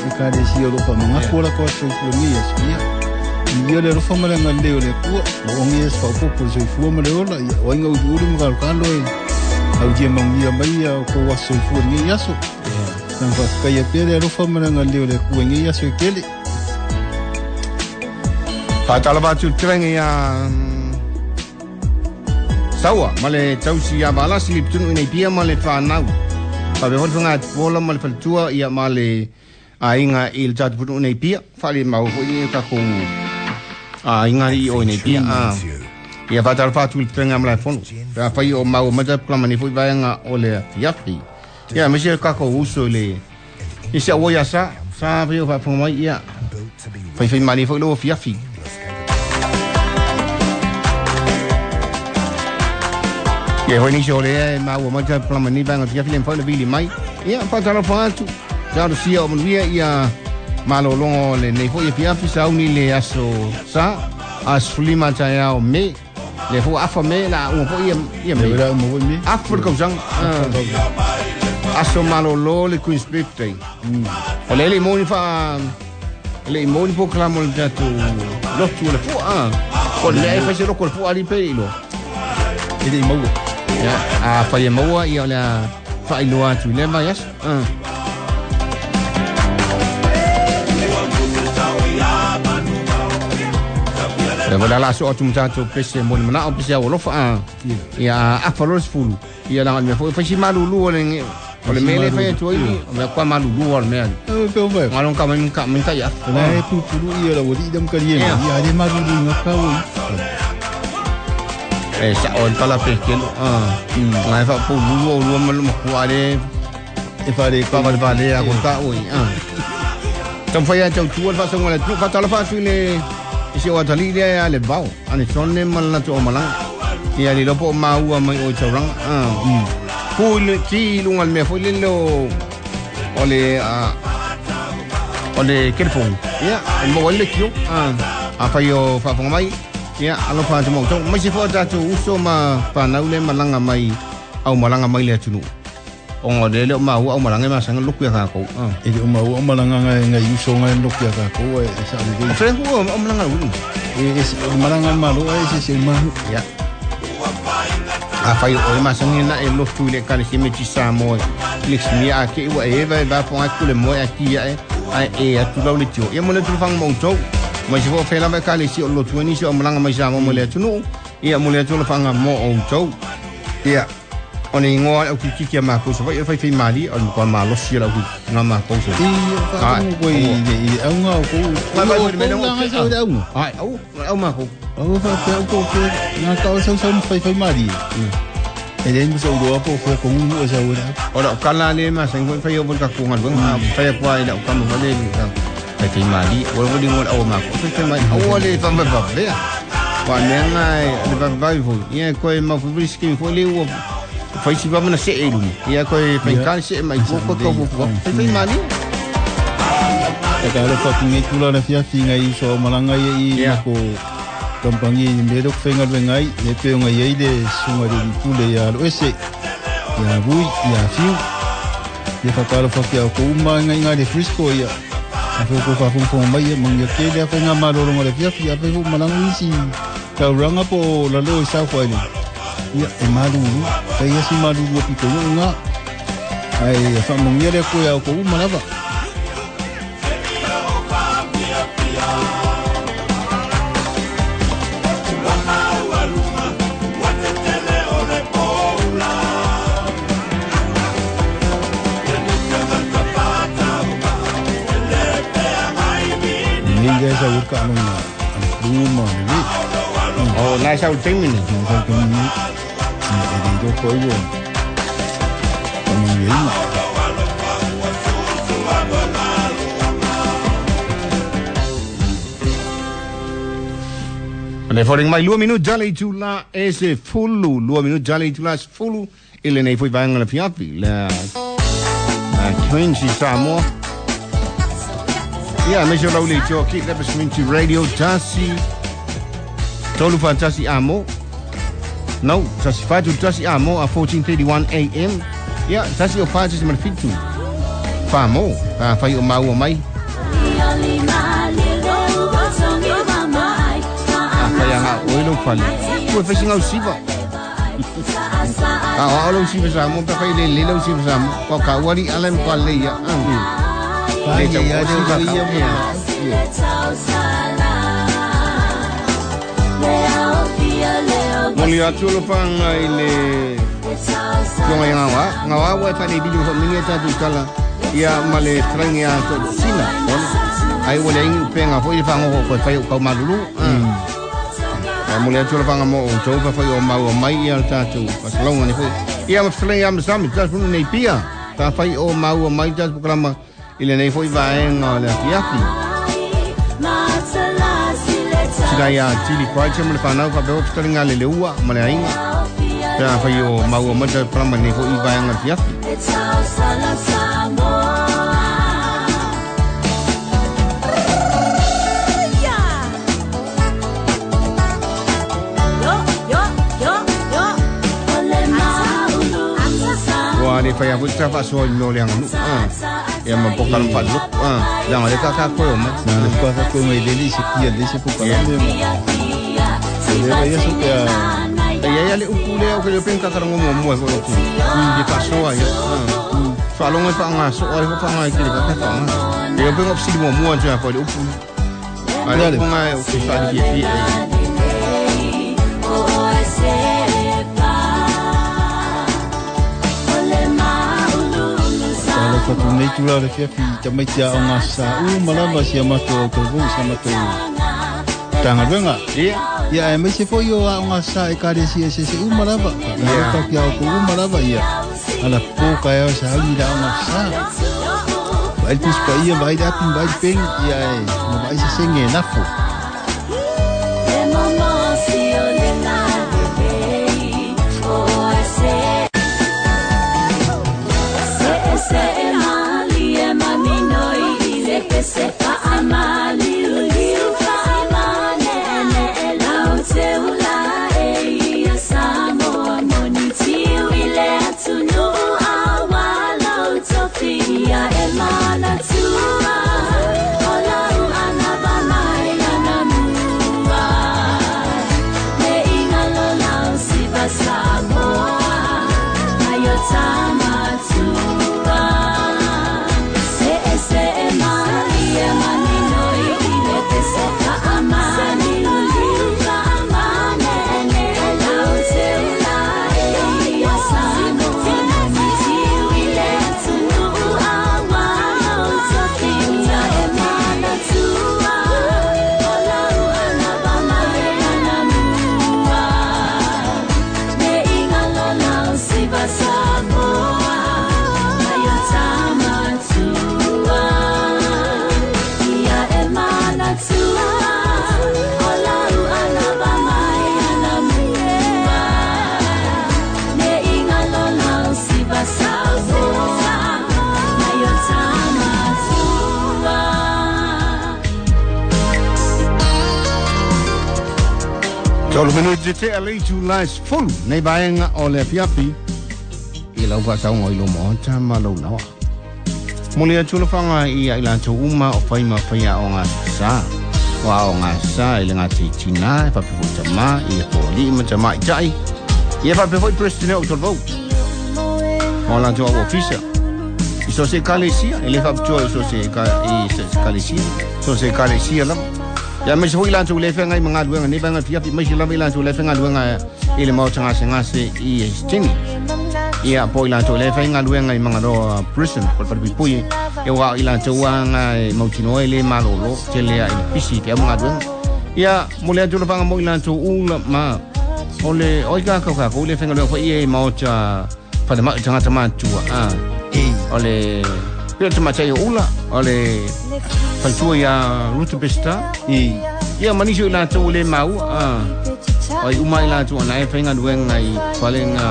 i ka le si o ro fa ma ko la ko so fu ni ya si ya ia le ro fa ma nga le le ko o ngi es fa ko ko so fu ma le ola ia o nga u ru ma ka lo e au dia ma ngi mai ya ko wa so fu ni ya so nang fa ka ya pele ro fa ma nga le le ko ngi ya so kele Fatala tu trenga ya sawa male tausi ya bala slip tunu nei pia male whanau pa be hon fanga bola male faltua ia male ainga il tatu putu nei pia fale mau fo i ka ko a inga i o nei pia a ia fatala fatu trenga male fono pa fai o mau mata plamani fo vaanga o le fiafi ia me ka ko uso le isi o ya sa sa fai o fa fo mai ia fai fai mani fo lo fiafi. Ia hoi nisi o lea e maua mai ta plamani banga fia file mfai na vili mai. Ia patala fatu. Talo sia o manuia ia malolongo le nei foi fia fi sauni le aso sa as fulima ta ia o me le fo afa me la o fo ia ia me. Le mo me. Afa ko sang. Aso malolo le Queen's Birthday. O le le moni fa le moni po klamo le tatu lotu le fo a. Ko le fa se ro ko fo ali pe ilo. E le mau. Ya, a fai maua ia la fai loa tu le mai as. Ah. Le vola la so tu mtato pese mo mana o pese o lo fa. Ia a fa lo fulu. Ia la me fo fa si malu lu le o le mele fa tu i me kwa malu lu o me. E pe o me. Ngalon ka me ka me ka ya. Na e pu pu ia la wodi dam ka ye. Ia de malu lu ngaka o. Eh sa on tala pe ke ah ngai fa pu lu lu ma lu ma ale e fa le pa va le a ko ta oi ah tam fa ya tau tu fa so ngala tu fa tala fa tu le isi o tali le ale bau ani sonne mal na tu o mala ia le lopo ma ua mai o chaurang ah pu le ti lu ngal me fo le lo o le a o le telefon ia mo le kio ah a fa yo fa fa mai ia alo fa mo to mai se fo ta tu uso ma pa na ule malanga mai au malanga mai le tunu o ngode le ma au malanga ma sang luku ya ka ko e le ma au malanga ngai ngai uso ngai luku ya ka ko e sa le o fre ku o malanga lu e e malanga ma lo e se se ma ya a fai o ma sang na e lo tu le ka le me ti sa mo le mi a ke wa e va va fo a ku le mo a ki ya e e a tu lo le tio ia mo le tu fang mo to ma se fo fela me ka le si o lo tu ni si o malanga mai sa mo le tunu ia mo le tu lo fanga mo o to ia O le igoa au kikiki a makou Savaii o le faifai malie o le matua malosi o le au nga makou Savaii. Ia faalogo koe i le auga o kou o le auga. Ai au au makou. Au faapea au po o fea na ka o sausau ma faifai malie. E leai ma sou iloa po o fea kogugu e sau ai le au. O lau kala le masani foi fai o le tatou galuega fai atu ai lau kama foi le faifai malie ua lava ligo le au a makou faifai malie aua le faavavavea. Ua mea ga le vavevave foi ia e toe maufai sikimi foi le ua fai si vava na se'e i luma ia toe faigata le se'e mai tua koe taufuafua faifai malie. E ka alofa atu nei tula le afiafi ngai uso o malaga ia i mako kampangi i mea lea faigaluega ai le pe o ngai ai le susuga i le alii pule ia Aloese ia Vui ia Fiu ia faatalofa atu ia outou uma ngai iga i le Frisco ia afai o kou faafogafoga mai ia manuia tele afaiga malologa o le afiafi afai foi malaga nisi taulaga po o lalo i South Island ia e malulu fai asi malulu o pito nuu ga ae faamanuia le Atua ia outou uma lava. Nei lea sa ua kaaloga a le flu ma le lē. O na sa ua taimi nei. Na sa ua taimi nei. E le iloa po ai ua faamanuiaina. Le foling mai lua minuti jale i tula e se fulu lua minuti jale i tula e se fulu i lenei foi vaega le afiafi le Community Samoa. Ia aemaise o lau le itoa ki Lepas Community Radio tasi tolu fa tasi amo no tasi fa tu tasi amo a fourteen thirty-one A M ia tasi o fa tasi ma le fitu fa mo fa fai o maua mai a fai anga oi lau fale ua fai singa o siva a o lau siva sa mo pa fai le le lau siva sa mo ko ka wari alem ko le ia le tau o siva ka ia. Moli atu lo panga i le tonga i ngawa ngawa ua e fai nei bili ho mini e tatu tala ia ma le trangi a to sina ai ua le ingi upenga foi le whangoho koe fai o kau malulu. Moli atu lo panga mo o tau pa fai o mau o mai ia le tātou pasalonga ni foi ia ma whatalangi a masami tatu punu nei pia ta fai o mau o mai tatu pukalama i le nei foi vaenga o le afiafi. Sina ia tili kwaita ma le whanau whapea whatalangi a le leua ma le ainga ta fai o mau o mai tatu pukalama nei foi vaenga o le afiafi. Le fai a foi ta fasoa i mea o le aganu ia ma pokala ma faaloloku leaga le kaka koe o mai na le kaka koe mai lele i se kia le se pokalame ma le vai aso pea e ia ia le upu lea o ke leo peni kakalago muamua e foi o tu le faasoa ia faalogo e faagasoa le fo faagae i kele kaka faagae e leo peni ofisili muamua atu foi le upu a le upu gae o ke faalifiafia e. Fatu nei tula le fiafi tamaiti a o ngā sa u malava si a matou au tauvou si a matou tāngaluega. Ia. Ia e maise foi o a o ngā sa e kare si e se se u malava. Ia. Ka ki au ko u malava ia. Ala pō ka e o sa au ni la o ngā sa. Vai pus pa ia, vai le api, vai le peng, ia e, na vai se senge e nafo. Ia e mana tua, o lau ana ba mai. Tolu minuti te a lei tu lai fulu nei vaenga o le afiafi i lau whaasaunga i lo moota ma lau nawa. Mole atu le whanga i a i lātou uma o whaima whaia o ngā sa. O a o ngā sa i le ngā te tina e whapefo i tama i e pōli ma tama i tai. I e whapefo i presidente o tolvau. O lātou au ofisa. I so se kalesia, e le whaputua i so se kalesia. So se kalesia lava. Ia mai se foi lātou le whenga i mga luenga, nei vaenga fiafi, mai se lava i lātou le whenga luenga i le maota ngase ngase i Hastings. Ia po i lātou le whenga luenga i mga roa prison, po le pui, e wā i lātou anga e mautinoa i le malolo, te lea i le pisi te au mga luenga. Ia mo le atu le whanga mo i lātou ula ma, o le oi kākau kākau le whenga luenga fo i e maota whalemau tangata mātua. O le pera te matai o ula, o le whaitua ia Ruta Besta. Ia manisi o i lātou le mau, o i uma i lātou ana e whainga luenga i whalenga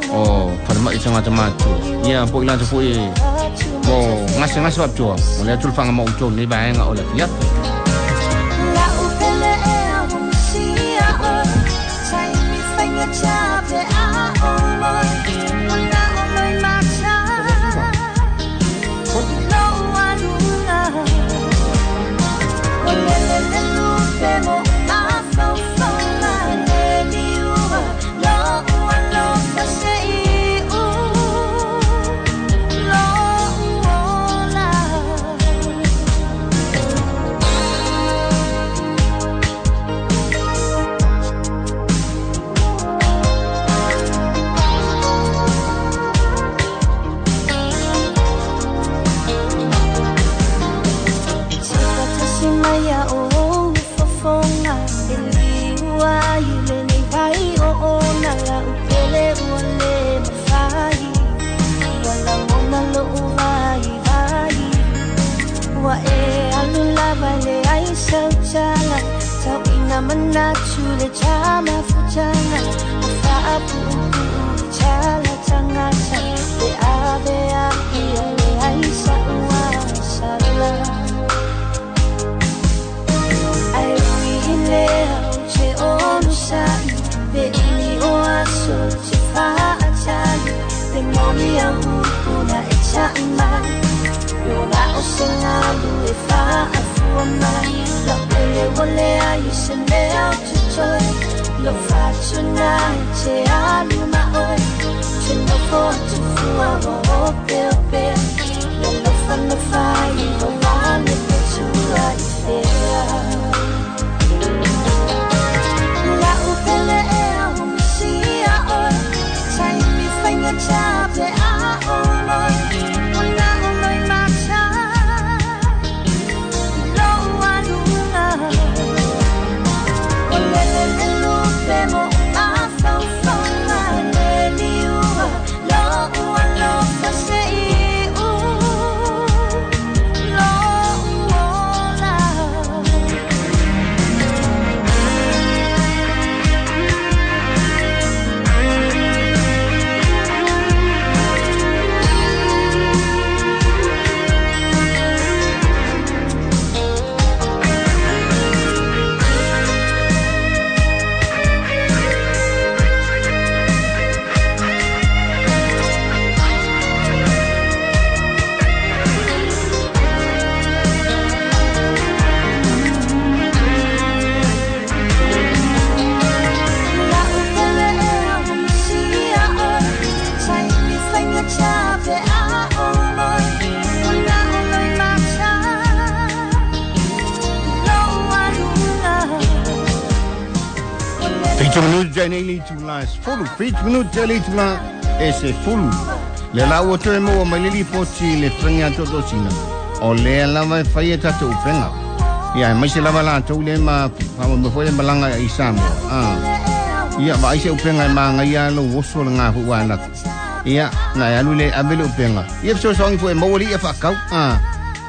o whalemau tangata mātua. Ia po i lātou fo i mo ngase ngase waptua, o le atu le whanga mo utou nei vaenga o le fiafi. Fulu, fitu minuti le tula e se fulu. Le la ua toe maua mai le lipoti le whenga totosina. O le lava e whai e tatou upenga. Ia, e maise lava lātou le ma whamamefo le malanga i Samoa. Ah. Ia, ma aise upenga e maanga ia lo oso le ngā hu wānaka. Ia, na e alu le ave le upenga. Ia fesoasoani fo e maua le ia whaakau. Ah.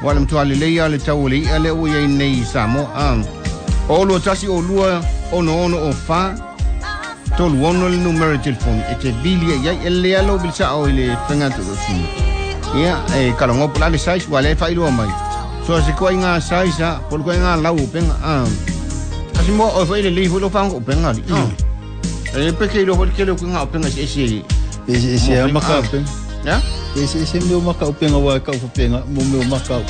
Wala mtua le leia le tau le ia le ua ia nei i Samoa. Ah. O lua tasi o lua ono ono o wha. Tolu ono le numero telefoni e te vili e iai e le alo bilsa o i le whenga totosina. Ia, e kalongopo la le size wa le whailua mai. So se koa i ngā size a, polu koa i ngā lau o penga. Ah. Kasi mo o foi le lei foi lo fango penga li. E pe ke lo foi ke lo nga penga se se. E se se a maka penga. Ya? E se se meu maka penga wa ka penga mo meu maka.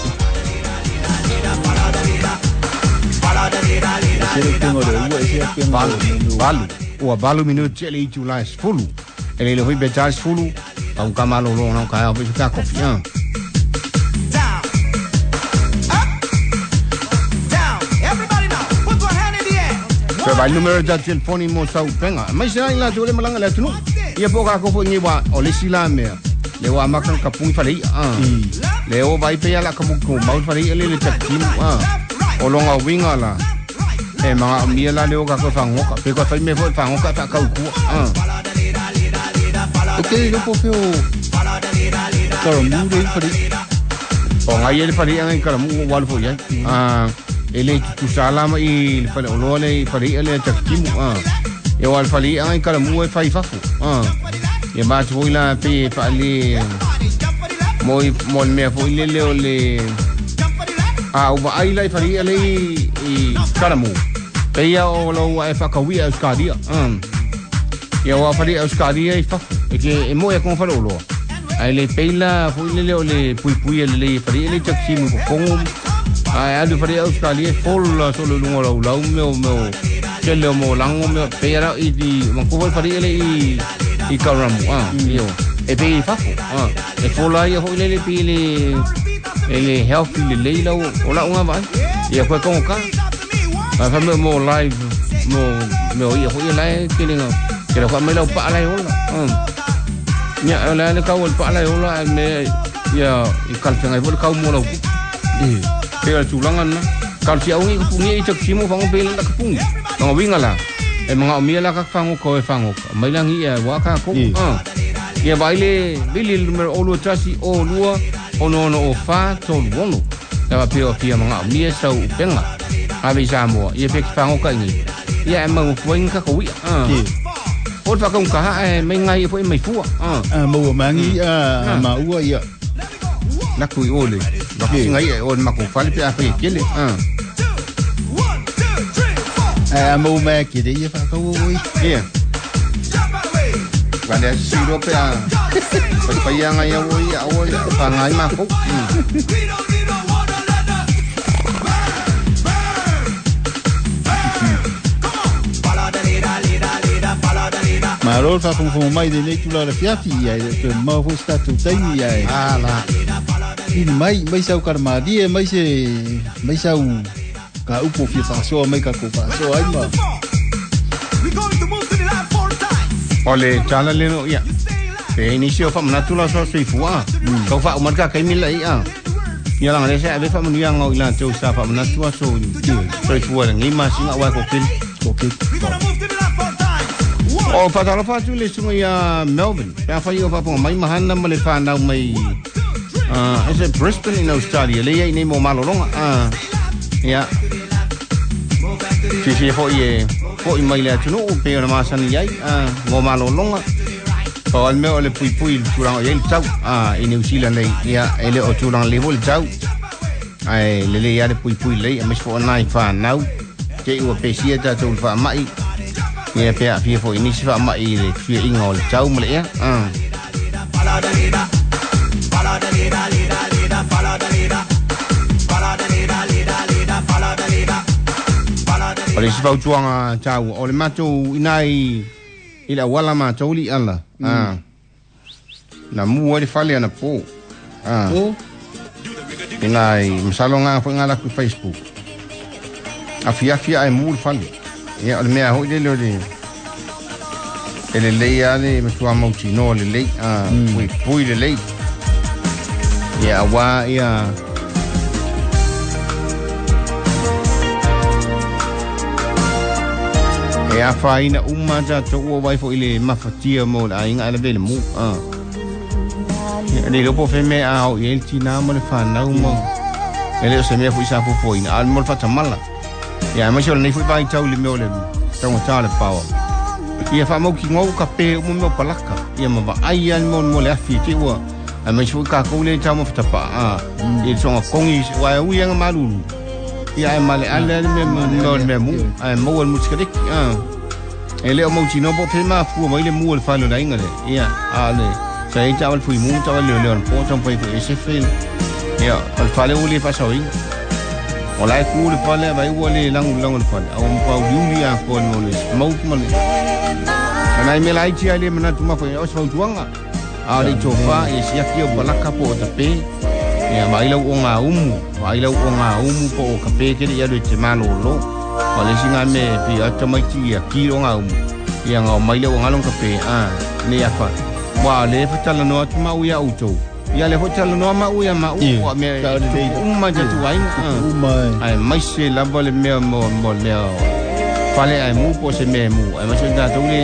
Se le penga le ua se penga. Valu. Ua valu minuti le itu la sefulu. E le foi betal sefulu. Ka ka malo lo na ka foi ka kofi. Pe vai numero da telefoni mo sau penga. Mai se ai la tole malanga la tunu. Ia po ka ko fo ngi wa o le sila mea. Le wa makan ka pungi fale ah. Le o vai pe ala ka mo ko mau fale le le takim ah. O longa winga la. E manga mia la le o ka ko fangoka. Pe ko fai me fo fangoka ta ka ku ah. O ke lo po fe o. Karamu le fale. O ngai le fale ngai karamu wa le fo ya. Ah. Ele tu salama i le fale oloa le fale le takitimu ah e o fale ai kala mu e fai fafu ah e ma tu ila pe fa le mo mo me fo ile le le a o ai la fale le i kala mu pe ia o lo e fa ka wi Australia ah e o fale Australia i fafu e ke e mo e kon fale oloa ai le peila fo ile le le pui pui le fale le takitimu ko kongo. Ai alu fare Australia fol solo lungo lau lau meo meo kele mo lango meo pera i di manko fare ele i i karamu ah io e pe fafo ah e fola ia ho ile pe le ele healthy le leila o la unga vai ia ko ko ka a fa mo live mo meo ia ho ile kele nga kele ko me lau pa la ola ah nya la le ka ol pa la ola me ia i kalfenga i vol ka mo lau eh pe tulanga na ka ti au ngi pungi i taksimu fango pe la ka pungi nga winga la e mga omia la ka fango ko e fango mai la ngi e wa ka ko ah ia vai le bili numero o lua tasi o lua ono ono o fa tolu ono ta pe o pia mga omia sau penga ave Samoa ia pe fango ka ngi ia e mau fuain ka ko wi ah o fa ka ka ha e mai ngai fo mai fua ah a mau mangi a ma ua ia la kui ole la kui ngai e on mako fale pe a fe kele ah a mo ma ke de ia fa ka o ia va le siro pe a pa pa ia ngai o ia o fa ngai ma ko Maro fa fo fo mai de nei tula la fiafi ia te mau fo sta tu taimi ia ah la i mai mai sau karma die mai se mai sau ka upo fi faso mai ka ko faso ai ma ole tala le no ia pe inicio fa manatula so se fua ka fa marka kai mila ia ia la ngale se ave fa manu ia ngau ila teu sa fa manatua so so fua ngi ma singa wa ko kil ko kil o patalo fatu le sunga ia Melbourne pe fa ia fa mai mahana ma le whanau mai ah is it Brisbane in Australia le ia nei mo malolonga ah ia fi fi fo ie fo i mai le atunu pe ona masani ai ah mo malolonga o al meo le pui pui turanga ia le tau ah i New Zealand nei ia ele o turanga le le tau ai le le ia le pui pui le a mis fo nai whanau te ua pesia tātou le whaamai ia pe a fia fo inisi whaamai le fia inga o le tau ma le ea ah O le sifau tuanga tau o le matou inai i la wala matou li ala ah na mua le fale ana po ah inai masalo nga fo nga la ku Facebook a fia fia ai mu le fale ia o le mea hoi le le ele lei ale matua mautino le lei ah pui pui le lei ia wa ia e a whaina uma tātou ua waifo i le mafatia mo le ainga ala vele mu. Ah. Ia le lopo wheme a o i el tina mo le whanau mo. E le o se mea fui sa fufoina. A mo le whatamala. Ia mai se o le nei fui vai tau le meo le taunga tā le pawa. Ia whamau ki ngau ka pe umo meo palaka. Ia mawa ai an mo mo le afi te ua. A mai se fui kākou le tau mo whatapa. Ah. Ia le songa kongi wai ui anga malulu. Ia e male ale ale me no me mu ai mo al muskariki ah e le o mo tino po pe ma fu mai le mu le falo la inga le ia a le sa e tawal fu mu tawal le le on po tong po e se fe ia al falo le fa sa inga o la ku le fale vai o le langu langu le fale o pa u ya ko no le mo ma le ana me lai ti ale mana tu ma fo o sa tuanga a le tofa e sia ki o balaka po ta pe ia mai lau o ngā umu, mai lau o ngā umu po o ka pēkere ia le te malolo. O le singa me pi ata mai ti ia ki o ngā umu. Ia ngā mai lau o ngā long ka pē, a, ne ia wha. Wa le whatala noa tu mau ia utou. Ia le whatala noa mau ia mau, wa me uma jatu ainga. Ai mai se lava le mea mo mo mea fale ai mu po se mea mu. Ai mai se tātou le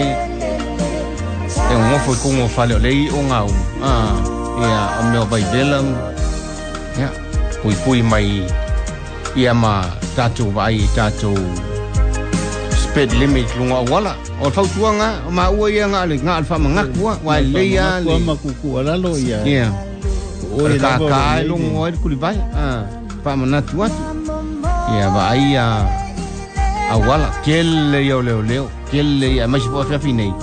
e ngofo kongo fale o le i o ngā umu. Ah, ia o mea vai vela. Ia, pui pui mai ia ma tātou vai tātou speed limit lunga wala. O fautuanga o ma ua ia ngā le ngā alfa mangakua wa le ia le makuku alalo ia. Ia. O le ka ka ai lunga oi kuli vai. Ah, pa manatu atu. Ia va ai a awala kele ia leo leo kele ia mai se po afi nei.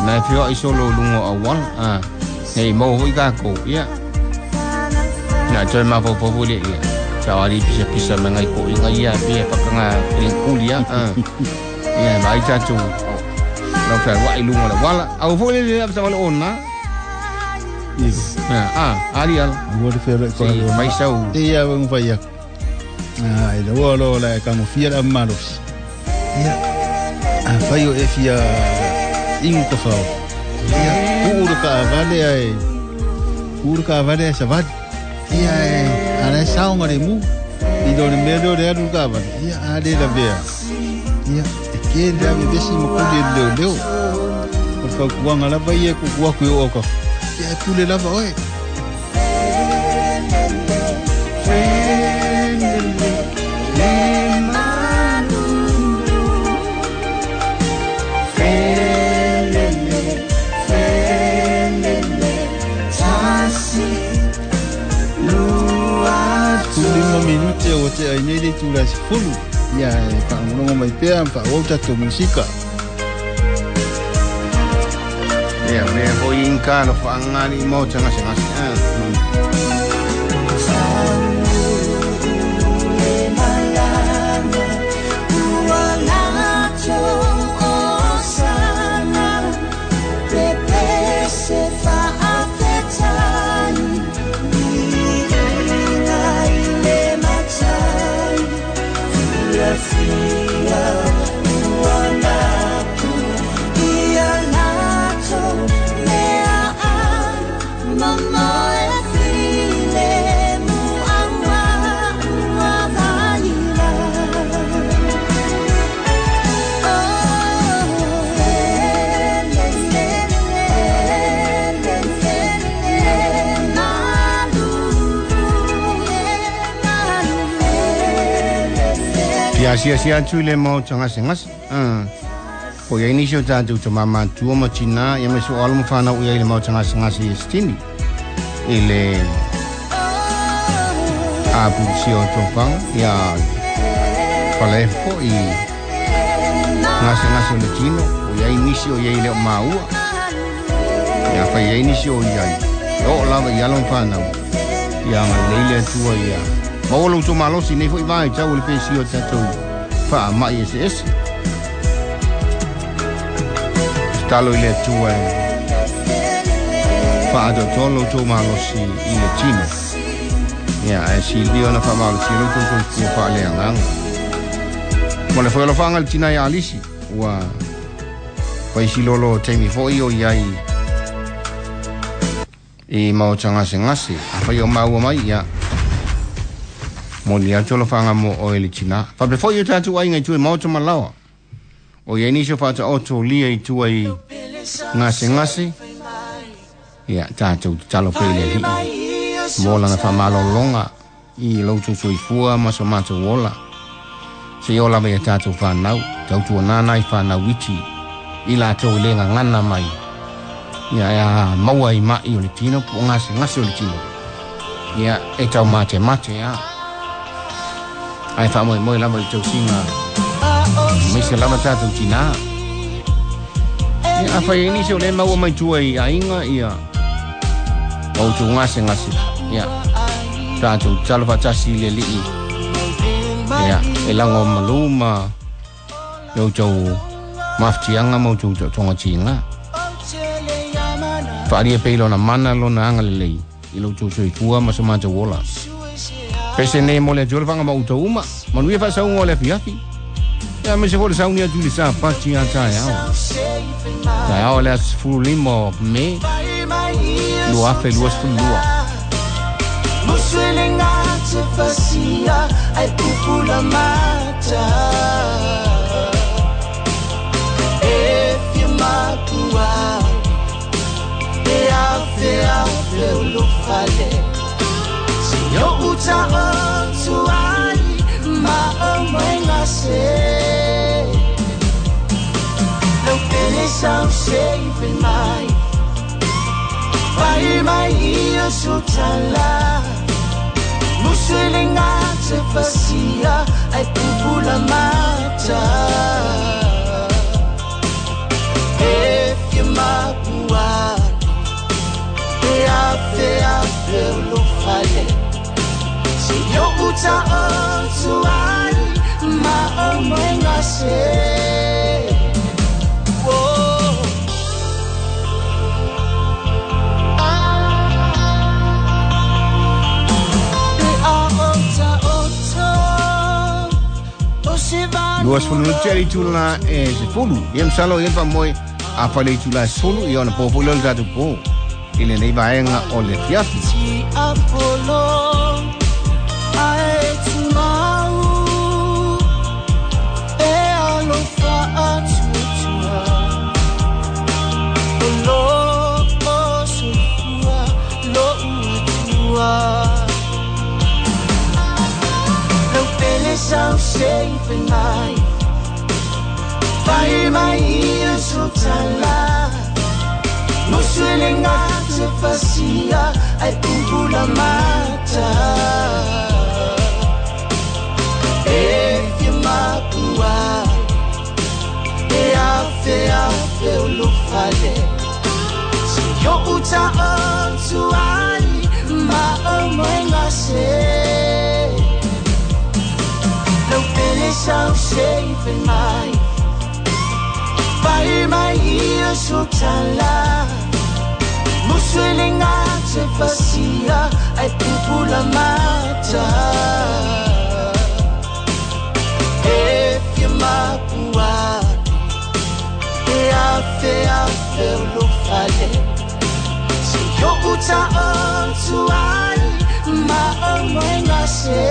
Na fio ai solo lunga awala. Ah, nei mo hoi ka ko. Ia. Na toe ma po po le ia. Sa wali pisa pisa mangai ko inga ia pia pakanga kulia. Ah. Ia mai tatu. No fa wa ilunga la wala. Au fo le le sa wala ona. Ia. Ah, ali ala. Ua le felo ko le mai sau. Ia wa ngwa ia. Ah, ile wa lo la ka mo fia la malos. Ia. A fai o e fia ingu ka fao. Ia, ku uru ka vale ai. Uru ka vale sa vale. Ia e ara saonga le mu i do le mea le alu ka vale. Ia a le la vea. Ia e ke le ave vesi mo kuli leo leo. O fa kuanga lava ia ku ku ku o ka. Ia e pule lava oe. Minute o te ai nei le tula se fulu. Ia e whaangorongo mai pea, whaawau tatou musika. Ia, mea hoi inka lo whaangani mo te ngase ngase. Ia sia sia atu le mo tanga sengas. Ah. Po ia inisio tātou te mama tua ma tina ia me so alo ma whanau ia i le mo tanga sengas i stini. I le a pulisi o tōpanga ia whalefo i ngase ngase o le tino o ia inisio ia i leo maua. Ia whai ia inisio ia i. O lava i alo ma whanau. Ia nga leile atua ia. Maolo tō malosi nei foi vai tau le pesi o tātou wha mai ese ese. Talo i le atua e wha atotolo tō malosi i le tino. Ia, e si lio na wha malosi lo tō tō kua wha le anganga. Mo le whaelo whaanga le tina i alisi, ua waisi lolo teimi foi o iai i mao tangase ngase. A whai o maua mai, ia. Mo le atu lo whanga mo o ele tina. Whape foi o tātou ai ngai tue maoto malawa. O ia inisio whata oto lia i tua i ngase ngase. Ia tātou te talo pele hii. Mo langa whamalolonga i lautu soifua ma so mātou ola. Se ola mea tātou whanau. Tautua nana i whanau iti. I lātou i lenga ngana mai. Ia ia maua i mai o le tino po ngase ngase o le tino. Ia e tau mate mate ia. Ai wha moi moi lava i tausinga me se lava tātou tina. Ia a whai ini se o le maua mai tua i ainga ia o tu ngase ngase. Ia tātou talo whatasi le lii. Ia e lango maluma yo tau maftianga mo tu tonga tinga. Whaaria pei lona mana lona anga lelei i lo tau soifua ma sa mātou ola. Pese nei mo le atu whanga ma uta uma. Manuia whasaunga o le afiafi. Ia me se fole sauni atu le sa pati a tae ao. Tae ao le asifuru lima o me. Lua afe lua sifuru lua. Muswele ngate fasia ai pupula mata. If you makua e afe afe ulufale. Yo uta otu ai ma omoenga se. Lo pele sau save mai. Vai mai ia sutala. Muswele ngate fasia ai pupula mata. If you makua e afe afe ulufale. Yo uta otu ai ma omoenga se. Oh. E a ota oto o se va. Lua sefulu tele tula e sefulu. Ia msalo ia pa moi a whale tula sefulu ia ona pōpō leo le tātou pō. I le nei vaenga o le fiafi. Ti Apollo ae tumau e alofa atutua o lo o soifua lo uatua. Lau pele sau seife mai vai mai ia sotala. Muswele ngate fasia ai pupula mata. If you makua e afe afe ulufale. Yo uta otu ai ma omoenga se. Lau pele sau seife mai vai mai ia sotala. Muswele ngate fasia ai pupula mata. If you makua e afe afe ulufale. Yo uta otu ai ma omoenga se.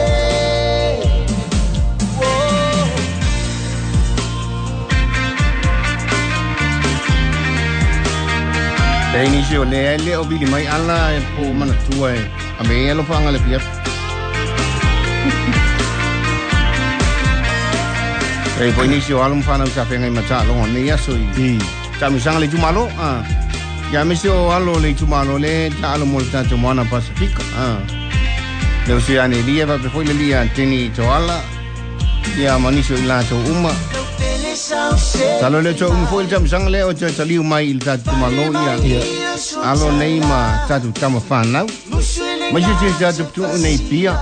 Te inisi o le ele o vili mai ala e po mana tua e a me elo whanga le fiafi. E po inisi o alo mwhana usa whenga i mata longo nei aso i tamisanga le tumalo. Ia mese o alo le tumalo le ta alo mo le tātou moana Pasifika. Le usi ane lia wape foi le lia tini toala. Ia manisi o i lātou uma. Talo le tau umu foi le tamisanga le o te taliu mai i le tātou tumalo ia alo nei ma tātou tama whanau. Mai se te tātou putu nei pia.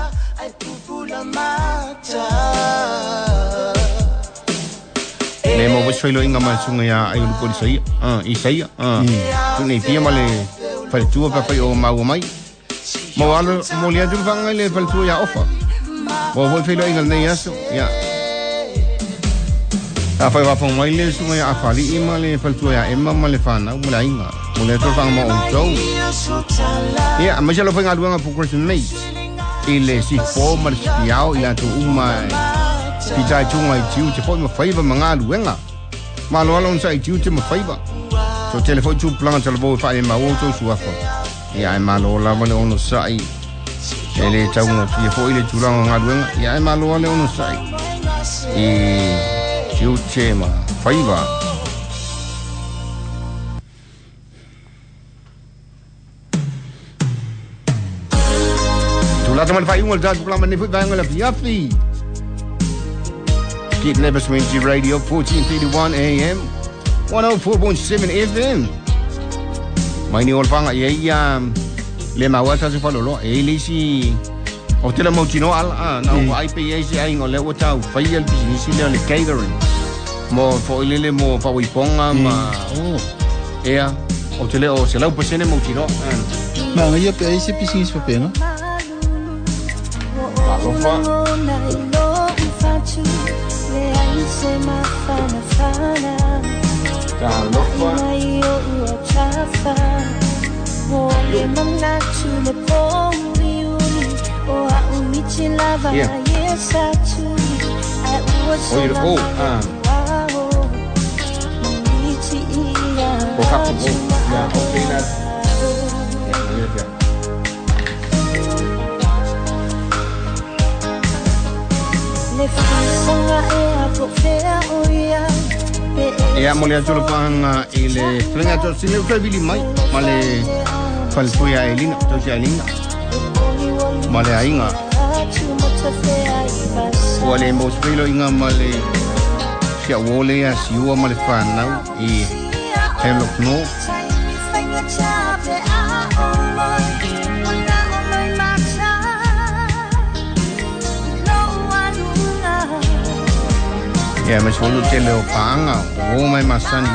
Le mo wis whailo inga mai sunga ia ai ulu kori saia. I saia. Tu nei pia ma le whaletua pa whai o maua mai. Mo alo mo le atu whanga le whaletua ia ofa. Mo foi whailo inga nei aso. Ia. A whai wafong mai le sunga ia awhali ima le whaletua ia ema ma le whanau mo le ainga. Mo le atu whanga ma o tau. Ia, ma se alo whainga aluanga Progressive Mates. I le sipo ma le sipiao i lātou uma pita i tunga i tiu te foi ma whaiva ma ngā luenga. Ma alo alo onsa i tiu te ma whaiva. So tele foi tu planga tala vō whae ma o tau suafa. Ia ai malo lava le ono sai. E le taunga fia foi le tūranga ngā luenga. Ia ai malo le ono sai. I tiu te ma whaiva. Tū lata ma le whai unga le tātu plama ne fui vaenga le fiafi. Kidnappers Community Radio, fourteen thirty-one A M, one oh four point seven F M. Mai ni olfanga ia ia le maua sa se falolo e le si o te la mautino ala a na o I P A si ai ngo le o tau fai el business le le catering mo fo ile le mo fa wiponga ma oh ea o te le o se lau pasene mautino ma ia pe ai se business fa penga alofa Talofa. Yeah. Oh, oh, ah. Oh, oh, yeah, okay, that. Yeah, yeah. Ia mo le atu panga i le flenga to sile ko bili mai ma le falfuia elina to sia elina ma le ainga o le mo spilo inga ma le sia wole ya siua ma le whanau i Hemlock no ia me solo tele o panga o mai masani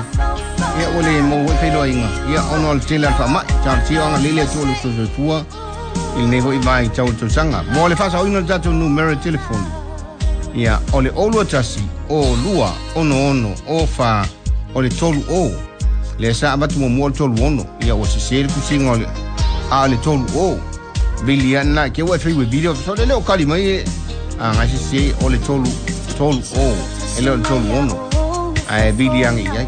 ia o le mo whelo inga ia ono al tele al fama char ti anga lele tu lu tu tua il ne hoi mai tau tu sanga mo le fasa o ino tatu numero telefoni ia o le olu tasi o lua ono ono o fa o le tolu o le sa abatu mo mo tolu ono ia o se se ku singa o le a le tolu o biliana ke wa fi video so le o kali mai a ngai se se o le tolu tolu o ele o tolu ono ai bilianga ia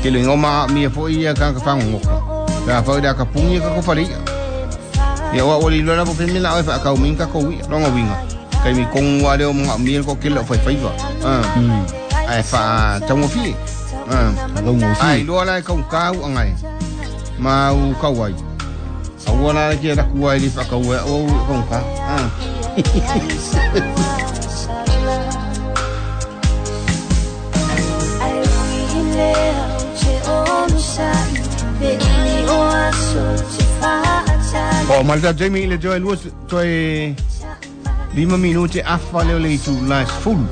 ke le ngoma mi fo ia ka ka fango ngoka ka fa da ka pungi ka ko fari ia wa oli lo na po femina o fa ka min ka ko wi longa winga kai mi kong wa le o mo mi ko ke lo fai fai va ah ai fa tango fi ah tango fi ai lo la ka ka u ngai ma u ka wai a wa la ke la ku ai li fa ka wa o ko ka ah O malta Jamie le joy lua toi lima minute afa leo le tu last full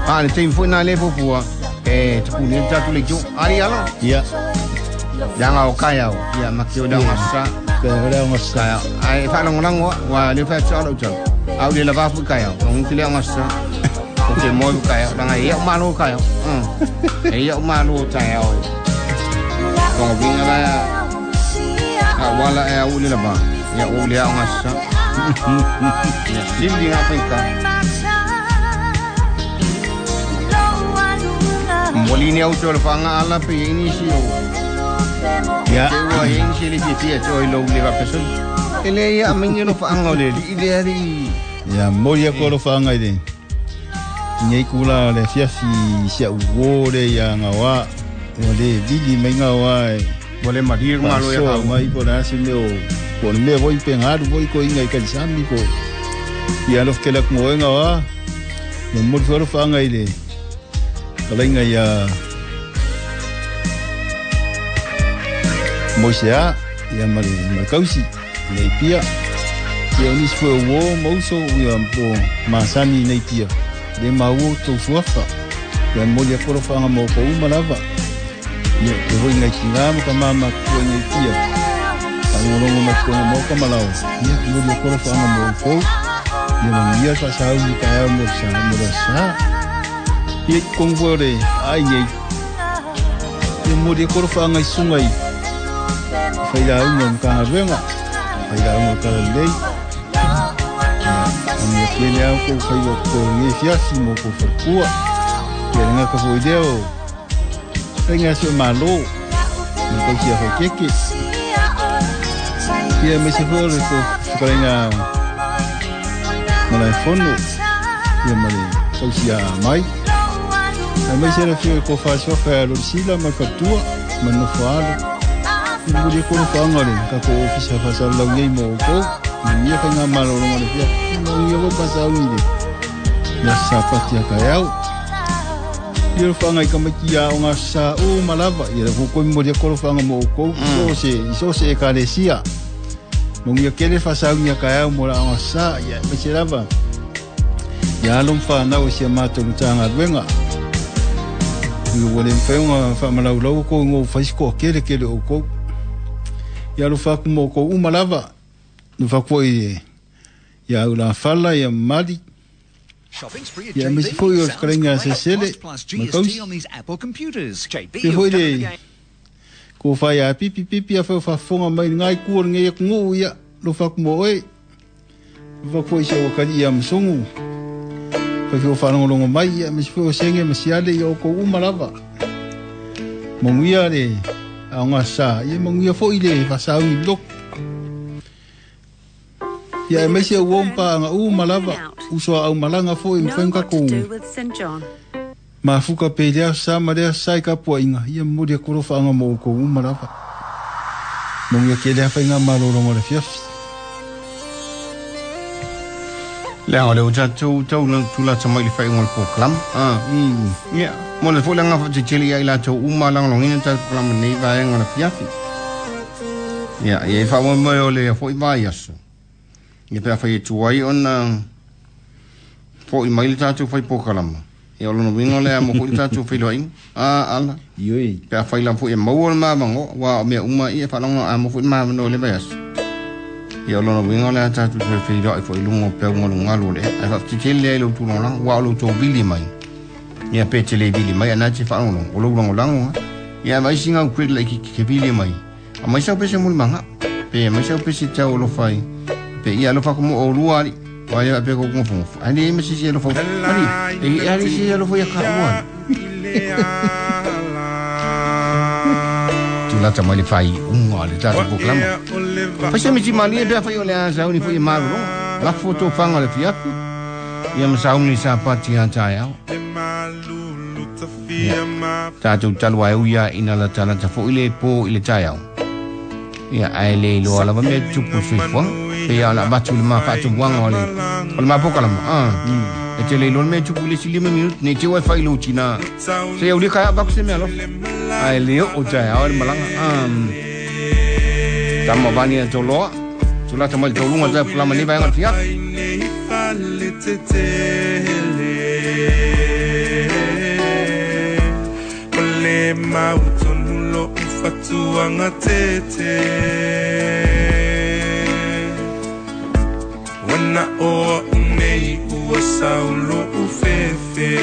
a le team foi na le fofua e te pune tatu le jo ari ala ia yanga o kaya o ia makio da ngasa ka le ngasa ai fa longo longo wa le fa tsalo tsalo au le lava fu kaya o ngi le ngasa o te mo kaya langa ia malo kaya mm ia malo kaya o kongo vinga la a wala e au le lava ia o le ngasa ia sindi ngapika Molini au tolo fanga ala pe ini si o ya wa ini si le fia to lo le va person ele ia mingi lo fanga le ile ari ya mo ia ko lo fanga ile nei kula le fia fi sia wo le ya ngawa le vili mai ngawa mo le marir malo ya ka mai por asi me o por me voy pengar voy ko inga i kansami ko ya los que la como ngawa no mo lo fanga ile kalenga ya Moisea ya mari makausi nei pia ia unis fue wo mouso ia po masani nei pia le mau to suafa ia molia koro fanga mo ko umalava ia te hoi ngai kinga mo ka mama ko nei pia tangorongo ma ko mo ka malao ia molia koro fanga mo ko ia ia sa sa u ka mo sa mo sa ia kongore ai nei ia molia koro fanga sungai whaira unga mga kaharuenga whaira unga karalei ia kele au ko whaiwa ko nge fiasi mo ko wharkua ia nga ka whoideo whainga sio malo ma kausi a whaikeke ia me se whaore ko whakarenga marae whono ia mare kausi a mai a mai se rafio ko whaasua whaia lorisila ma whatua ma nofo alo Muri koro whaangare, ka ko ofisa whasalau nei mō kou, mia whai ngā māroronga le whia, mā uia ko pasau ni le. Mea sapati a kai au, Ia whanga i kamaiti a o ngā sa o malava. Ia le kukoi mori a kolo whanga mo o kou. Iso se, iso se e karesia. Mongia kele whasaungia ka au mo la o ngā sa. Ia me se lava. Ia alom whanau si a mātou tānga ruenga. Ia wale mwhaunga whaamalau lau kou ngō whaisiko a kele kele o kou. Ia alo whaku mo kou umalava. No whakua i ia au la whala ia mali. Ia mesi foi o whakarenga se sele. Makausi. Pe hoi le ko whai a pipi pipi a whai whafonga mai ngai kua ngai aku ngō ia lo whaku mo oe. Whakua i se wakari ia msongu. Whai whio whanongolongo mai ia mesi foi o senge masiale ia o kou umalava. Monguia le a ngā sa. Ia monguia foi le whasaungi loko. Ia e mesia uompa anga u malava usoa au malanga foi mfenga ko mafuka pe lea sa ma lea sai ka pua inga ia muri a korofa anga mo ko u malava mongia ke lea whainga malolongo le fiafi lea o le o tātou tau tula tamai le whainga le pōkalam ia mo le fōlanga whatetele ia i lātou uma langalongina tātou pōkalama nei vaenga le fiafi ia ia i whaamoi mai o le foi vai aso. Ia pea whai e tuai ona foi mai le tātou whai pōkalama. Ia o lono winga lea mo foi le tātou whai loa inga. A, ala. Ioi. Pea whai la foi e maua le māmango. Wā o mea uma ia whalonga a mo foi māmano le vai aso. Ia o lono winga lea tātou whai whai loa i foi lungo peo ngalu ngalu le. Ai whakatitele lea i lau tūlonga. Wā o lau tō vili mai. Ia pe te le vili mai. Ana te whalongo. O lau lango lango. Ia mai singa u kwere lai ki ke vili mai. A mai sau pese muli manga. Pe mai sau pese tau o lo whai. Pe ia alofa ko mo o lua ali wa ia pe ko ngofu ngofu ani me si alofa ali e ali si alofa ia ka ua tula ta mai fai unga le ta ko klama fa se mi ti mali be fa yo le a sa uni fo i maru la foto fanga le fiafu ia ma sa uni sa pati a ta ya ta tu talwa ia ina la tala ta fo ile po ile ta ya ia ai le lo ala me tupu soifua pe ia la batu le ma fatu wanga ole o le mapoka la ah e te le lo me tupu le sili minute ne te wa fai lo tina se eu le ka ba ku se me alo ai le o ta ya ole malanga ah tamo bani to lo tu la tamo to lunga ta flama ni ba ngal fia le mautunulo fatuanga tete wana o nei ua saulo ufefe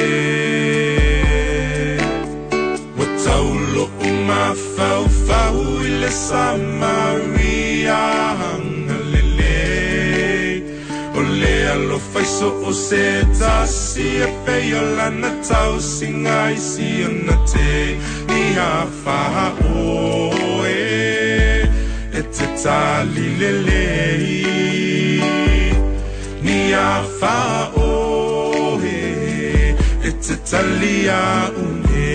wa taulo umafau fau ile Samaria hangalele ole alo faiso o se tasi e peiola na tau singa isi ona te ia fa o e e te tali lele ni a fa o e e te tali a une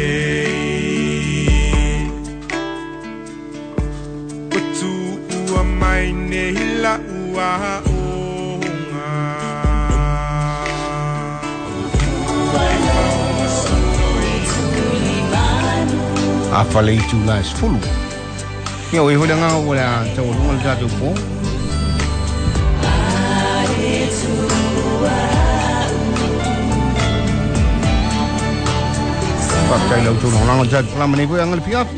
Watu ua mai ne hila ua o a fale i tū la sfulu. Ia o e hole ngā o lea tau o lunga le tātou pō. Whakatai lau tōna holanga tātou palama nei koe anga le piafi.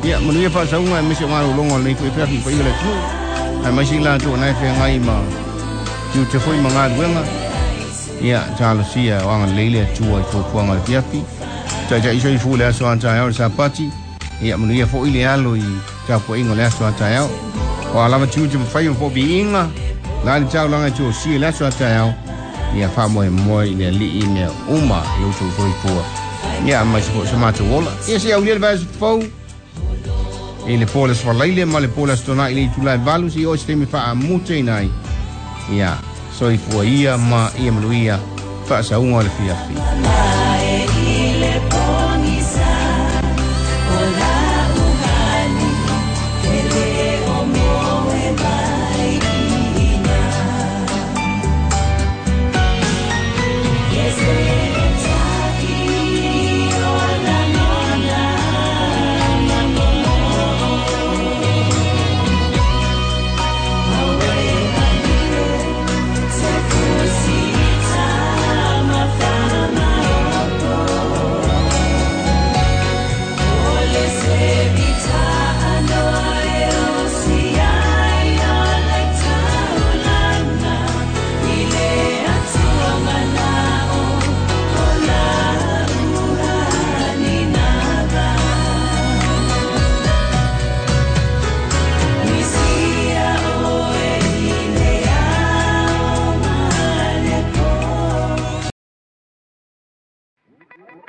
Ia, manu ia whaasaunga e mese o ngā rolonga nei koe piafi pa ia le tū. Ai mai si la tō nai whea ngai ma tiu te foi ma ngā ruenga. Ia, tālo sia o anga leile tua i tō le piafi. Tai tai iso i fu le aso anta au le sapati. Ia manu ia fo ile alo i tapo ingo le aso anta au. O alava tiu te mwhai o fo bi inga. La le tau langa tio si le aso anta au. Ia wha moe moe i le li i mea uma i utu fo i fua. Ia mai se fo se mātou ola. Ia se au le vai fo. E le pōla swalaile ma le pōla stona i le itulai valu si o se te me wha a mute inai. Ia so i fua ia ma ia manu ia wha sa unga le fia fi. Yes,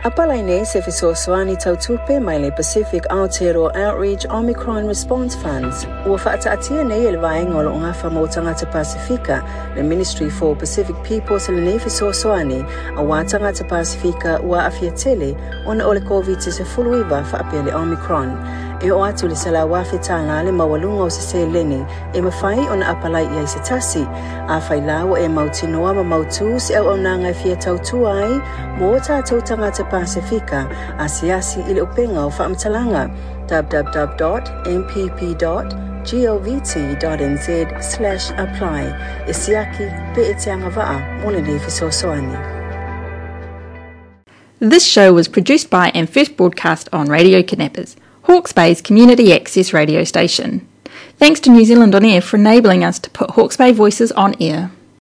Apalai nei se fesoasoani tautupe mai le Pacific Aotearoa Outreach Omicron Response Funds. Ua faataatia nei e le vaega o lo o gafa mo tagata Pasifika, le Ministry for Pacific Peoples lenei fesoasoani, auā tagata Pasifika ua aafia tele ona o le Koviti sefuluiva faapea le Omicron. E oo atu le selau afe tālā le maualuga o se seleni e mafai ona apalai i ai se tasi. Afai la ua e mautinoa ma mautū se auaunaga e fia tautua ai mo tatou tagata Pasifika, asiasi i le upega o faamatalaga w w w dot m p p dot govt dot n z slash apply e siaki pe e te agavaa mo lenei fesoasoani. This show was produced by and first broadcast on Radio Kidnappers, Hawke's Bay's community access radio station. Thanks to New Zealand On Air for enabling us to put Hawke's Bay voices on air.